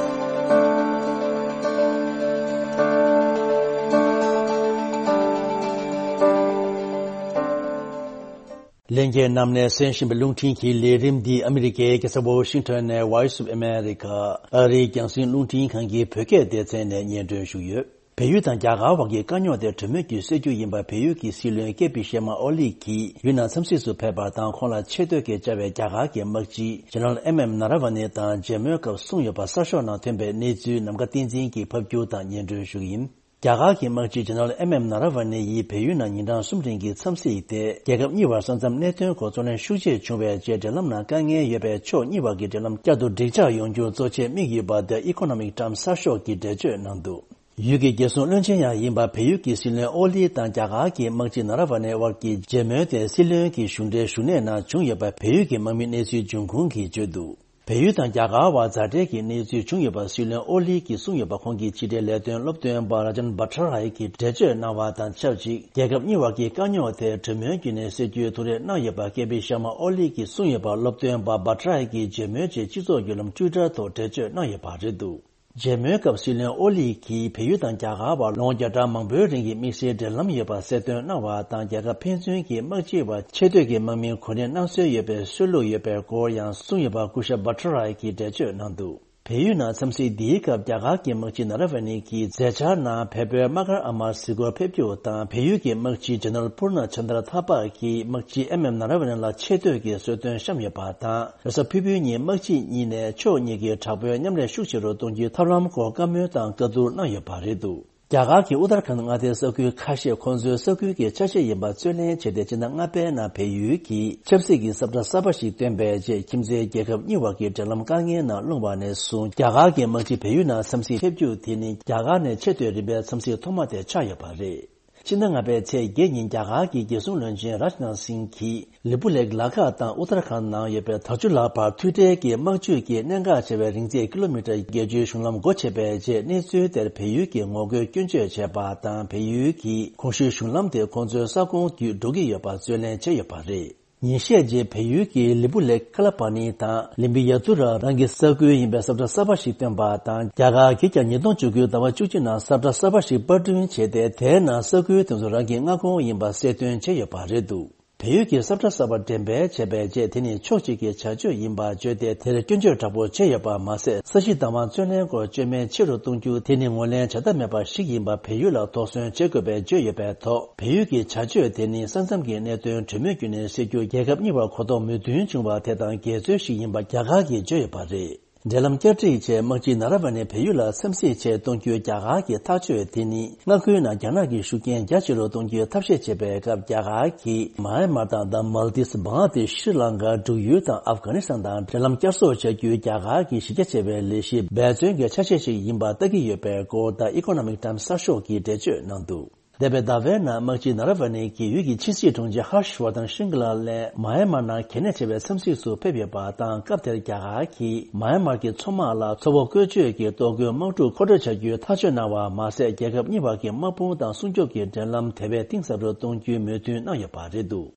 ལྷན་རྒྱས་རྣམས་ནས་གསན་བཞིན་པའི་རླུང་འཕྲིན་གྱི་ལས་རིམ་འདི་ཨ་མི་རི་ཀའི་རྒྱལ་ས་ཝོ་ཤིང་ཊོན་ནས་Voice of America ཨ་རིའི་རྒྱང་སྲིང་རླུང་འཕྲིན་ཁང་གི་བོད་སྐད་སྡེ་ཚན་ནས་སྙན་སྒྲོན་ཞུས་ཡོད། བལ་ཡུལ་དང་རྒྱ་གར་བར་གྱི་དཀའ་རྙོག་དེ་གྲོས་མོལ་གྱིས་སེལ་རྒྱུ་ཡིན་པ་བལ་ཡུལ་གྱི་སྲིད་བློན་ཀེ་པི་ཤར་མ་ཨོ་ལི་གིས་ཡུལ་ནང་འཚམས་གཟིགས་སུ་ཕེབས་པ་དང་། ཁོང་ལ་ཆེ་བསྟོད་ཀྱི་བཅར་བའི་རྒྱ་གར་གྱི་དམག་སྤྱི་General M M Narawane་དང་མཇལ་མོལ་སྐབས་གསུངས་ཡོད་པ་གསར་ཤོག་ནང་ཐོན་པའི་གནས་ཚུལ་ནམ་མཁའ་བསྟན་འཛིན་གྱིས་ཕབ་སྒྱུར་དང་སྙན་སྒྲོན་ཞུ་གི་ཡིན། རྒྱ་གར་གྱི་དམག་སྤྱི་General M M Narawane་ཡིས་བལ་ཡུལ་ནང་ཉིན་གྲངས་གསུམ་རིང་གི་འཚམས་གཟིགས་དེ། རྒྱལ་ཁབ་གཉིས་བར་ས་མཚམས་གནད་དོན་སྐོར་རྩོད་ལེན་ཤུགས་ཆེ་བྱུང་བའི་རྗེས། འབྲེལ་ལམ་ནང་དཀའ་ངལ་ཡོད་པའི་ཕྱོགས་གཉིས་བར་གྱི་འབྲེལ་ལམ་བསྐྱར་དུ་འགྲིག་འཇགས་ཡོང་རྒྱུར་གཙོ་ཆེར་དམིགས་ཡོད་པ། The Economic Times་གསར་ཤོག་གིས་འགྲེལ་བརྗོད་གནང་འདུག་ཡུལ་གྱི་རྒྱལ་སྲུང་བློན་ཆེན་ཡང་ཡིན་པ་བལ་ཡུལ་གྱི་སྲིད་བློན་ཨོ་ལི་དང་རྒྱ་གར་གྱི་དམག་སྤྱི་ན་ར་ཝ་ནེ་དབར་གྱི་མཇལ་མོལ་དེ་སྲིད་བློན་གྱི་བཞུགས་གྲལ་བཞུགས་གནས་ནང་བྱུང་ཡོད་པ། བལ་ཡུལ་གྱི་དམག་མིའི་གནས་ཚུལ་འབྱུང་ཁུངས་ཀྱིས་བརྗོད་འདུག་བལ་ཡུལ་དང་རྒྱ་གར་བར་མཛའ་འབྲེལ་གྱི་གནས་ཚུལ་བྱུང་ཡོད་པ་སྲིད་བློན་ཨོ་ལི་གིས་གསུངས་ཡོད་པ། ཁོང་གི་ཕྱི་འབྲེལ་ལས་དོན་སློབ་སྟོན་པ་Rajan Bhattaraia་གིས་འགྲེལ་བརྗོད་གནང་བ་དང་ཆབས་ཅིག་རྒྱལ་ཁབ་གཉིས་བར་གྱི་དཀའ་རྙོག་དེ་གྲོས་མོལ་བརྒྱུད་ནས་སེལ་རྒྱུའི་ཐུགས་རེ་གནང་ཡོད་པ་ཀེ་པི་ཤར་མ་ཨོ་ལི་གིས་གསུངས་ཡོད་པ། སློབ་སྟོན་པ་Bhattaraia་གིས་མཇལ་མོལ་རྗེས་སྤྱི་ཚོགས་བརྒྱུད་ལམ་Twitter་ཐོག་འགྲེལ་བརྗོད་གནང་ཡོད་པ་རེད་འདུག་མཇལ་མོལ་སྐབས་སྲིད་བློན་ཨོ་ལི་གིས་བལ་ཡུལ་དང་རྒྱ་གར་བར་ལོ་ངོ་བརྒྱ་ཕྲག་མང་པོའི་རིང་གི་དམིགས་བསལ་འབྲེལ་ལམ་ཡོད་པ་གསལ་སྟོན་གནང་བ་དང་། རྒྱལ་ཁབ་ཕན་ཚུན་གྱི་དམག་སྤྱིའི་བར་ཆེ་བསྟོད་ཀྱི་དམག་མིའི་གོ་གནས་གནང་སྲོལ་ཡོད་པའི་སྲོལ་ལུགས་ཡོད་པའི་སྐོར་ཡང་གསུངས་ཡོད་པ་སྐུ་ཞབས་Bhattaraia་གིས་འགྲེལ་བརྗོད་གནང་འདུག་བལ་ཡུལ་ནང་འཚམས་གཟིགས་འདིའི་སྐབས་རྒྱ་གར་གྱི་དམག་སྤྱི་ན་ར་ཝ་ནེ་གིས་མཛད་འཆར་ནང་བལ་པོའི་དམག་སྒར་ཨ་མར་གཟིགས་སྐོར་ཕེབས་རྒྱུ་དང་། བལ་ཡུལ་གྱི་དམག་སྤྱི་General Purna Chandra Thapa་གིས་དམག་སྤྱི་M M Narawane་ལ་ཆེ་བསྟོད་ཀྱི་གསོལ་སྟོན་བཤམས་ཡོད་པ་དང་། རེས་གཟའ་ཕུར་བུའི་ཉིན་དམག་སྤྱི་གཉིས་ནས་ཕྱོགས་གཉིས་ཀྱི་དྲག་པོའི་མཉམ་ལས་ཤུགས་ཆེ་རུ་གཏོང་རྒྱུའི་ཐབས་ལམ་སྐོར་བཀའ་མོལ་དང་བཀའ་བསྡུར་གནང་ཡོད་པ་རེད་འདུག་རྒྱ་གར་གྱི་ཨུ་ཏར་ཁཱན་མངའ་སྡེའི་ས་ཁུལ་ཁ་ཤས་ཁོང་ཚོའི་ས་ཁུལ་གྱི་ཆ་ཤས་ཡིན་པ་རྩོད་ལེན་བྱས་ཏེ། སྤྱི་ཟླ་ལྔ་པའི་ནང་བལ་ཡུལ་གྱིས་ཆབ་སྲིད་ཀྱི་ས་བཀྲ་གསར་པ་ཞིག་བཏོན་པའི་རྗེས། ཁྱིམ་མཚེས་རྒྱལ་ཁབ་གཉིས་བར་གྱི་འབྲེལ་ལམ་དཀའ་ངལ་ནང་ལྷུང་བ་ནས་བཟུང་། རྒྱ་གར་གྱི་དམག་སྤྱི་བལ་ཡུལ་ནང་འཚམས་གཟིགས་ཕེབས་རྒྱུ་དེ་ནི་རྒྱ་གར་ནས་ཆེས་མཐོའི་རིམ་པའི་འཚམས་གཟིགས་ཐོག་མ་དེ་ཆགས་ཡོད་པ་རེད། ཕྱི་ཟླ་ལྔ་པའི་ཚེས་བརྒྱད་ཉིན་རྒྱ་གར་གྱི་རྒྱལ་སྲུང་བློན་ཆེན་Rajnath Singh་གྱིས་ལི་པུ་ལེག་ལ་དྭགས་དང་ཨུ་ཏར་ཁཱན་ནང་ཡོད་པའི་དར་ཆུ་ལ་བར་མཐུད་འབྲེལ་གྱི་དམག་ཇུས་ཀྱིས་གནད་འགག་ཆེ་བའི་རིང་ཚད་ཀི་ལོ་མི་ཊར་བརྒྱད་ཅུའི་གཞུང་ལམ་སྒོ་ཕྱེ་བའི་རྗེས། གནས་ཚུལ་དེར་བལ་ཡུལ་གྱི་ངོ་རྒོལ་སྐྱོན་བརྗོད་བྱས་པ་དང་། བལ་ཡུལ་གྱིས་གོང་ཞུས་གཞུང་ལམ་དེ་ཁོང་ཚོའི་ས་ཁོངས་བརྒྱུད་འགྲོ་གི་ཡོད་པར་རྩོད་ལེན་བྱས་ཡོད་པ་རེད། ཉིན་ཤས་རྗེས་བལ་ཡུལ་གྱི་ལི་པུ་ལེག་ཁ་ལ་པ་ནི་དང་ལི་མི་ཡ་ཏུ་ར་རང་གི་ས་ཁུལ་ཡིན་པའི་ས་བཀྲ་གསར་པ་ཞིག་བཏོན་པ་དང་། རྒྱ་གར་གྱིས་ཀྱང་ཉིས་སྟོང་བཅུ་དགུའི་ཟླ་བ་བཅུ་གཅིག་ནང་ས་བཀྲ་གསར་པ་ཞིག་པར་སྐྲུན་བྱས་ཏེ། དེའི་ནང་ས་ཁུལ་དེ་ཚོ་རང་གི་མངའ་ཁོངས་ཡིན་པ་གསལ་སྟོན་བྱས་ཡོད་པ་རེད་འདུག་བལ་ཡུལ་གྱིས་ས་བཀྲ་གསར་པ་འགྲེམས་སྤེལ་བྱས་པའི་རྗེས། དེ་ནི་ཕྱོགས་གཅིག་གི་བྱ་སྤྱོད་ཡིན་པ་བརྗོད་དེ། དེར་སྐྱོན་བརྗོད་དྲག་པོ་བྱས་ཡོད་པ་མ་ཟད། ས་གཞི་བདག་དབང་རྩོད་ལེན་སྐོར་སྐྱོན་མེད་ཆེ་རུ་གཏོང་རྒྱུ་དེ་ནི་ངོས་ལེན་བྱ་ཐབས་མེད་པ་ཞིག་ཡིན་པ་བལ་ཡུལ་ལ་དོགས་ཟོན་བྱེད་དགོས་པའི་བརྗོད་ཡོད་པའི་ཐོག་བལ་ཡུལ་གྱི་བྱ་སྤྱོད་དེ་ནི་ས་མཚམས་ཀྱི་གནད་དོན་གྲོས་མོལ་བརྒྱུད་ནས་སེལ་རྒྱུར་རྒྱལ་ཁབ་གཉིས་བར་གོ་རྟོགས་མོས་མཐུན་བྱུང་བ་དེ་དང་འགལ་འཛོལ་ཞིག་ཡིན་པ་རྒྱ་གར་གྱིས་བརྗོད་ཡོད་པ་རེད། འབྲེལ་ལམ་བསྐྱར་སྒྲིག་ཆེད་དམག་སྤྱི་ན་ར་ཝ་ནེ་བལ་ཡུལ་ལ་འཚམས་གཟིགས་ཆེད་གཏོང་རྒྱུའི་རྒྱ་གར་གྱི་ཐག་གཅོད་དེ་ནི། མངའ་ཁུལ་ནང་རྒྱ་ནག་གི་ཤུགས་རྐྱེན་རྒྱ་ཆེ་རུ་གཏོང་རྒྱུའི་ཐབས་ཤེས་བྱེད་པའི་སྐབས། རྒྱ་གར་གྱིས་མཱ་ཨན་མར་དང་། དང་མཱལ་དིབ། བང་ལ་དེཤ། ཤྲི་ལང་ཀ། འབྲུག་ཡུལ་དང་ཨབ་གྷ་ནི་སི་ཐན་དང་འབྲེལ་ལམ་བསྐྱར་གསོ་བྱ་རྒྱུའི་རྒྱ་གར་གྱི་གཞི་རྒྱ་ཆེ་བའི་ལས་གཞི་འབད་བརྩོན་གྱི་ཆ་ཤས་ཤིག་ཡིན་པ་ལྟ་གི་ཡོད་པའི་སྐོར། The Economic Times་གསར་ཤོག་གིས་འགྲེལ་བརྗོད་གནང་འདུག་འདས་པའི་ཟླ་བའི་ནང་དམག་སྤྱི་ན་ར་ཝ་ནེ་གིས་ཡུལ་གྱི་ཕྱི་སྲིད་དྲུང་ཆེ་ཧར་ཤ་ཝར་དན་ཤིང་གི་ལ་སླད་མཱ་ཨན་མར་ནང་གལ་གནད་ཆེ་བའི་འཚམས་གཟིགས་སུ་ཕེབས་ཡོད་པ་དང་། སྐབས་དེར་རྒྱ་གར་གྱིས་མཱ་ཨན་མར་གྱི་མཚོ་དམག་ལ་མཚོ་བོད་བཀོལ་སྤྱོད་ཀྱི་གཏོར་རྒོལ་དམག་འཁྲུག་མཁོ་སྤྲོད་བྱ་རྒྱུའི་ཐག་གཅོད་གནང་བ་མ་ཟད། རྒྱལ་ཁབ་གཉིས་བར་གྱི་དམག་དཔུང་དང་སྲུང་སྐྱོབ་ཀྱི་འབྲེལ་ལམ་དེ་བས་གཏིང་ཟབ་རུ་གཏོང་རྒྱུའི་མོས་མཐུན་གནང་ཡོད་པ་རེད་འདུག་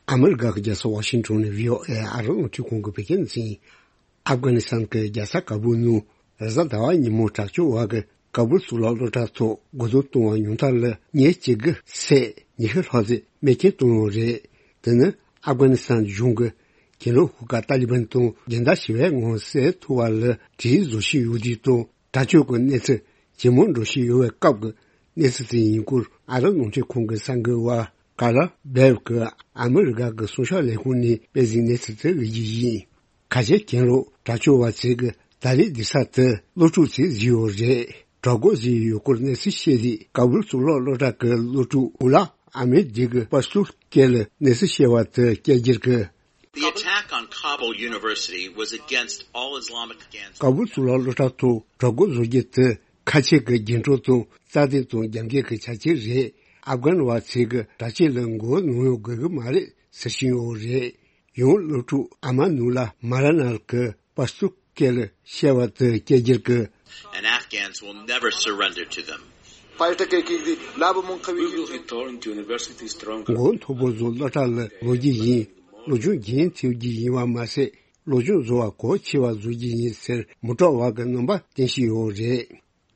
ཨ་མི་རི་ཀ་གི་རྒྱལ་ས་ཝ་ཤིང་ཊོན་ནས་བྷི་ཨོ་ཨེ་ཨ་རི་རླུང་འཕྲིན་ཁང་གི་བོད་སྐད་སྡེ་ཚན་ཡིན། ཨབ་གྷ་ནི་སི་ཐན་གྱི་རྒྱལ་ས་ཀ་བུལ་ནང་རེས་གཟའ་ཟླ་བ་ཉིན་མོ་དྲག་སྤྱོད་བ་གི་ཀ་བུལ་གཙུག་ལག་སློབ་གྲྭ་ཐོག་རྒོལ་རྡུང་གཏོང་བ་ཉུང་མཐར་ལ་མི་གཅིག་གི་སྲས་ཉི་ཤུ་ལྷག་ཙམ་རྨས་སྐྱོན་བཏང་ཡོད་རེད། དེ་ནི་ཨབ་གྷ་ནི་སི་ཐན་གཞུང་གིས་གྱེན་ལོག་ཤོག་ཁག་ཏཱ་ལི་བན་དང་སྦྱིན་བདག་ཞི་བའི་ངོ་བོ་གསལ་ཐུབ་པ་ལ་གྲོས་བཟོ་བཞིན་ཡོད་དུས་དང་། དྲག་སྤྱོད་ཀྱི་གནས་ཚུལ་ཇེ་མང་འགྲོ་བཞིན་ཡོད་པའི་སྐབས་ཀྱི་གནས་ཚུལ་དེ་ཡིན་སྐོར། ཨ་རི་རླུང་འཕྲིན་ཁང་གི་གསར་འགོད་པ་ཀ་ལ་སྦེལ་གྱིས་ཨ་མི་རི་ཀ་གི་གསུང་བཤད་ལས་ཁུངས་ནས་སྤེལ་གཟིགས་གནས་ཚུལ་དེ་ལ་གཟིགས་རྒྱུ་ཡིན། ཁ་ཆེ་གྱེན་ལོག་དྲག་སྤྱོད་པ་ཚོས་ཀྱི་ཏཱ་ལའི་སྡོད་ས་དེ་སློབ་ཕྲུག་ཚོས་བཟོས་ཡོད་རེད། དྲག་རྒོལ་ཟིན་ཡོད་སྐོར་གནས་ཚུལ་བཤད་དུས། ཀ་སྦུལ་གཙུག་ལག་སློབ་གྲྭ་གི་སློབ་ཕྲུག་མུ་ལ་ཨ་མེ་ཌི་གི་པ་སུ་སྐད་ལ་གནས་ཚུལ་བཤད་པ་དེ་སྐད་སྒྱུར་གི། The attack on Kabul University was against all Islamic advances. ཀ་སྦུལ་གཙུག་ལག་སློབ་གྲྭ་ཐོག་དྲག་རྒོལ་བཟོ་རྒྱུ་དེ་ཁ་ཆེ་གི་རྒྱུན་སྤྲོད་དང་རྩ་དོན་དང་རྒྱབ་འགལ་གྱི་བྱ་སྤྱོད་རེད། ཨབ་གྷན་བ་ཚོས་གི་དྲག་སྤྱོད་ལ་མགོ་གནོན་དགོས་གི་མ་རེད་ཟེར་བཞིན་ཡོད་རེད། ཡང་སློབ་ཕྲུག་ཨ་མ་ནུ་ལ་མ་ར་ནལ་གི་པ་སུ་སྐད་ལ་བཤད་པ་དེ་སྐད་སྒྱུར་གི། And Afghans will never surrender to them. We will return to university strong. མགོ་མཐོ་པོ་བཟོ་སློབ་གྲྭ་ལ་ལོག་རྒྱུ་ཡིན། སློབ་སྦྱོང་རྒྱུན་མཐུད་རྒྱུ་ཡིན་པ་མ་ཟད། སློབ་སྦྱོང་བཟོ་བ་གལ་ཆེ་བ་བཟོ་རྒྱུ་ཡིན་ཟེར་མི་སྐྲག་པ་གི་རྣམ་པ་བསྟན་བཞིན་ཡོད་རེད།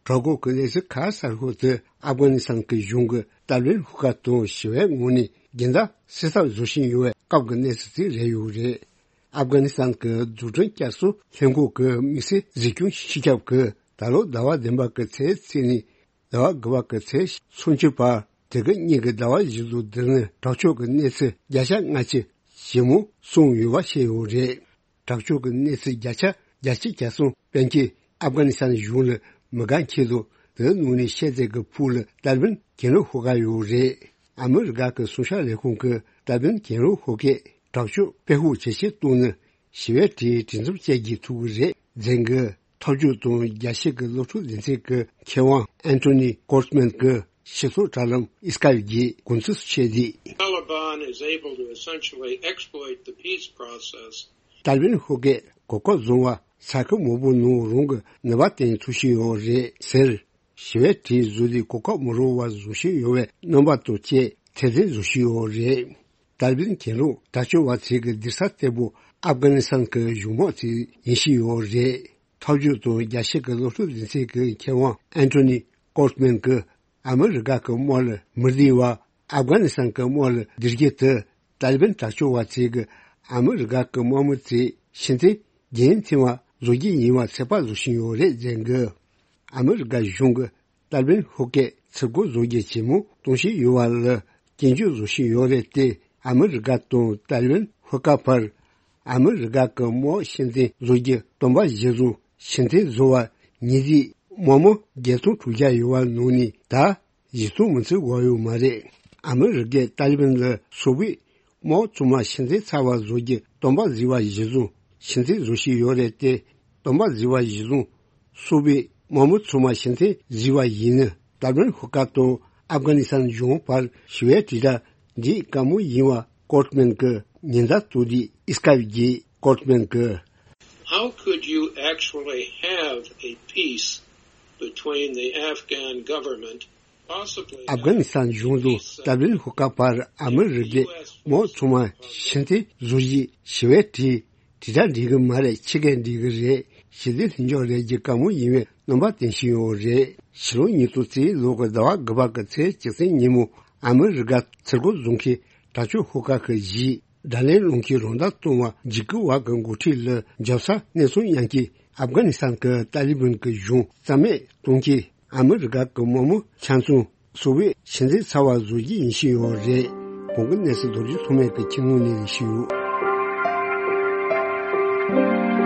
དྲག་རྒོལ་གྱི་གནས་ཚུལ་ག་ས་ཤོད་དུ་ཨབ་གྷ་ནི་སི་ཐན་གྱི་གཞུང་གིས་ཏཱ་ལི་བན་ཤོག་ཁག་དང་ཞི་བའི་ངོས་ནས་སྦྱིན་བདག་སེལ་ཐབས་བཟོ་བཞིན་ཡོད་པའི་སྐབས་ཀྱི་གནས་ཚུལ་དེ་རེད་ཡོད་རེད། ཨབ་གྷ་ནི་སི་ཐན་གྱི་རྫུ་འཕྲུལ་བསྐྱར་གསོ་ལྷན་ཁང་གི་དམིགས་བསལ་གཟིགས་སྐྱོང་སྤྱི་ཁྱབ་ཀྱིས་ད་ལོ་ཟླ་བ་བདུན་པ་གི་ཚེས་གཅིག་ནས་ཟླ་བ་དགུ་པ་གི་ཚེས་སུམ་ཅུ་བར། དེ་གི་གཉིས་ཀྱི་ཟླ་བ་བཞི་ཚོ་འདིར་ནི་དྲག་སྤྱོད་ཀྱི་གནས་ཚུལ་བརྒྱ་ཆ་ལྔ་བཅུ་ཞིབ་མོ་གསུངས་ཡོད་པ་བཤད་ཡོད་རེད། དྲག་སྤྱོད་ཀྱི་གནས་ཚུལ་བརྒྱ་ཆ་བརྒྱད་ཅུ་གྱ་གསུམ་ཕལ་ཆེར་ཨབ་གྷ་ནི་སི་ཐན་གཞུང་ལ་མི་དགའ་མཁན་དང་དེའི་ནང་ནས་ཤེས་ཚད་ཀྱི་ཕུགས་ལ་ཏཱ་ལི་བན་གྱེན་ལོག་ཤོག་ཁག་ཡོད་རེད། ཨ་མི་རི་ཀ་གི་སྲུང་སྐྱོབ་ལས་ཁུངས་ཀྱིས་ཏཱ་ལི་བན་གྱེན་ལོག་ཤོག་ཁག་དྲག་སྤྱོད་སྤེལ་ཤུགས་ཇེ་ཆེར་གཏོང་ནས་ཞི་བའི་གྲས་གྲོས་འཚམ་བཅད་རྒྱག་ཐུབ་ཀྱི་རེད་ཟེར་གི། ཐབས་ཇུས་དང་རྒྱལ་སྤྱི་གི་སློབ་ཕྲུག་སྡེ་ཚན་གྱི་མཁས་དབང་ཨན་ཐོ་ནི་ཀོར་མན་གྱིས་ཕྱི་ཕྱོགས་དྲ་ལམ་ཨི་སི་ཀའིབ་ཀྱི་གོ་མཚོན་བཤད་དེ། Taliban is able to essentially exploit the peace process. ཏཱ་ལི་བན་ཤོག་ཁག་གོ་སྐབས་བཟུང་བ་ས་ཁུལ་མང་པོ་ནང་རང་གི་ནུས་པ་བཏོན་ཐུབ་བཞིན་ཡོད་རེད་ཟེར། ཞི་བའི་གྲས་བཟོ་དུས་གོ་སྐབས་མི་རག་པ་བཟོ་བཞིན་ཡོད་པའི་རྣམ་པ་དང་བཅས་ཐེར་འདོན་བཟོ་བཞིན་ཡོད་རེད། ཏཱ་ལི་བན་གྱེན་ལོག་དྲག་སྤྱོད་པ་ཚོའི་གི་སྡིག་ཚབ་གཏེ་པོ་ཨབ་གྷ་ནི་སི་ཐན་གྱི་གཞུང་དམག་ཚོ་ཡིན་བཞིན་ཡོད་རེད། ཐབས་ཇུས་དང་རྒྱལ་སྤྱི་གི་སློབ་ཕྲུག་སྡེ་ཚན་གྱི་མཁས་དབང་ཨན་ཐོ་ནི་ཀོར་མན་གྱིས་ཨ་མི་རི་ཀ་གི་དམག་ལ་མི་བདེ་བ་ཨབ་གྷ་ནི་སི་ཐན་གྱི་དམག་ལ་བདེ་སྐྱིད་དེ་ཏཱ་ལི་བན་དྲག་སྤྱོད་པ་ཚོས་ཀྱི་ཨ་མི་རི་ཀ་གི་དམག་མི་ཚོས་ཕྱིར་འཐེན་རྒྱུན་མཐུད་པ་བཟོ་རྒྱུ་ཡིན་པ་ཚོད་དཔག་བཟོ་བཞིན་ཡོད་རེད་ཟེར་གི། ཨ་མི་རི་ཀ་གཞུང་གིས་ཏཱ་ལི་བན་ཤོག་ཁག་ཚུར་རྒོལ་བཟོ་རྒྱུ་ཇེ་མང་གཏོང་བཞིན་ཡོད་པ་ལ་སྐྱོན་བརྗོད་བཟོ་བཞིན་ཡོད་རེད་དེ། ཨ་མི་རི་ཀ་དང་ཏཱ་ལི་བན་ཤོག་ཁག་བར་ཨ་མི་རི་ཀ་གི་དམག་ཕྱིར་འཐེན་བཟོ་རྒྱུ་སྟོང་པ་བཞི་བཟུང་ཕྱིར་འཐེན་བཟོ་བ་ཉིས་བརྒྱའི་དམག་མི་བརྒྱད་སྟོང་དྲུག་བརྒྱ་ཡོད་པ་ནང་ནས་ད་བཞི་སྟོང་མི་ཚོད་འགོར་ཡོད་མ་རེད། ཨ་མི་རི་ཀས་ཏཱ་ལི་བན་ལ་སོ་བོད་དམག་ཚང་མ་ཕྱིར་འཐེན་ཚར་བ་བཟོ་རྒྱུ་སྟོང་པ་བཞི་བ་གཞི་བཟུང་ཕྱིར་འཐེན་བཟོ་བཞིན་ཡོད་རེད་དེ། སྟོང་པ་བཞི་བ་གཞི་བཟུང་སོ་བོད་དམག་མི་ཚང་མ་ཕྱིར་འཐེན་བཟོས་པ་ཡིན་ན། ཏཱ་ལི་བན་ཤོག་ཁག་དང་ཨབ་གྷ་ནི་སི་ཐན་གཞུང་བར་ཞི་བའི་དྲིལ་བསྒྲགས་འདི་དགའ་མོ་ཡིན་པ་ཀོར་མན་གྱིས་ཉེན་བརྡ་བཏང་དུས། ཨི་སི་ཀའིབ་ཀྱི་ཀོར་མན་གྱིས། How could you actually have a peace between the Afghan government, possibly ཨབ་གྷ་ནི་སི་ཐན་གཞུང་དང་ཏཱ་ལི་བན་ཤོག་ཁག་བར་ཨ་མི་རི་ཀས་དམག་ཚང་མ་ཕྱིར་འཐེན་བཟོ་རྒྱུའི་ཞི་བའི་གྲས་དྲིལ་བསྒྲགས་འགྲིག་གི་མ་རེད། ཕྱི་རྒྱལ་འགྲིག་གི་རེད། ཞི་བདེ་ལྷིང་འཇགས་རེད་ཀྱི་བཀའ་མོལ་ཡིན་པའི་རྣམ་པ་བསྟན་བཞིན་ཡོད་རེད། ཕྱི་ལོ་ཉིས་སྟོང་རྩ་བཞི་ལོ་གི་ཟླ་བ་དགུ་པ་གི་ཚེས་བཅུ་གཅིག་ཉིན་མོ་ཨ་མི་རི་ཀ་ཚུར་རྒོལ་བཟོ་མཁན་དྲག་སྤྱོད་ཤོག་ཁག་གི་གཞི་དགྲ་ལན་སློང་མཁན་རང་བདག་བཏང་བ་འཇིགས་སྐུལ་བ་གི་འགོ་ཁྲིད་ལ་འཇབ་ས་སྣེ་ཚོགས་མཉམ་གྱི་ཨབ་གྷ་ནི་སི་ཐན་གྱི་ཏཱ་ལི་བན་གྱི་གཞུང་རྩ་མེད་གཏོང་གི། ཨ་མི་རི་ཀ་གི་དམག་མི་ཆ་ཚང་སོ་བོད་ཕྱིར་འཐེན་ཚར་བ་བཟོ་རྒྱུ་ཡིན་བཞིན་ཡོད་རེད། གོང་གི་གནས་ཚུལ་རྡོ་རྗེ་ཐོགས་མེད་ཀྱིས་ཁྱེད་ངོས་ནས་ཞུས་ཡོད།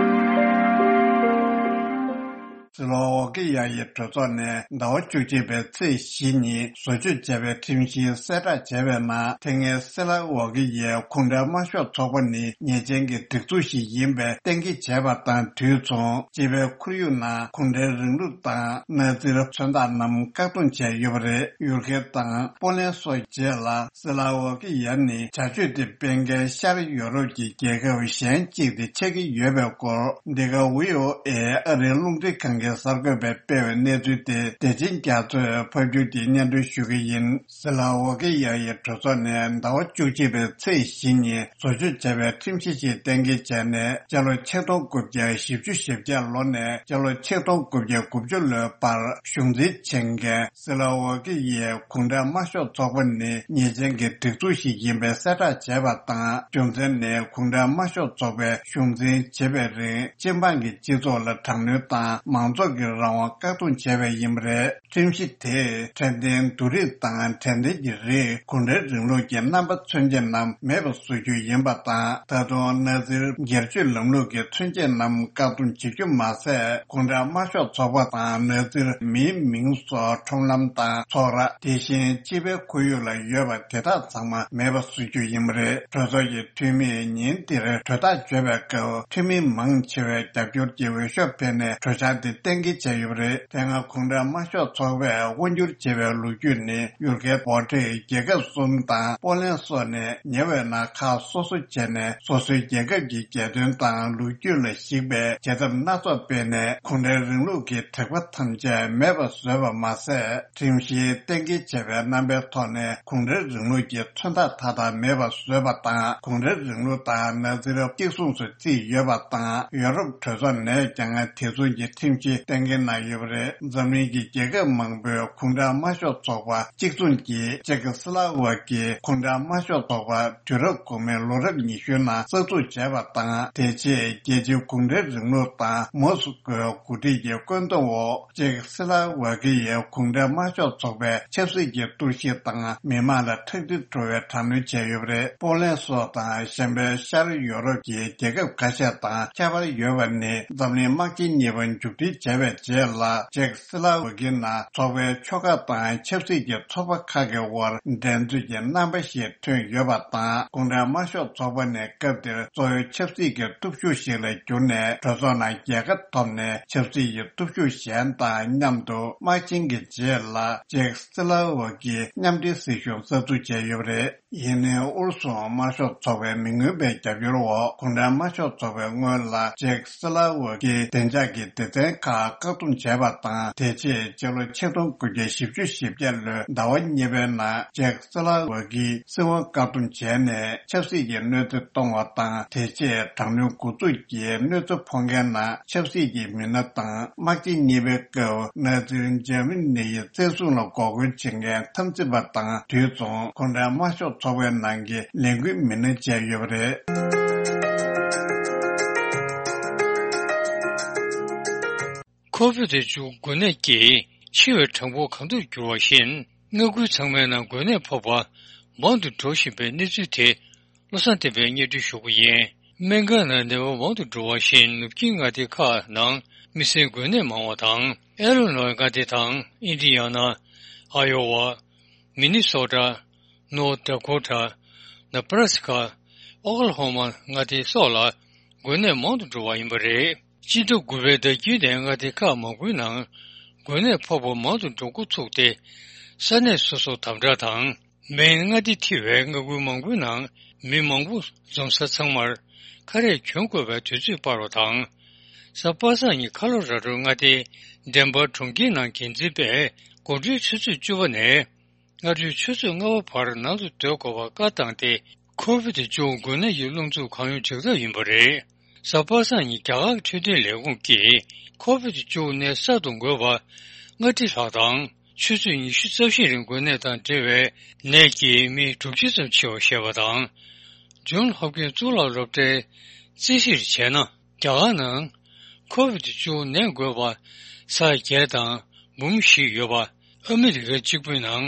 སྲིད་ལོ་འོ་ཀི་ཡ་ཡི་གྲོས་ཚོགས་ནས་ཟླ་བ་བཅུ་གཅིག་པའི་ཚེས་བཞི་ཉིན་བཟོ་བཅོས་བྱས་པའི་ཁྲིམས་གཞི་གསལ་བསྒྲགས་བྱས་པའི་ནང་། དེ་སྔའི་སྲིད་ལ་འོ་ཀི་ཡའི་གུང་ཁྲན་དམར་ཤོག་ཚོགས་པ་ནི་ཉེས་ཅན་གྱི་སྒྲིག་འཛུགས་ཤིག་ཡིན་པའི་གཏན་འཁེལ་བྱས་པ་དང་དུས་མཚུངས། སྤྱི་པའི་ཁོར་ཡུག་ནང་གུང་ཁྲན་རིང་ལུགས་དང་མནའ་ཚིར་མཚོན་རྟགས་རྣམས་བཀག་སྡོམ་བྱས་ཡོད་པ་རེད། ཡུལ་སྐད་དང་པོ་ལན་སོགས་རྗེས་ལ། སྲིད་ལ་འོ་ཀི་ཡ་ནི་བྱ་སྤྱོད་དེ་སྤེལ་མཁན་ཤར་ཡོ་རོབ་ཀྱི་རྒྱལ་ཁབ་གཞན་གཅིག་དེ་ཆགས་ཀྱི་ཡོད་པའི་སྐོར། འདི་ག་ཝི་ཨོ་ཨེ་ཨ་རིའི་རླུང་འཕྲིན་ཁང་གི་གསར་འགོད་པས་སྤེལ་བའི་གནས་ཚུལ་དེ་བདེ་ཆེན་རྒྱ་མཚོས་ཕབ་སྒྱུར་གྱིས་སྙན་སྒྲོན་ཞུ་གི་ཡིན། སྲིད་ལ་འོ་ཀི་ཡ་ཡི་གྲོས་ཚོགས་ནས་ཟླ་བ་བཅུ་གཅིག་པའི་ཚེས་བཞི་ཉིན་བཟོ་བཅོས་བྱས་པའི་ཁྲིམས་གཞི་ཞིག་གཏན་འཁེལ་བྱས་ནས། སྤྱི་ལོ་ཆིག་སྟོང་དགུ་བརྒྱ་བཞི་བཅུ་ཞེ་བརྒྱད་ལོ་ནས་སྤྱི་ལོ་ཆིག་སྟོང་དགུ་བརྒྱ་དགུ་བཅུ་ལོའི་བར་གཞུང་འཛིན་བྱེད་མཁན། སྲིད་ལ་འོ་ཀི་ཡའི་གུང་ཁྲན་དམར་ཤོག་ཚོགས་པ་ནི་ཉེས་ཅན་གྱི་སྒྲིག་འཛུགས་ཤིག་ཡིན་པའི་གསལ་བསྒྲགས་བྱས་པ་དང་། རྒྱུ་མཚན་ནི་གུང་ཁྲན་དམར་ཤོག་ཚོགས་པའི་གཞུང་འཛིན་བྱེད་པའི་རིང་སྤྱི་འབངས་ཀྱི་སྤྱི་ཚོགས་ལ་དྲག་གནོན་དང་མང་ ཚོགས་ཀྱི་རང་དབང་བཀག་སྡོམ་བྱས་པ་ཡིན་པ་རེད། ཁྲིམས་གཞི་དེས་འཕྲོད་བསྟེན་བསྡུར་རིས་དང་འཕྲོད་བསྟེན་གྱི་རིགས་གུང་ཁྲན་རིང་ལུགས་ཀྱི་རྣམ་པ་མཚོན་བྱེད་རྣམས་མེད་པ་བཟོ་རྒྱུ་ཡིན་པ་དང་། ད་དུང་ནཱ་ཛིར་སྒེར་གཅོད་ལམ་ལུགས་ཀྱི་མཚོན་བྱེད་རྣམས་བཀག་སྡོམ་བྱེད་རྒྱུ་མ་ཟད། གུང་ཁྲན་དམར་ཤོག་ཚོགས་པ་དང་ནཱ་ཛིར་མིའི་མིང་སོགས་ཁྲོམ་ལམ་དང་ཚོགས་ར། དེ་བཞིན་སྤྱི་པའི་ཁོར་ཡུག་ལ་ཡོད་པ་དེ་དག་ཚང་མ་མེད་པ་བཟོ་རྒྱུ་ཡིན་པ་རེད། གྲོས་ཚོགས་ཀྱི་འཐུས་མིས་ཉིན་འདིར་གྲོས་ཐག་གཅོད་པའི་སྐབས། འཐུས་མི་མང་ཆེ་བས་རྒྱབ་སྐྱོར་གྱི་འོས་ཤོག་འཕེན་ནས་གྲོས་འཆར་འདི་གཏན་འཁེལ་བྱས་ཡོད་པ་རེད། དེ་སྔ་གུང་ཁྲན་དམར་ཤོག་ཚོགས་པས་དབང་སྒྱུར་བྱས་པའི་ལོ་རྒྱུས་ནི། ཡུལ་སྐད་བྷོ་ཊི་རྒྱལ་ཁབ་གསུམ་དང་པོ་ལན་སོགས་ནས་ཉེ་བའི་ནང་ཁག་སོ་སོ་བྱས་ནས། སོ་སོའི་རྒྱལ་ཁབ་ཀྱི་རྒྱལ་དོན་དང་ལོ་རྒྱུས་ལ་གཞིགས་པའི་བྱེད་ཐབས་སྣ་ཚོགས་སྤེལ་ནས། གུང་ཁྲན་རིང་ལུགས་ཀྱི་དྲེགས་པ་ཐམས་ཅད་མེད་པར་བཟོས་པ་མ་ཟད། ཁྲིམས་གཞིའི་གཏན་འཁེལ་བྱས་པའི་རྣམ་པའི་ཐོག་ནས་གུང་ཁྲན་རིང་ལུགས་ཀྱི་མཚོན་རྟགས་མཐའ་དག་མེད་པར་བཟོས་པ་དང་། གུང་ཁྲན་རིང་ལུགས་དང་ནཱ་ཛིར་གཅིག་མཚུངས་སུ་བརྩིས་ཡོད་པ་དང་། ཡོ་རོབ་གྲོས་ཚོགས་ནས་ཀྱང་དེ་མཚུངས་ཀྱི་ཁྲིམས་གཞི་གཏན་འཁེལ་གནང་ཡོད་པ་རེད། འཛམ་གླིང་གི་རྒྱལ་ཁབ་མང་པོས་གུང་ཁྲན་དམར་ཤོག་ཚོགས་པ་གཅིག་མཚུངས་ཀྱིས་ཅེག་སི་ལ་ཝ་ཀིའི་གུང་ཁྲན་དམར་ཤོག་ཚོགས་པ་དུས་རབས་གོང་མའི་ལོ་རབས་ཉི་ཤུའི་ནང་གསར་འཛུགས་བྱས་པ་དང་། དེ་རྗེས་རྒྱལ་སྤྱིའི་གུང་ཁྲན་རིང་ལུགས་དང་མོ་སི་ཀོའི་འགོ་ཁྲིད་ཀྱི་བཀོད་འདོམས་འོག་ཅེག་སི་ལ་ཝ་ཀི་ཡའི་གུང་ཁྲན་དམར་ཤོག་ཚོགས་པའི་ཆབ་སྲིད་ཀྱི་གཏོར་བཤིག་དང་མི་མང་ལ་ཁྲག་དྲི་བྲོ་བའི་དྲག་གནོན་བྱས་ཡོད་པ་རེད། པོ་ལན་སོགས་དང་གཞན་པའི་ཤར་ཡོ་རོབ་ཀྱི་རྒྱལ་ཁབ་ཁ་ཤས་དང་ཁྱད་པར་ཡོད་པ་ནི། འཛམ་གླིང་དམག་ཆེན་གཉིས་པ་མཇུག་སྒྲིལ་བྱས་པའི་རྗེས་ལ། ཅེག་སི་ལ་ཝ་ཀི་ནང་ཚོགས་པའི་ཆོལ་ཁ་དང་ཆབ་སྲིད་ཀྱི་ཚོགས་པ་ཁག་གི་དབར་འགྲན་རྩོད་ཀྱི་རྣམ་པ་ཞིག་ཐོན་ཡོད་པ་དང་། གུང་ཁྲན་དམར་ཤོག་ཚོགས་པ་ནས་སྐབས་དེར་གཙོ་བོའི་ཆབ་སྲིད་ཀྱི་སྟོབས་ཤུགས་ཤིག་ལ་གྱུར་ནས། གྲོས་ཚོགས་ནང་རྒྱལ་ཁ་ཐོབ་ནས། ཆབ་སྲིད་ཀྱི་སྟོབས་ཤུགས་གཞན་དང་མཉམ་དུ་དམག་ཆེན་གྱི་རྗེས་ལ་ཅེག་སི་ལ་ཝ་ཀིའི་མཉམ་འབྲེལ་སྲིད་གཞུང་གསར་འཛུགས་བྱས་ཡོད་པ་རེད། ཡིན་ནའི་ཨུ་རུ་སུ་དམར་ཤོག་ཚོགས་པའི་མི་མངོན་པའི་རྒྱབ་སྐྱོར་འོག་གུང་ཁྲན་དམར་ཤོག་ཚོགས་པས་སྔོན་ལ་ཅེག་སི་ལ་ཝ་ཀིའི་བདེ་འཇགས་ཀྱི་སྡེ་ཚན་ཁག་བཀག་སྡོམ་བྱས་པ་དང་། དེ་རྗེས་སྤྱི་ལོ་ཆིག་སྟོང་དགུ་བརྒྱ་བཞི་བཅུ་ཞེ་བརྒྱད་ལོའི་ཟླ་བ་གཉིས་པའི་ནང་ཅེག་སི་ལ་ཝ་ཀིའི་སྲིད་དབང་བཀག་སྡོམ་བྱས་ནས་ཆབ་སྲིད་ཀྱི་གནོད་འཚེ་གཏོང་བ་དང་། དེ་རྗེས་དྲག་གནོན་འགོ་འཛུགས་ཀྱིས་གནོད་འཚེ་ཕོག་མཁན་ནང་ཆབ་སྲིད་ཀྱི་མི་སྣ་དང་། དམག་ཆེན་གཉིས་པའི་སྐབས་ནཱ་ཛི་འཇར་མ་ནི་ཡི་བཙན་བཟུང་ལ་འགོག་རྒོལ་བྱེད་མཁན་འཐབ་འཛིང་པ་དང་། དུས་མཚུངས་གུང་ཁྲན་དམར་ཤོག་ཚོགས་པའི་ནང་གི་ལས་འགུལ་མི་སྣ་བཅས་ཡོད་པ་རེད། ཁོ་བིད་བཅུ་འགོས་ནད་ཀྱིས་འཆི་བའི་གྲངས་འབོར་གང་ཐུབ་འགྱུར་བ་བཞིན། མངའ་ཁུལ་ཚང་མའི་ནང་འགོས་ནད་ཕོག་པ་མང་དུ་འགྲོ་བཞིན་པའི་གནས་ཚུལ་དེ། བློ་བཟང་བསྟན་པས་སྙན་སྒྲོན་ཞུ་གི་ཡིན། སྨན་ཁང་ནང་ནད་པ་མང་དུ་འགྲོ་བ་བཞིན། ནུབ་ཆིངས་མངའ་སྡེ་ཁག་ནང་མི་སེར་འགོས་ནད་མང་བ་དང་། ཨེ་ལོ་ནོའི་མངའ་སྡེ་དང་། ཨིན་ཌི་ཡ་ན། ཨ་ཡོ་ཝ། མི་ནི་སོ་ཊ། ནོར་ཐ་ཌ་ཀོ་ཊ། ནེ་བྷ་ར་སི་ཀ། ཨོ་ཀ་ལ་ཧོ་མ་མངའ་སྡེ་སོགས་ལ་འགོས་ནད་མང་དུ་འགྲོ་བ་ཡིན་པ་རེད། སྤྱི་ཟླ་དགུ་པའི་ཟླ་དཀྱིལ་ནས་མངའ་སྡེ་ཁག་མང་པོའི་ནང་འགོས་ནད་ཕོག་པ་མང་དུ་འགྲོ་འགོ་ཚུགས་ཏེ། ས་གནས་སོ་སོར་དམ་དྲག་དང་། མེན་མངའ་སྡེ་ཐེ་བའི་མངའ་ཁུལ་མང་པོའི་ནང་མི་མང་པོ་འཛོམས་ས་ཚང་མར་ཁ་རས་གྱོན་དགོས་པའི་དུས་ཚོད་སྤར་བ་དང་། གཟའ་པ་སངས་ཉིན་ཁ་ལོ་ར་ཌོ་མངའ་སྡེའི་ཌེན་བར་གྲོང་ཁྱེར་ནང་འགན་འཛིན་པས་དགོང་དྲོའི་ཆུ་ཚོད་བཅུ་པ་ནས་སྔ་དྲོའི་ཆུ་ཚོད་ལྔ་པ་བར་ནང་དུ་སྡོད་དགོས་པར་བཀའ་བཏང་སྟེ། ཁོ་བིད་བཅུ་འགོས་ནད་ཀྱི་རླུང་འཚུབ་གང་ཡོང་འཇགས་ཐབས་ཡིན་པ་རེད། གཟའ་པ་སངས་ཉིན་རྒྱ་གར་གྱི་འཕྲོད་བསྟེན་ལས་ཁུངས་ཀྱིས་ཁོ་བིད་བཅུ་ནད་གསར་དུ་འགོས་པ་ལྔ་ཁྲི་ལྷག་དང་། ཆུ་ཚོད་ཉི་ཤུ་རྩ་བཞི་རིང་འགོས་ནད་དང་འབྲེལ་བའི་ནད་ཀྱིས་མི་དྲུག་ཅུ་ཙམ་འཆི་བར་བཤད་པ་དང་། ཇོན་ཧོབ་ཀིན་གཙུག་ལག་སློབ་གྲྭའི་རྩིས་གཞིར་བྱས་ན། རྒྱ་གར་ནང་ཁོ་བིད་བཅུ་ནད་འགོས་པ་ས་ཡ་བརྒྱད་དང་འབུམ་བཞི་ཡོད་པ། ཨ་མི་རི་ཀ་གཅིག་པུའི་ནང་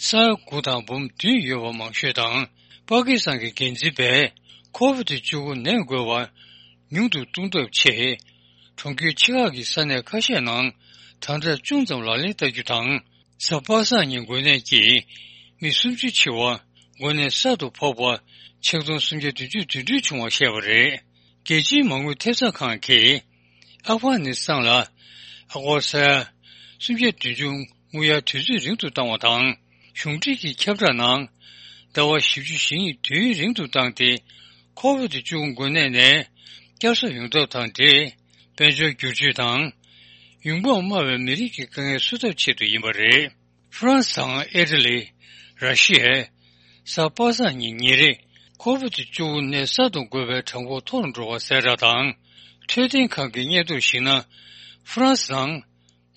ས་ཡ་དགུ་དང་འབུམ་བདུན་ཡོད་པ་མང་ཤོས་དང་། པ་ཀི་སི་ཐན་གྱི་འགན་འཛིན་པས་ཁོ་བིད་བཅུ་དགུ་ནད་འགོས་པ་ཉུང་དུ་གཏོང་ཐབས་ཆེད། གྲོང་ཁྱེར་ཆེ་ཁག་གི་ས་གནས་ཁ་ཤས་ནང་དམ་དྲག་ཅུང་ཙམ་ལག་ལེན་བསྟར་རྒྱུ་དང་། གཟའ་པ་སངས་ཉིན་འགོས་ནད་ཀྱིས་མི་སུམ་ཅུ་འཆི་བ། འགོས་ནད་གསར་དུ་ཕོག་པ་ཆིག་སྟོང་སུམ་བརྒྱ་བདུན་ཅུ་དོན་དྲུག་བྱུང་བ་བཤད་པ་རེད། རྒྱལ་སྤྱིའི་མ་དངུལ་ཐེབས་རྩ་ཁང་གིས་ཨབ་གྷ་ནི་སི་ཐན་ལ་ཨ་སྒོར་ས་ཡ་སུམ་བརྒྱ་བདུན་ཅུ་དངུལ་གཡར་དུས་ཚོད་རིང་དུ་བཏང་བ་དང་། གཞུང་འབྲེལ་གྱི་ཁྱབ་བསྒྲགས་ནང་ཟླ་བ་བཞི་བཅུ་ཞེ་གཉིས་དུས་ཡུན་རིང་དུ་བཏང་སྟེ། ཁོ་བིད་བཅུ་དགུ་འགོས་ནད་ནས་བསྐྱར་གསོ་ཡོང་ཐབས་དང་འབྲེལ། དཔལ་འབྱོར་བསྒྱུར་བཅོས་དང་། ཡོང་འབབ་དམའ་བའི་མི་རིགས་ཀྱི་དཀའ་ངལ་སེལ་ཐབས་ཆེད་དུ་ཡིན་པ་རེད། ཧྥ་རན་སི་དང་ཨི་ཊ་ལི། ར་ཤི་ཡས། གཟའ་པ་སངས་ཉིན་ཉིན་རེ་ཁོ་བིད་བཅུ་དགུ་ནད་གསར་དུ་འགོས་པའི་གྲངས་འབོར་མཐོ་རུ་འགྲོ་བ་གསལ་བསྒྲགས་དང་། འཕྲོད་བསྟེན་ཁང་གི་སྙན་ཐོར་གཞིགས་ན། ཧྥ་རན་སི་ནང་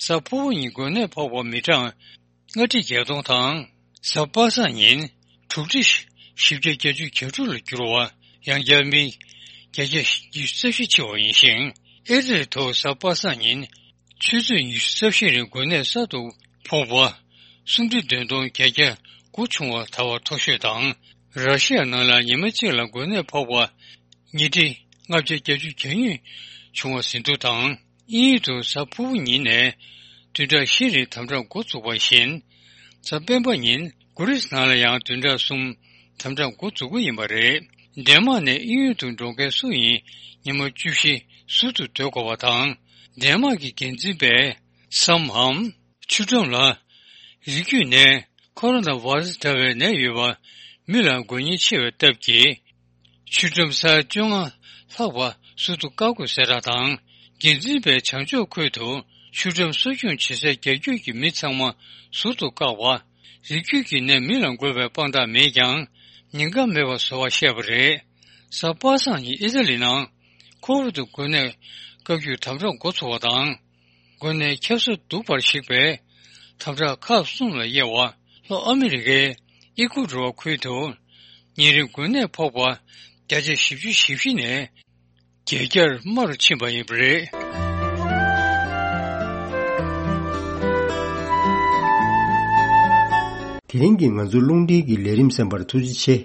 གཟའ་ཕུར་བུ་ཉིན་འགོས་ནད་ཕོག་པ་མི་གྲངས་ལྔ་ཁྲི་བརྒྱད་སྟོང་དང་། གཟའ་པ་སངས་ཉིན་དྲུག་ཁྲི་བཞི་བརྒྱ་བརྒྱད་ཅུ་གྱ་དྲུག་ལ་གྱུར་བ། ཡང་བསྐྱར་མི་བརྒྱད་བརྒྱ་ཉི་ཤུ་རྩ་བཞི་འཆི་བ་ཡིན་ཞིང་། ཨི་ཊ་ལི་དུ་གཟའ་པ་སངས་ཉིན་ ཆུ་ཚོད་ཉི་ཤུ་རྩ་བཞི་རིང་འགོས་ནད་གསར་དུ་ཕོག་པ་སུམ་ཁྲི་བདུན་སྟོང་བརྒྱད་བརྒྱ་དགུ་བྱུང་བ་ད་བར་མཐོ་ཤོས་དང་། ར་ཤི་ཡ་ནང་ལ་ཉི་མ་གཅིག་ལ་འགོས་ནད་ཕོག་པ་ཉིས་ཁྲི་ལྔ་བརྒྱ་བརྒྱད་ཅུ་གྱ་གཉིས་བྱུང་བ་ཟིན་ཐོ་དང་། དབྱིན་ཡུལ་དུ་གཟའ་ཕུར་བུ་ཉིན་ནས་བདུན་ཕྲག་བཞི་རིང་དམ་དྲག་འགོ་བཙུགས་པ་བཞིན། གཟའ་སྤེན་པ་ཉིན་གོ་རིས་ནང་ལ་ཡང་བདུན་ཕྲག་གསུམ་དམ་དྲག་འགོ་འཛུགས་ཀྱི་ཡིན་པ་རེད། ཌེན་མག་ནས་དབྱིན་ཡུལ་དུ་འགྲོ་མཁན་སུ་ཡིན་ཉི་མ་བཅུ་བཞི་ཟུར་དུ་སྡོད་དགོས་པ་དང་། ཌེན་མག་གི་འགན་འཛིན་པས་སམ་འམ་ཆུ་ཁྲོམ་ལ་རིགས་རྒྱུད་ནད་ཁོ་རོ་ན་བྷ་ར་སི་འདྲ་བའི་ནད་ཡོད་པ་མི་ལ་འགོས་ཉེན་ཆེ་བའི་སྟབས་ཀྱིས། ཆུ་ཁྲོམ་ས་བཅོ་ལྔ་ལྷག་པ་ཟུར་དུ་བཀག་དགོས་གསལ་བསྒྲགས་དང་། འགན་འཛིན་པས་བྱང་ཕྱོགས་ཁུལ་དུ་ཆུ་ཁྲོམ་གསོ་སྐྱོང་བྱེད་སའི་རྒྱ་རྒྱུད་ཀྱི་མི་ཚང་མ་ཟུར་དུ་བཀག་པ། རིགས་རྒྱུད་ཀྱི་ནད་མི་ལ་འགོས་པའི་དཔང་རྟགས་མེད་ཀྱང་ཉེན་ཁ་མེད་པ་བཟོ་བར་བཤད་པ་རེད། གཟའ་པ་སངས་ཉིན་ཨི་ཏཱ་ལི་ནང་ཁོ་བིད་འགོས་ནད་བཀག་རྒྱུག་དམ་དྲག་འགོ་ཚུགས་པ་དང་། འགོས་ནད་ཁྱབ་ས་སྡུག་པར་གཞིགས་པའི་དམ་དྲག་ཁག་གསུམ་ལ་དབྱེ་བ། ལྷོ་ཨ་མི་རི་ཀའི་ཨི་ཀུ་ཌོར་ཁུལ་དུ་ཉིན་རེའི་འགོས་ནད་ཕོག་པ་བརྒྱ་ཆ་བཞི་བཅུ་ཞེ་བཞི་ནས་བརྒྱད་བརྒྱར་དམའ་རུ་ཕྱིན་པ་ཡིན་པ་རེད། དེ་རིང་གི་ང་ཚོའི་རླུང་འཕྲིན་གྱི་ལས་རིམ་གསན་པར་ཐུགས་རྗེ་ཆེ།